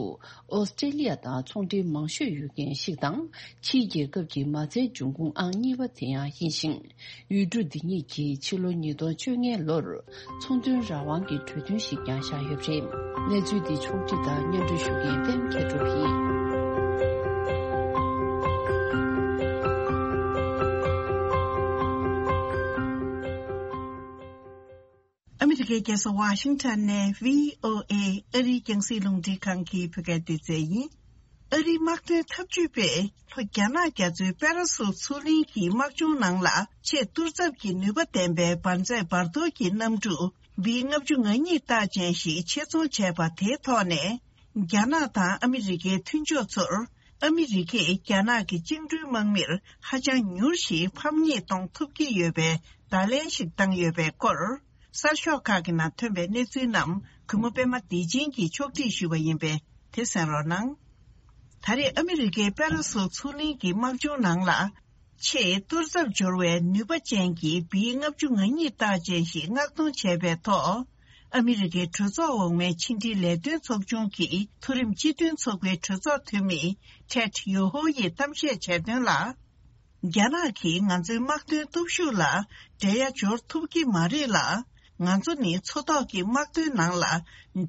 ཨོ་སི་ཀྲེ་ལི་ཡ་དང་ཚོང་འབྲེལ་མང་ཤོས་ཡོད་མཁན་ཞིག་དང་། ཕྱིའི་རྒྱལ་ཁབ་ཀྱི་མ་རྩའི་འབྱུང་ཁུངས་ཨང་གཉིས་པ་དེ་ཡང་ཡིན་ཞིང་། ཡུལ་གྲུ་འདི་གཉིས་ཀྱིས་ཕྱི་ལོ་ཉིས་སྟོང་བཅོ་ལྔའི་ལོར་ཚོང་དོན་རང་དབང་གི་གྲོས་མཐུན་ཞིག་ཀྱང་བཞག་ཡོད་པ་རེད། གནས་ཚུལ་འདི་ཕྱོགས་བསྒྲིགས་དང་སྙན་སྒྲོན་ཞུ་མཁན་པད་མ་མཁས་གྲུབ་ཡིན། ཨ་མི་རི་ཀའི་རྒྱལ་ས་ཝ་ཤིང་ཊོན་ནས་བྷི་ཨོ་ཨེ་ཨ་རིའི་རྒྱང་སྲིང་རླུང་འཕྲིན་ཁང་གི་བོད་སྐད་སྡེ་ཚན་ཡིན། ཨ་རིའི་དམག་དོན་འཐབ་ཇུས་པས་ལྷོ་རྒྱ་ནག་རྒྱ་མཚོའི་པེ་ར་སུལ་མཚོ་གླིང་གི་དམག་སྦྱོང་ནང་ལ་ཆེས་གཏོར་ཚབ་ཀྱི་ནུས་པ་ལྡན་པའི་འབར་རྫས་འབར་གཏོར་གྱི་གནམ་གྲུ་བྷི་ལྔ་བཅུ་ང་གཉིས་རྟགས་ཅན་ཞིག་ཆེད་རྫོང་བྱས་པ་དེའི་ཐོག་ནས། རྒྱ་ནག་དང་ཨ་མི་རི་ཀའི་མཐུན་ཕྱོགས་ཚོར་ཨ་མི་རི་ཀས་རྒྱ་ནག་གི་བཅིངས་འགྲོལ་དམག་མིར་ཧ་ཅང་མྱུར་ཞིང་ཕམ་ཉེས་གཏོང་ཐུབ་ཀྱི་ཡོད་པའི་བརྡ་ལན་ཞིག་བཏང་ཡོད་པའི་སྐོར། གསར་ཤོག་ཁག་གི་ནང་ཐོན་པའི་གནས་ཚུལ་རྣམས་གུས་མོ་པད་མ་བདེ་ཆེན་གྱིས་ཕྱོགས་སྒྲིག་ཞུས་པ་ཡིན་པས་དེ་གསན་རོགས་གནང་། ད་རེས་ཨ་མི་རི་ཀའི་པེ་ར་སུལ་མཚོ་གླིང་གི་དམག་སྦྱོང་ནང་ལ། ཆེས་གཏོར་ཚབ་འབྱོར་བའི་ནུས་པ་ཅན་གྱི་བྷི་ལྔ་བཅུ་ང་གཉིས་རྟགས་ཅན་ཞིག་མངགས་གཏོང་བྱས་པའི་ཐོག་ཨ་མི་རི་ཀའི་གྲོས་ཚོགས་འོག་མའི་ཕྱི་འབྲེལ་ལས་དོན་ཚོགས་ཆུང་གི་མཐོ་རིམ་སྤྱི་མཐུན་ཚོགས་པའི་གྲོས་ཚོགས་འཐུས་མི་ཊེཌ་ཡོ་ཧོ་ཡིས་གཏམ་བཤད་བྱས་དོན་ལ། རྒྱ་ནག་གིས་ང་ཚོའི་དམག་དོན་སྟོབས་ཤུགས་ལ་འགྲན་ཡ་འབྱོར་ཐུབ་ཀྱི་མ་རེད་ལ། ང་ཚོ་ནི་མཚོ་ཐོག་གི་དམག་དོན་ནང་ལ་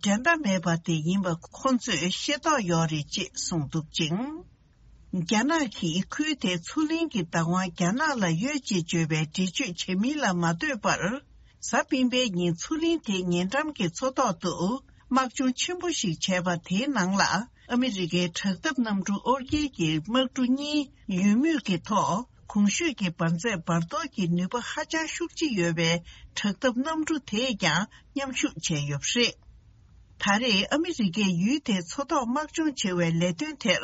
འགྲན་ཟླ་མེད་པ་དེ་ཡིན་པ་ཁོང་ཚོས་ཤེས་རྟོགས་ཡོད་རེད་ཅེས་གསུངས་འདུག་ཅིང་། རྒྱ་ནག་གིས་ཁུལ་དེའི་མཚོ་གླིང་གི་བདག་དབང་རྒྱ་ནག་ལ་ཡོད་ཅེས་བརྗོད་པའི་འགྲེལ་བརྗོད་བྱེད་མིན་ལ་མ་ལྟོས་པར། གཟའ་སྤེན་པའི་ཉིན་མཚོ་གླིང་དེའི་ཉེ་འགྲམ་གྱི་མཚོ་ཐོག་ཏུ་དམག་སྦྱོང་ཆེན་པོ་ཞིག་བྱས་པ་དེའི་ནང་ལ་ཨ་མི་རི་ཀའི་དྲག་འཐབ་གནམ་གྲུ་ཨོར་སྐྱེལ་གྱི་དམག་གྲུ་གཉིས་ཡོད་མུས་ཀྱི་ཐོག་གོང་ཞུས་ཀྱི་འབར་རྫས་འབར་གཏོར་གྱི་ནུས་པ་ཧ་ཅང་ཤུགས་ཆེ་ཡོད་པའི་དྲག་འཐབ་གནམ་གྲུ་དེས་ཀྱང་མཉམ་ཞུགས་བྱས་ཡོད་པ་རེད། ད་རེས་ཨ་མི་རི་ཀས་ཡུལ་དེའི་མཚོ་ཐོག་དམག་སྦྱོང་བྱེད་པའི་ལས་དོན་དེར་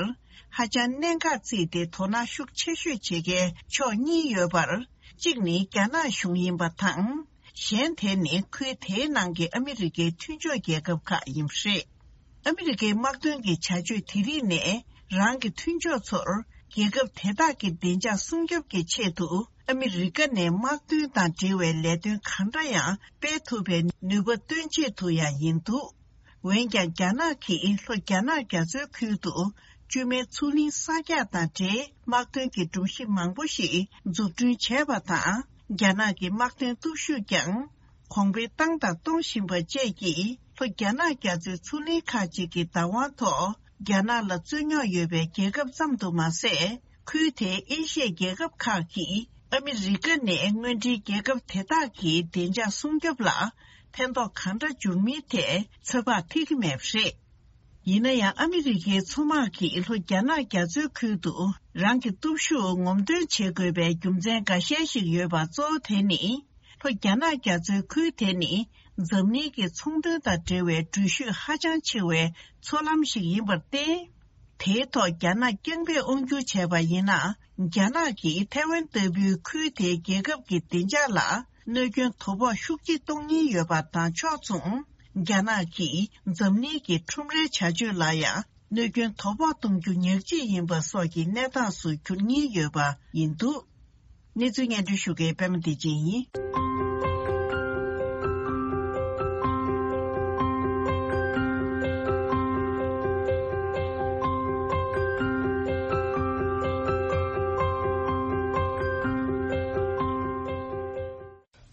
ཧ་ཅང་གནད་འགག་བརྩིས་ཏེ་དོ་སྣང་ཤུགས་ཆེ་ཤོས་བྱེད་མཁན་ཕྱོགས་གཉིས་ཡོད་པར། གཅིག་ནི་རྒྱ་ནག་གཞུང་ཡིན་པ་དང་། གཞན་དེ་ནི་ཁུལ་དེའི་ནང་གི་ཨ་མི་རི་ཀའི་མཐུན་ཕྱོགས་རྒྱལ་ཁབ་ཁག་ཡིན་པ་རེད། ཨ་མི་རི་ཀའི་དམག་དོན་གྱི་བྱ་སྤྱོད་དེ་རིགས་ནས་རང་གི་མཐུན་ཕྱོགས་ཚོར་རྒྱལ་ཁབ་དེ་དག་གི་བདེ་འཇགས་སྲུང་སྐྱོབ་ཀྱི་ཆེད་དུ་ཨ་མི་རི་ཀ་ནས་དམག་དོན་དང་འབྲེལ་བའི་ལས་དོན་གང་འདྲ་ཡང་སྤེལ་ཐུབ་པའི་ནུས་པ་བཏོན་ཆེད་དུ་ཡང་ཡིན་འདུག་འོན་ཀྱང་རྒྱ་ནག་གིས་ལྷོ་རྒྱ་ནག་རྒྱ་མཚོའི་ཁུལ་དུ་བཅོས་མའི་མཚོ་གླིང་གསར་རྒྱག་དང་འབྲེལ་དམག་དོན་གྱི་སྒྲོམ་གཞི་མང་པོ་ཞིག་འཛུགས་སྐྲུན་བྱས་པ་དང་། རྒྱ་ནག་གི་དམག་དོན་སྟོབས་ཤུགས་ཀྱང་གོང་འཕེལ་བཏང་དང་གཏོང་བཞིན་པ་བཅས་ཀྱིས་ལྷོ་རྒྱ་ནག་རྒྱ་མཚོའི་མཚོ་གླིང་ཁག་ཅིག་གི་བདག་དབང་ཐོག་རྒྱ་ནག་ལ་རྩོད་རྙོག་ཡོད་པའི་རྒྱལ་ཁབ་ཙམ་དུ་མ་ཟད། ཁུལ་དེའི་ཨེ་ཤི་ཡའི་རྒྱལ་ཁབ་ཁག་གིས་ཨ་མི་རི་ཀ་ནས་དངོས་འབྲེལ་རྒྱལ་ཁབ་དེ་དག་གི་བདེ་འཇགས་སྲུང་སྐྱོབ་ལ་ཕན་ཐོགས་གང་འདྲ་འབྱུང་མིན་ཐད་ཚོད་དཔག་ཐེག་གི་མེད་པ་རེད། ཡིན་ན་ཡང་ཨ་མི་རི་ཀའི་མཚོ་དམག་གིས་ལྷོ་རྒྱ་ནག་རྒྱ་མཚོའི་ཁུལ་དུ་རང་གི་སྟོབས་ཤུགས་ངོམ་སྟོན་བྱེད་དགོས་པའི་རྒྱུ་མཚན་འགའ་ཤས་ཤིག་ཡོད་པ་གཙོ་བོ་དེ་ནི། ལྷོ་རྒྱ་ནག་རྒྱ་མཚོའི་ཁུལ་དེ་ནི་འཛམ་གླིང་གི་ཚོང་དོན་དང་འབྲེལ་བའི་འགྲུལ་བཞུད་ཧ་ཅང་ཆེ་བའི་མཚོ་ལམ་ཞིག་ཡིན་པར་བརྟེན། དེའི་ཐོག་རྒྱ་ནག་རྐྱང་འབེབས་དབང་སྒྱུར་བྱས་པ་ཡིན་ན། རྒྱ་ནག་གིས་ཐའེ་ཝན་ལྟ་བུའི་ཁུལ་དེའི་རྒྱལ་ཁབ་ཀྱི་བདེ་འཇགས་ལ་གནོད་སྐྱོན་དོ་ཕོག་ཤུགས་ཆེ་གཏོང་ཉེན་ཡོད་པ་དང་ཕྱོགས་མཚུངས། རྒྱ་ནག་གིས་འཛམ་གླིང་གི་ཁྲོམ་རའི་བྱ་སྤྱོད་ལ་ཡང་གནོད་སྐྱོན་དོ་ཕོག་གཏོང་རྒྱུ་ཉག་གཅིག་ཡིན་པ་སོགས་ཀྱི་གནས་སྟངས་སུ་འགྱུར་ཉེན་ཡོད་པ་ཡིན་འདུག་གནས་ཚུལ་སྙན་སྒྲོན་ཞུ་མཁན་པད་མ་བདེ་ཆེན་ཡིན།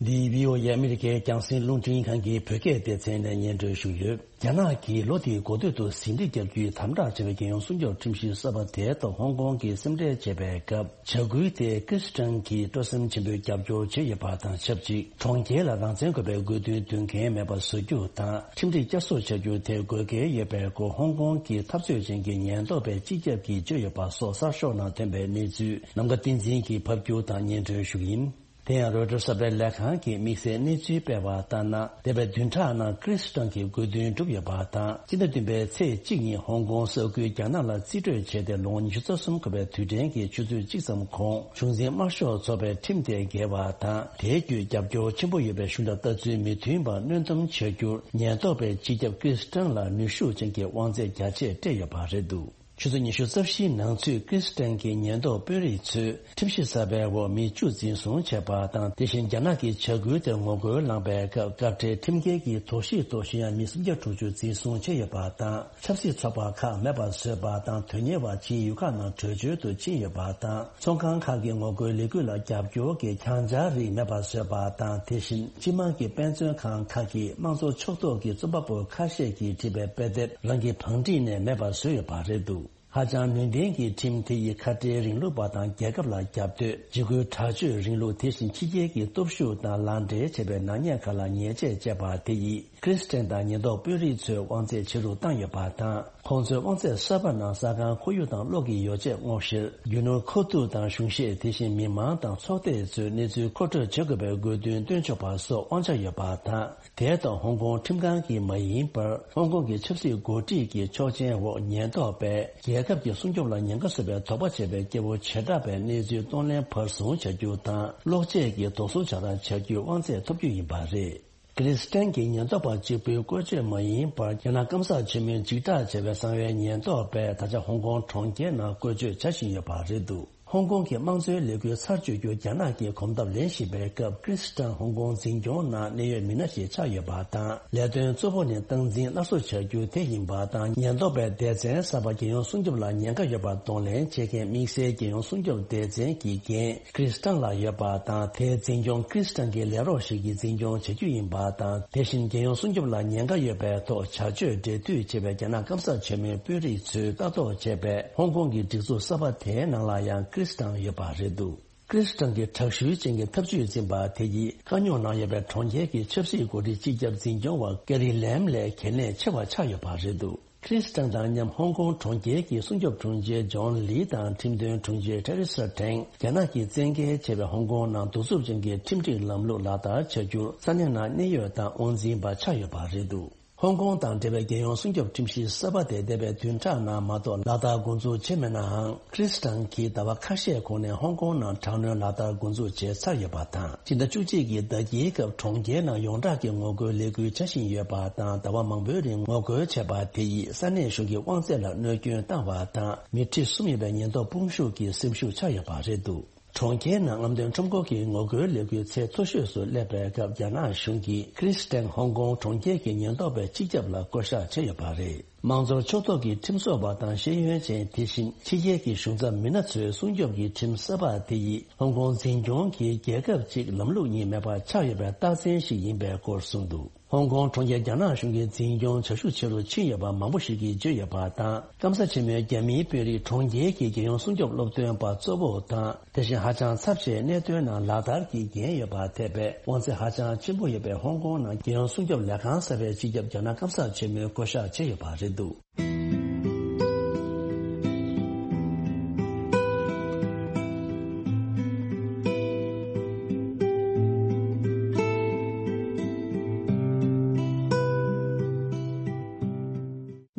འདི་བྷི་ཨོ་ཨེ་ཨ་མི་རི་ཀའི་རྒྱང་སྲིང་རླུང་འཕྲིན་ཁང་གི་བོད་སྐད་སྡེ་ཚན་ནས་སྙན་སྒྲོན་ཞུས་ཡོད། རྒྱ་ནག་གིས་ལོ་འདིའི་འགོ་སྟོད་དུ་ཟིང་འཁྲུག་བརྒྱབ་རྒྱུའི་དམ་དྲག་བྱས་པའི་རྒྱལ་ཡོངས་སྲུང་སྐྱོབ་ཁྲིམས་གཞི་གསར་པ་དེའི་ཐོག་ཧོང་ཀོང་གིས་སེམས་ཁྲལ་བྱེད་པའི་སྐབས། བྱ་འགུལ་དེ་ཀྲིས་ཊན་གྱིས་སྤྲོ་སེམས་ཆེན་པོས་རྒྱབ་སྐྱོར་བྱས་ཡོད་པ་དང་ཆབས་ཅིག་གྲོང་ཁྱེར་ལ་རང་བཙན་དགོས་པའི་དགོས་འདུན་འདོན་མཁན་མེད་པ་བཟོ་རྒྱུ་དང་། ཁྲིམས་སྒྲིག་བསྐྱར་གསོ་བྱ་རྒྱུ་དེ་དགོས་གལ་ཡོད་པའི་སྐོར་ཧོང་ཀོང་གི་འཐབ་རྩོད་ཅན་གྱི་ཉེན་རྟོག་པའི་སྤྱི་ཁྱབ་ཀྱིས་བརྗོད་ཡོད་པ་སོགས་གསར་ཤོག་ནང་ཐོན་པའི་གནས་ཚུལ་ནམ་མཁའ་བསྟན་འཛིན་གྱིས་ཕབ་སྒྱུར་དང་སྙན་སྒྲོན་ཞུ་གི་ཡིན། དེ་ཡང་རོའི་ཊར་གསར་པའི་ལས་ཁང་གིས་དམིགས་བསལ་གནས་ཚུལ་སྤེལ་བ་ལྟར་ན། འདས་པའི་བདུན་ཕྲག་ནང་ཀྲིས་ཊན་གྱི་དགོས་འདུན་བསྒྲུབས་ཡོད་པ་དང་། སྤྱི་ཟླ་བདུན་པའི་ཚེས་གཅིག་ཉིན་ཧོང་ཀོང་ས་ཁུལ་རྒྱ་ནག་ལ་རྩིས་སྤྲོད་བྱས་ཏེ་ལོ་ངོ་ཉི་ཤུ་རྩ་གསུམ་འཁོར་བའི་དུས་དྲན་གྱི་ཆུ་ཚོད་གཅིག་ཙམ་གོང་གཞུང་འཛིན་དམར་ཤོག་ཚོགས་པའི་ཁྲིམས་དེ་འགལ་བ་དང་། དེའི་བརྒྱུད་རྒྱབ་སྐྱོར་ཆེན་པོ་ཡོད་པའི་གཞུང་དང་ལྟ་ཚུལ་མི་མཐུན་པར་གནོན་སྡོམ་བྱ་རྒྱུར་ཉེན་རྟོག་པའི་སྤྱི་ཁྱབ་ཀྲིས་ཊན་ལ་ནུས་ཤུགས་ཅན་གྱི་དབང་ཚད་རྒྱ་ཆེ་སྤྲད་ཡོད་པ་རེད་འདུག་ཆུ་ཚོད་ཉི་ཤུ་རྩ་བཞིའི་ནང་ཚུད་ཀྲིས་ཊན་གྱི་ཉེན་རྟོག་དཔོན་རིགས་ཚོས་ཁྲིམས་གཞི་གསར་པའི་འོག་མི་བཅུ་འཛིན་བཟུང་བྱས་པ་དང་། དེ་བཞིན་རྒྱ་ནག་གི་བྱ་འགུལ་དེར་ངོ་རྒོལ་བསླངས་པའི་སྐབས་སྐབས་འཕྲལ་ཁྲིམས་འགལ་གྱི་དོགས་གཞིའི་ཐོག་ཞུ་ཡག་མི་སུམ་བརྒྱ་དྲུག་ཅུ་འཛིན་བཟུང་བྱས་ཡོད་པ་དང་། ཆབ་སྲིད་ཚོགས་པ་ཁག་མེད་པར་བཟོས་པ་དང་། དོན་གཉེར་བ་ཕྱིའི་ཡུལ་ཁག་ནང་བྲོས་བྱོལ་དུ་ཕྱིན་ཡོད་པ་དང་། ཚོང་ཁང་ཁག་གི་ངོ་རྒོལ་ལས་འགུལ་ལ་རྒྱབ་སྐྱོར་གྱི་གྱང་ཆག་རིགས་མེད་པར་བཟོས་པ་དང་། དེ་བཞིན་སྤྱི་དམངས་ཀྱི་དཔེ་མཚོན་ཁང་ཁག་གིས་དམངས་གཙོ་ཕྱོགས་གཏོགས་ཀྱི་རྩོམ་པ་པོ་ཁ་ཤས་ཀྱིས་བྲིས་པའི་དཔེ་དེབ་རང་གི་བང་སྒྲིག་ནས་མེད་པར་བཟོས་ཡོད་པ་རེད་འདུག་ཧ་ཅང་ནུས་ལྡན་གྱི་ཁྲིམས་དེ་ཡིས་ཁ་བྲལ་རིང་ལུགས་པ་དང་རྒྱལ་ཁབ་ལ་རྒྱབ་གཏོད། འཇིགས་སྐུལ་དྲག་སྤྱོད་རིང་ལུགས། དེ་བཞིན་ཕྱི་རྒྱལ་གྱི་སྟོབས་ཤུགས་དང་ལག་འབྲེལ་བྱས་པའི་ནག་ཉེས་ཁག་ལ་ཉེས་ཆད་བཅད་པ་དེ་ཡིས་ཀྲིས་ཊན་དང་ཉེན་རྟོག་དཔོན་རིགས་ཚོའི་དབང་ཚད་ཇེ་རུ་བཏང་ཡོད་པ་དང་། ཁོང་ཚོའི་དབང་ཚད་གསར་པ་ནང་ས་ཁང་ཁོར་ཡུག་དང་གློག་གི་ཡོ་བྱད་སྔོག་བཤེར། རྒྱུ་ནོར་མཁོ་བསྡུ་དང་གཞུང་བཞེས། དེ་བཞིན་མི་མང་དང་ཚོགས་སྡེ་ཚོའི་གནས་ཚུལ་མཁོ་སྤྲོད་བྱེད་དགོས་པའི་དགོས་འདུན་བཏོན་ཆོག་པ་སོགས་དབང་ཆ་ཡོད་པ་དང་། དེ་དང་ཧོང་ཀོང་ཁྲིམས་ཁང་གིས་མ་ཡིན་པར། ཧོང་ཀོང་གི་ཆབ་སྲིད་འགོ་ཁྲིད་ཀྱི་ཆོག་མཆན་འོག་ཉེན་རྟོག་པས་རྒྱལ་ཁབ་ཀྱི་སྲུང་སྐྱོབ་ལ་ཉེན་ཁ་བཟོ་བའི་དོགས་པ་བྱས་པའི་སྐྱེ་བོ་བྱེ་བྲག་པའི་གནས་ཚུལ་གཏོང་ལེན་བར་བཟུང་བྱ་རྒྱུ་དང་། གློག་ཆས་ཀྱི་དོགས་ཟོན་བྱ་སྟངས་བྱ་རྒྱུའི་དབང་ཚད་ཐོབ་རྒྱུ་ཡིན་པ་རེད། ཀྲིས་ཊན་གྱི་ཉེན་རྟོག་པ་གཅིག་པུའི་བཀོལ་སྤྱོད་མ་ཡིན་པར། རྒྱ་ནག་སྐམ་ས་ཆེན་མོའི་འཇིགས་སྐྲག་བྱས་པའི་གསང་བའི་ཉེན་རྟོག་པས་ད་ཆ་ཧོང་ཀོང་གྲོང་ཁྱེར་ནང་བཀོལ་སྤྱོད་བྱ་བཞིན་ཡོད་པ་རེད་འདུག་ཧོང་ཀོང་གི་དམངས་གཙོའི་ལས་འགུལ་ཚར་གཅོད་རྒྱུར་རྒྱ་ནག་གིས་གོམ་སྟབས་ལེན་བཞིན་པའི་སྐབས། ཀྲིས་ཊན་ཧོང་ཀོང་འཛིན་སྐྱོང་ནང་གནད་ཡོད་མི་སྣ་ཞིག་ཆགས་ཡོད་པ་དང་། ལས་དོན་གཙོ་བོ་ནི་སྟངས་འཛིན་སླར་གསོ་བྱ་རྒྱུ་དེ་ཡིན་པ་དང་། ཉེན་རྟོག་པའི་སྡེ་ཚན་གསར་པ་རྒྱལ་ཡོངས་སྲུང་སྐྱོབ་ལ་ཉེན་ཁ་ཡོད་པ་གདོང་ལེན་བྱེད་མཁན་དམིགས་བསལ་རྒྱལ་ཡོངས་སྲུང་སྐྱོབ་སྡེ་ཚན་གྱི་འགན་ཀྲིས་ཊན་ལ་ཡོད་པ་དང་། དེའི་འཛིན་སྐྱོང་ཀྲིས་ཊན་གྱི་ལས་རོགས་ཤིག་གིས་འཛིན་སྐྱོང་བྱེད་རྒྱུ་ཡིན་པ་དང་། དེ་བཞིན་རྒྱལ་ཡོངས་སྲུང་སྐྱོབ་ལ་ཉེན་ཁ་ཡོད་པའི་ཐོག་བྱ་སྤྱོད་འབྲེལ་མཐུད་བྱེད་པའི་རྒྱ་ནག་སྐམ་ས་ཆེན་མོའི་དཔོན་རིགས་ཚོས་ལྟ་རྟོག་བྱས་པའི་ཧོང་ཀོང་གི་སྒྲིག་འཛུགས་གསར་པ་དེའི་ནང་ལ་ཡང་ཀྲིས་ཊན་ཡོད་པ་རེད་འདུག་ཀྲིས་ཊན་གྱི་དྲག་ཤུལ་ཅན་གྱི་ཐབས་ཇུས་འཛིན་པ་དེ་ཡིས་དཀའ་རྙོག་ནང་ཡོད་པའི་གྲོང་ཁྱེར་གྱི་ཆབ་སྲིད་འགོ་ཁྲིད་སྤྱི་ཁྱབ་འཛིན་སྐྱོང་བ་ཀེ་རི་ལེམ་ལས་གལ་གནད་ཆེ་བ་ཆགས་ཡོད་པ་རེད་འདུག་ཁྲིན་ཏང་དང་མཉམ་ཧོང་ཀོང་གྲོང་ཁྱེར་གྱི་སྲུང་སྐྱོབ་དྲུང་ཆེ་ཇོན་ལི་དང་ཁྲིམས་དོན་དྲུང་ཆེ་ཐེ་རི་ས་ཐེང་རྒྱ་ནག་གིས་བཙན་འགེལ་བྱས་པའི་ཧོང་ཀོང་ནང་གདུག་རྩུབ་ཅན་གྱི་ཁྲིམས་སྒྲིག་ལམ་ལུགས་ལག་བསྟར་བྱ་རྒྱུར་ས་གནས་ནང་གནད་ཡོད་དང་དབང་འཛིན་པ་ཆགས་ཡོད་པ་རེད་འདུག་ཧོང་ཀོང་དང་འབྲེལ་བའི་རྒྱལ་ཡོངས་སྲུང་སྐྱོབ་ཁྲིམས་གཞི་གསར་པ་དེ་འདས་པའི་བདུན་ཕྲག་ནང་མ་གཏོགས་ལག་བསྟར་འགོ་འཛུགས་བྱས་མེད་ནའང་། ཁྲིན་ཏང་གིས་ཟླ་བ་ཁ་ཤས་གོང་ནས་ཧོང་ཀོང་ནང་དྲག་གནོན་ལག་བསྟར་འགོ་འཛུགས་བྱས་ཚར་ཡོད་པ་དང་། སྤྱི་ཟླ་བཅུ་གཅིག་གི་ཟླ་དཀྱིལ་སྐབས་གྲོང་ཁྱེར་ནང་ཡོངས་གྲགས་ཀྱི་ངོ་རྒོལ་ལས་འགུལ་བྱ་བཞིན་ཡོད་པ་དང་། ཟླ་བ་མང་པོའི་རིང་ངོ་རྒོལ་བྱས་པ་དེ་ཡིས་ས་གནས་གཞུང་གི་དབང་ཚད་ལ་གནོད་སྐྱོན་བཏང་བ་དང་། མི་ཁྲི་གསུམ་ཡོད་པའི་ཉེན་རྟོག་དཔུང་ཤུགས་ཀྱི་སེམས་ཤུགས་ཆག་ཡོད་པ་རེད་འདུག་གྲོང་ཁྱེར་ནང་རྔམ་སྟོན་ཁྲོམ་སྐོར་གྱི་ངོ་རྒོལ་ལས་འགུལ་ཚད་མཐོ་ཤོས་སུ་སླེབས་པའི་སྐབས། རྒྱ་ནག་གཞུང་གིས་ཁྲིན་ཏང་ཧོང་ཀོང་གྲོང་ཁྱེར་གྱི་ཉེན་རྟོག་པའི་སྤྱི་ཁྱབ་ལ་བསྐོ་གཞག་བྱས་ཡོད་པ་རེད། མང་གཙོ་ཕྱོགས་གཏོགས་ཀྱི་ཁྲིམས་བཟོ་བ་དང་ཤེས་ཡོན་ཅན། དེ་བཞིན་ཕྱི་རྒྱལ་གྱི་གཞུང་ཚབ་མི་སྣ་ཚོས་སྲུང་སྐྱོབ་ཀྱི་ཁྲིམས་གསར་པ་དེ་ཡིས་ཧོང་ཀོང་འཛིན་སྐྱོང་གིས་རྒྱལ་ཁབ་ཅིག་ལམ་ལུགས་གཉིས་མེད་པ་ཆགས་ཡོད་པའི་རྟགས་མཚན་ཞིག་ཡིན་པའི་སྐོར་གསུངས་འདུག་ཧོང་ཀོང་གྲོང་ཁྱེར་རྒྱ་ནག་གཞུང་གིས་འཛིན་སྐྱོང་བྱ་ཤུགས་ཆེ་རུ་ཕྱིན་ཡོད་པ་མང་པོ་ཞིག་གིས་བརྗོད་ཡོད་པ་དང་། སྐམ་ས་ཆེན་མོའི་རྒྱ་མིའི་དཔོན་རིགས་གྲོང་ཁྱེར་གྱི་རྒྱལ་ཡོངས་སྲུང་སྐྱོབ་སློབ་སྟོན་པ་གཙོ་བོ་དང་། དེ་བཞིན་ཧ་ཅང་ཚབས་ཆེའི་གནད་དོན་ནང་ལག་བསྟར་གྱི་འགན་ཡོད་པ་ཐེ་བའི་དབང་ཚད་ཧ་ཅང་ཆེན་པོ་ཡོད་པའི་ཧོང་ཀོང་ནང་རྒྱལ་ཡོངས་སྲུང་སྐྱོབ་ལས་ཁང་གསར་པའི་སྤྱི་ཁྱབ་རྒྱ་ནག་སྐམ་ས་ཆེན་མོས་བསྐོ་གཞག་བྱས་ཡོད་པ་རེད་འདུག་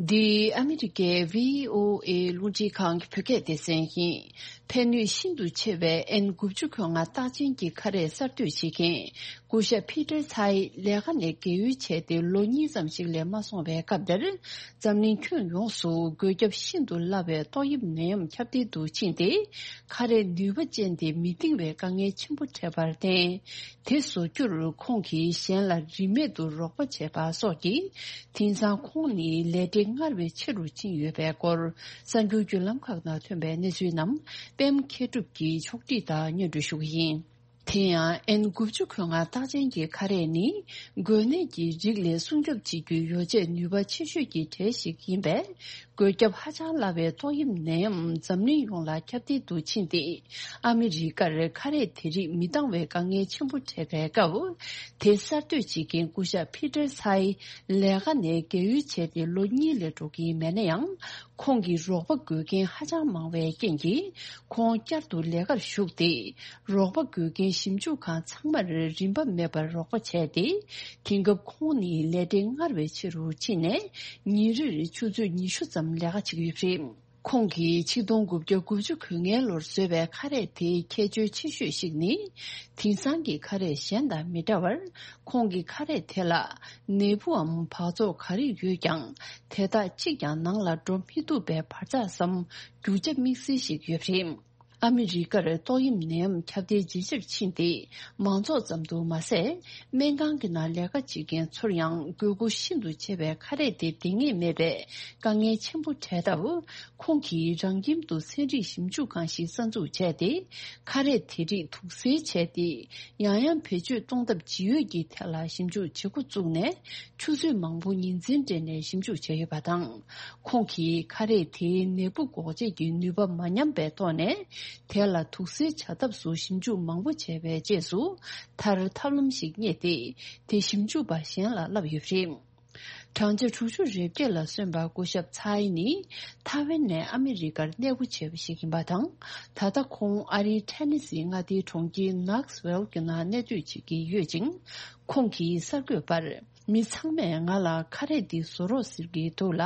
འདི་ཨ་མི་རི་ཀའི་བྷི་ཨོ་ཨེ་རླུང་འཕྲིན་ཁང་གི་བོད་སྐད་སྡེ་ཚན་ཡིན། ཕན་ནུས་ཤིན་ཏུ་ཆེ་བའི་ཨེན་དགུ་བཅུ་གོ་ལྔ་རྟགས་ཅན་གྱི་ཁ་རས་གསར་གཏོད་བྱེད་མཁན་སྐུ་ཞབས་ཕི་ཏར་ཚའེ་ལས་ཀ་ནས་རྒས་ཡོལ་བྱས་ཏེ་ལོ་གཉིས་ཙམ་ཞིག་ལས་མ་སོང་བའི་སྐབས་དེར། འཛམ་གླིང་ཁྱོན་ཡོངས་སུ་འགོས་ཁྱབ་ཤིན་ཏུ་སླ་བའི་ཏོག་དབྱིབས་ནད་ཡམས་ཁྱབ་གདལ་དུ་ཕྱིན་ཏེ། ཁ་རས་ནུས་པ་ཅན་དེ་མི་འདིང་བའི་དཀའ་ངལ་ཆེན་པོ་འཕྲད་པར་བརྟེན། དེ་བཟོ་རྒྱུར་ཁོང་གིས་གཞན་ལ་རིན་མེད་དུ་རོགས་པ་བྱས་པ་སོགས་ཀྱིས། དེང་སང་ཁོང་ནི་ལས་བྲེལ་སྔར་བས་ཆེ་རུ་ཕྱིན་ཡོད་པའི་སྐོར། གསར་འགྱུར་བརྒྱུད་ལམ་ཁག་ནང་ཐོན་པའི་གནས་ཚུལ་རྣམས་པད་མ་མཁས་གྲུབ་ཀྱིས་ཕྱོགས་སྒྲིག་དང་སྙན་སྒྲོན་ཞུ་གི་ཡིན། དེ་ཡང་ཨེན་དགུ་བཅུ་གོ་ལྔ་རྟགས་ཅན་གྱི་ཁ་རས་ནི། འགོས་ནད་ཀྱི་རིགས་ལས་སྲུང་སྐྱོབ་བྱེད་རྒྱུའི་ཡོ་བྱད་ནུས་པ་ཆེ་ཤོས་ཀྱི་གྲས་ཤིག་ཡིན་པས། འགོས་ཁྱབ་ཧ་ཅང་སླ་བའི་ཏོག་དབྱིབས་ནད་ཡམས་འཛམ་གླིང་ཡོངས་ལ་ཁྱབ་གདལ་དུ་ཕྱིན་ཏེ། ཨ་མི་རི་ཀར་ཁ་རས་དེ་རིགས་མི་འདང་བའི་དཀའ་ངལ་ཆེན་པོ་འཕྲད་པའི་སྐབས། དེ་གསར་གཏོད་བྱེད་མཁན་སྐུ་ཞབས་ཕི་ཏར་ཚའེ་ལས་ཀ་ནས་རྒས་ཡོལ་བྱས་ཏེ་ལོ་གཉིས་ལས་འགྲོ་གི་མེད་ན་ཡང་། ཁོང་གི་རོགས་པ་དགོས་མཁན་ཧ་ཅང་མང་བའི་རྐྱེན་གྱིས། ཁོང་བསྐྱར་དུ་ལས་ཀར་ཞུགས་ཏེ། རོགས་པ་དགོས་མཁན་ཞིབ་འཇུག་ཁང་ཚང་མར་རིན་པ་མེད་པར་རོགས་པ་བྱས་ཏེ། དེང་སྐབས་ཁོང་ནི་ལས་བྲེལ་སྔར་བས་ཆེ་རུ་ཕྱིན་ནས། ཉིན་རེར་ཆུ་ཚོད་ཉི་ཤུ་ཙམ་ལས་ཀ་བྱེད་ཀྱི་ཡོད་པ་རེད། ཁོང་གིས་ཆིག་སྟོང་དགུ་བརྒྱ་དགུ་བཅུ་གོ་ལྔའི་ལོར་བཟོས་པའི་ཁ་རས་དེའི་ཁྱད་ཆོས་ཆེ་ཤོས་ཤིག་ནི། དེང་སང་གི་ཁ་རས་གཞན་དང་མི་འདྲ་བར། ཁོང་གི་ཁ་རས་དེ་ལ་ནད་འབུའམ་འབག་བཙོག་ག་རེ་ཡོད་ཀྱང་། དེ་དག་གཅིག་ཀྱང་ནང་ལ་འགྲོ་མི་ཐུབ་པའི་བར་ཐག་སམ། རྒྱུ་ཆ་དམིགས་བསལ་ཞིག་ཡོད་པ་རེད། ཨ་མི་རི་ཀར་ཏོག་དབྱིབས་ནད་ཡམས་ཁྱབ་གདལ་ཇེ་ཆེར་ཕྱིན་ཏེ། མང་ཚོགས་ཙམ་དུ་མ་ཟད། སྨན་ཁང་གི་ནང་ལས་ཀ་བྱེད་མཁན་ཚོར་ཡང་དགོས་མཁོ་ཤིན་ཏུ་ཆེ་བའི་ཁ་རས་དེ་འདིང་ངེས་མེད་པའི་དཀའ་ངལ་ཆེན་པོ་འཕྲད་སྟབས། ཁོང་གིས་རང་ཁྱིམ་དུ་ཚན་རིག་ཞིབ་འཇུག་ཁང་ཞིག་གསར་འཛུགས་བྱས་ཏེ། ཁ་རས་དེ་རིགས་དུག་སེལ་བྱས་ཏེ། ཡང་ཡང་བེད་སྤྱོད་གཏོང་ཐབས་ཇི་ཡོད་ཀྱི་ཐད་ལ་ཞིབ་འཇུག་བྱེད་འགོ་བཙུགས་ནས། ཆུ་ཚོད་མང་པོ་ཉིན་མཚན་སྦྲེལ་ནས་ཞིབ་འཇུག་བྱས་ཡོད་པ་དང་། ཁོང་གིས་ཁ་རས་དེའི་ནད་འབུ་འགོག་བྱེད་ཀྱི་ནུས་པ་མ་ཉམས་པའི་ཐོག་ནས། དེ་ལ་དུག་སེལ་བྱ་ཐབས་སུ་ཞིབ་འཇུག་མང་པོ་བྱས་པའི་རྗེས་སུ། མཐར་ཐབས་ལམ་ཞིག་རྙེད་དེ། དེ་ཞིབ་འཇུག་པ་གཞན་ལ་བསླབས་ཡོད་པ་རེད། བགྲང་བྱ་དྲུག་ཅུ་རེ་བརྒྱད་ལ་སོན་པ་སྐུ་ཞབས་ཚའེ་ནི། ཐའེ་ཝན་ནས་ཨ་མི་རི་ཀར་གནས་སྤོ་བྱས་པ་ཞིག་ཡིན་པ་དང་། ད་ལྟ་ཁོང་ཨ་རིའི་ཐེ་ནེ་སི་མངའ་སྡེའི་གྲོང་ཁྱེར་ནོག་སི་ཝེལ་གྱི་ནང་གནས་སྡོད་བྱེད་ཀྱི་ཡོད་ཅིང་། ཁོང་གིས་གསར་འགོད་པར། མི་ཚང་མས་ང་ལ་ཁ་རས་འདི་བཟོ་རོགས་ཟེར་གྱི་འདུག་ལ།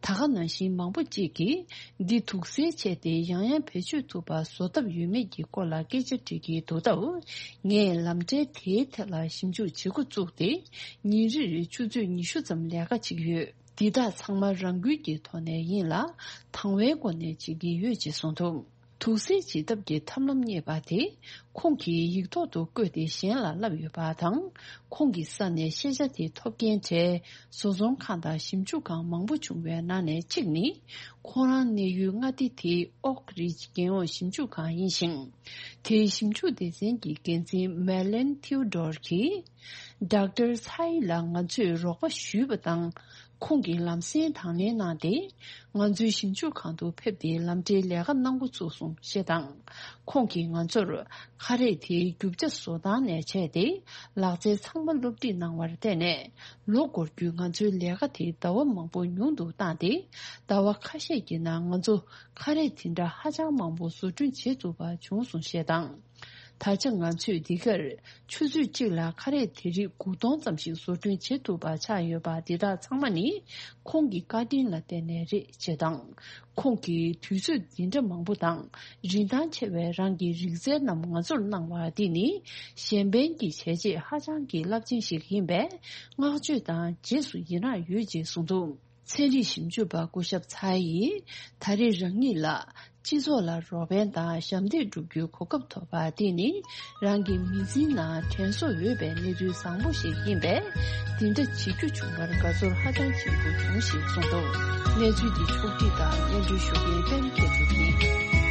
ད་ག་ནང་བཞིན་མང་པོ་གཅིག་གིས། འདི་དུག་སེལ་བྱས་ཏེ་ཡང་ཡང་བེད་སྤྱོད་ཐུབ་པ་བཟོ་ཐབས་ཡོད་མེད་ཀྱི་སྐོར་ལ་སྐད་ཆ་དྲིས་ཀྱི་འདུག་སྟབས། ངས་ལམ་འབྲས་དེའི་ཐད་ལ་ཞིབ་འཇུག་བྱེད་འགོ་བཙུགས་ཏེ། ཉིན་རེར་ཆུ་ཚོད་ཉི་ཤུ་ཙམ་ལས་ཀ་བྱེད་ཀྱི་ཡོད། འདི་དག་ཚང་མ་རང་འགུལ་གྱི་ཐོག་ནས་ཡིན་ལ། དང་བའི་སྒོ་ནས་བྱེད་ཀྱི་ཡོད་ཅེས་གསུངས་འདུག་དུག་སེལ་བྱེད་ཐབས་ཀྱི་ཐབས་ལམ་རྙེད་པ་དེ། ཁོང་གིས་ཡིག་ཐོག་ཏུ་བཀོད་དེ་གཞན་ལ་བསླབས་ཡོད་པ་དང་། ཁོང་གི་ས་ནས་ཤེས་བྱ་དེ་ཐོབ་མཁན་གྲས་བཟོ་ཚོང་ཁང་དང་ཞིབ་འཇུག་ཁང་མང་པོ་བྱུང་བའི་ནང་ནས་གཅིག་ནི། ཁོང་རང་གནས་ཡུལ་མངའ་སྡེ་དེའི་ཨོག་རིཇ་རྒྱལ་ཡོངས་ཞིབ་འཇུག་ཁང་ཡིན་ཞིང་། དེའི་ཞིབ་འཇུག་སྡེ་ཚན་གྱི་འགན་འཛིན་མེ་ལེན་ཐིའུ་ཌོར་གྱིས། ཌོག་ཊར་ཚའེ་ལ་ང་ཚོས་རོགས་པ་ཞུས་པ་དང་། ཁོང་གིས་ལམ་སེང་དང་ལེན་གནང་སྟེ། ང་ཚོའི་ཞིབ་འཇུག་ཁང་དུ་ཕེབས་ཏེ་ལམ་འབྲེལ་ལས་ཀ་གནང་འགོ་ཚུགས་སོང་ཞེས་དང་། ཁོང་གིས་ང་ཚོར་ཁ་རས་དེའི་རྒྱུ་ཆ་བཟོ་སྟངས་ནས་བྱས་ཏེ། ལག་རྩལ་ཚང་མ་སློབ་ཁྲིད་གནང་བར་བརྟེན་ནས། ལོ་འགོར་རྒྱུའི་ང་ཚོའི་ལས་ཀ་དེ་ཟླ་བ་མང་པོ་ཉུང་དུ་བཏང་སྟེ། ཟླ་བ་ཁ་ཤས་ཀྱི་ནང་ང་ཚོ་ཁ་རས་དེ་འདྲ་ཧ་ཅང་མང་པོ་བཟོ་སྐྲུན་བྱེད་ཐུབ་པ་བྱུང་སོང་ཞེས་དང་། ད་ཆ་ང་ཚོས་འདི་གར་ཆུ་ཚོད་གཅིག་ལ་ཁ་རས་དེ་རིགས་དགུ་སྟོང་ཙམ་ཞིག་བཟོ་སྐྲུན་བྱེད་ཐུབ་པ་ཆགས་ཡོད་པ། འདི་དག་ཚང་མ་ནི་ཁོང་གི་བཀའ་དྲིན་ལ་བརྟེན་ནས་རེད་ཅེས་དང་། ཁོང་གིས་དུས་ཚོད་འདི་འདྲ་མང་པོ་དང་རིན་ཐང་ཆེ་བའི་རང་གི་རིག་རྩལ་རྣམས་ང་ཚོར་གནང་བ་འདི་ནི་གཞན་ཕན་གྱི་བྱས་རྗེས་ཧ་ཅང་གི་རླབས་ཆེན་ཞིག་ཡིན་པས། བསྔགས་བརྗོད་དང་རྗེས་སུ་ཡི་རངས་ཡོད་ཅེས་གསུངས་འདུག། ཚན་རིག་ཞིབ་འཇུག་པ་སྐུ་ཞབས་ཚའེ་ཡིས་ད་རེས་རང་ཉིད་ལ་སྤྱི་ཚོགས་ལ་རོགས་ཕན་དང་ཞབས་འདེགས་སྒྲུབ་རྒྱུའི་གོ་སྐབས་ཐོབ་པ་དེ་ནི་རང་གི་མི་ཚེའི་ནང་དྲན་གསོ་འོས་པའི་གནས་ཚུལ་བཟང་པོ་ཞིག་ཡིན་པས། འདི་འདྲ་བྱེད་རྒྱུ་བྱུང་བར་དགའ་ཚོར་ཧ་ཅང་ཆེན་པོ་བྱུང་ཞེས་གསུངས་འདུག། གནས་ཚུལ་འདི་ཕྱོགས་བསྒྲིགས་དང་སྙན་སྒྲོན་ཞུ་མཁན་པད་མ་མཁས་གྲུབ་ཡིན།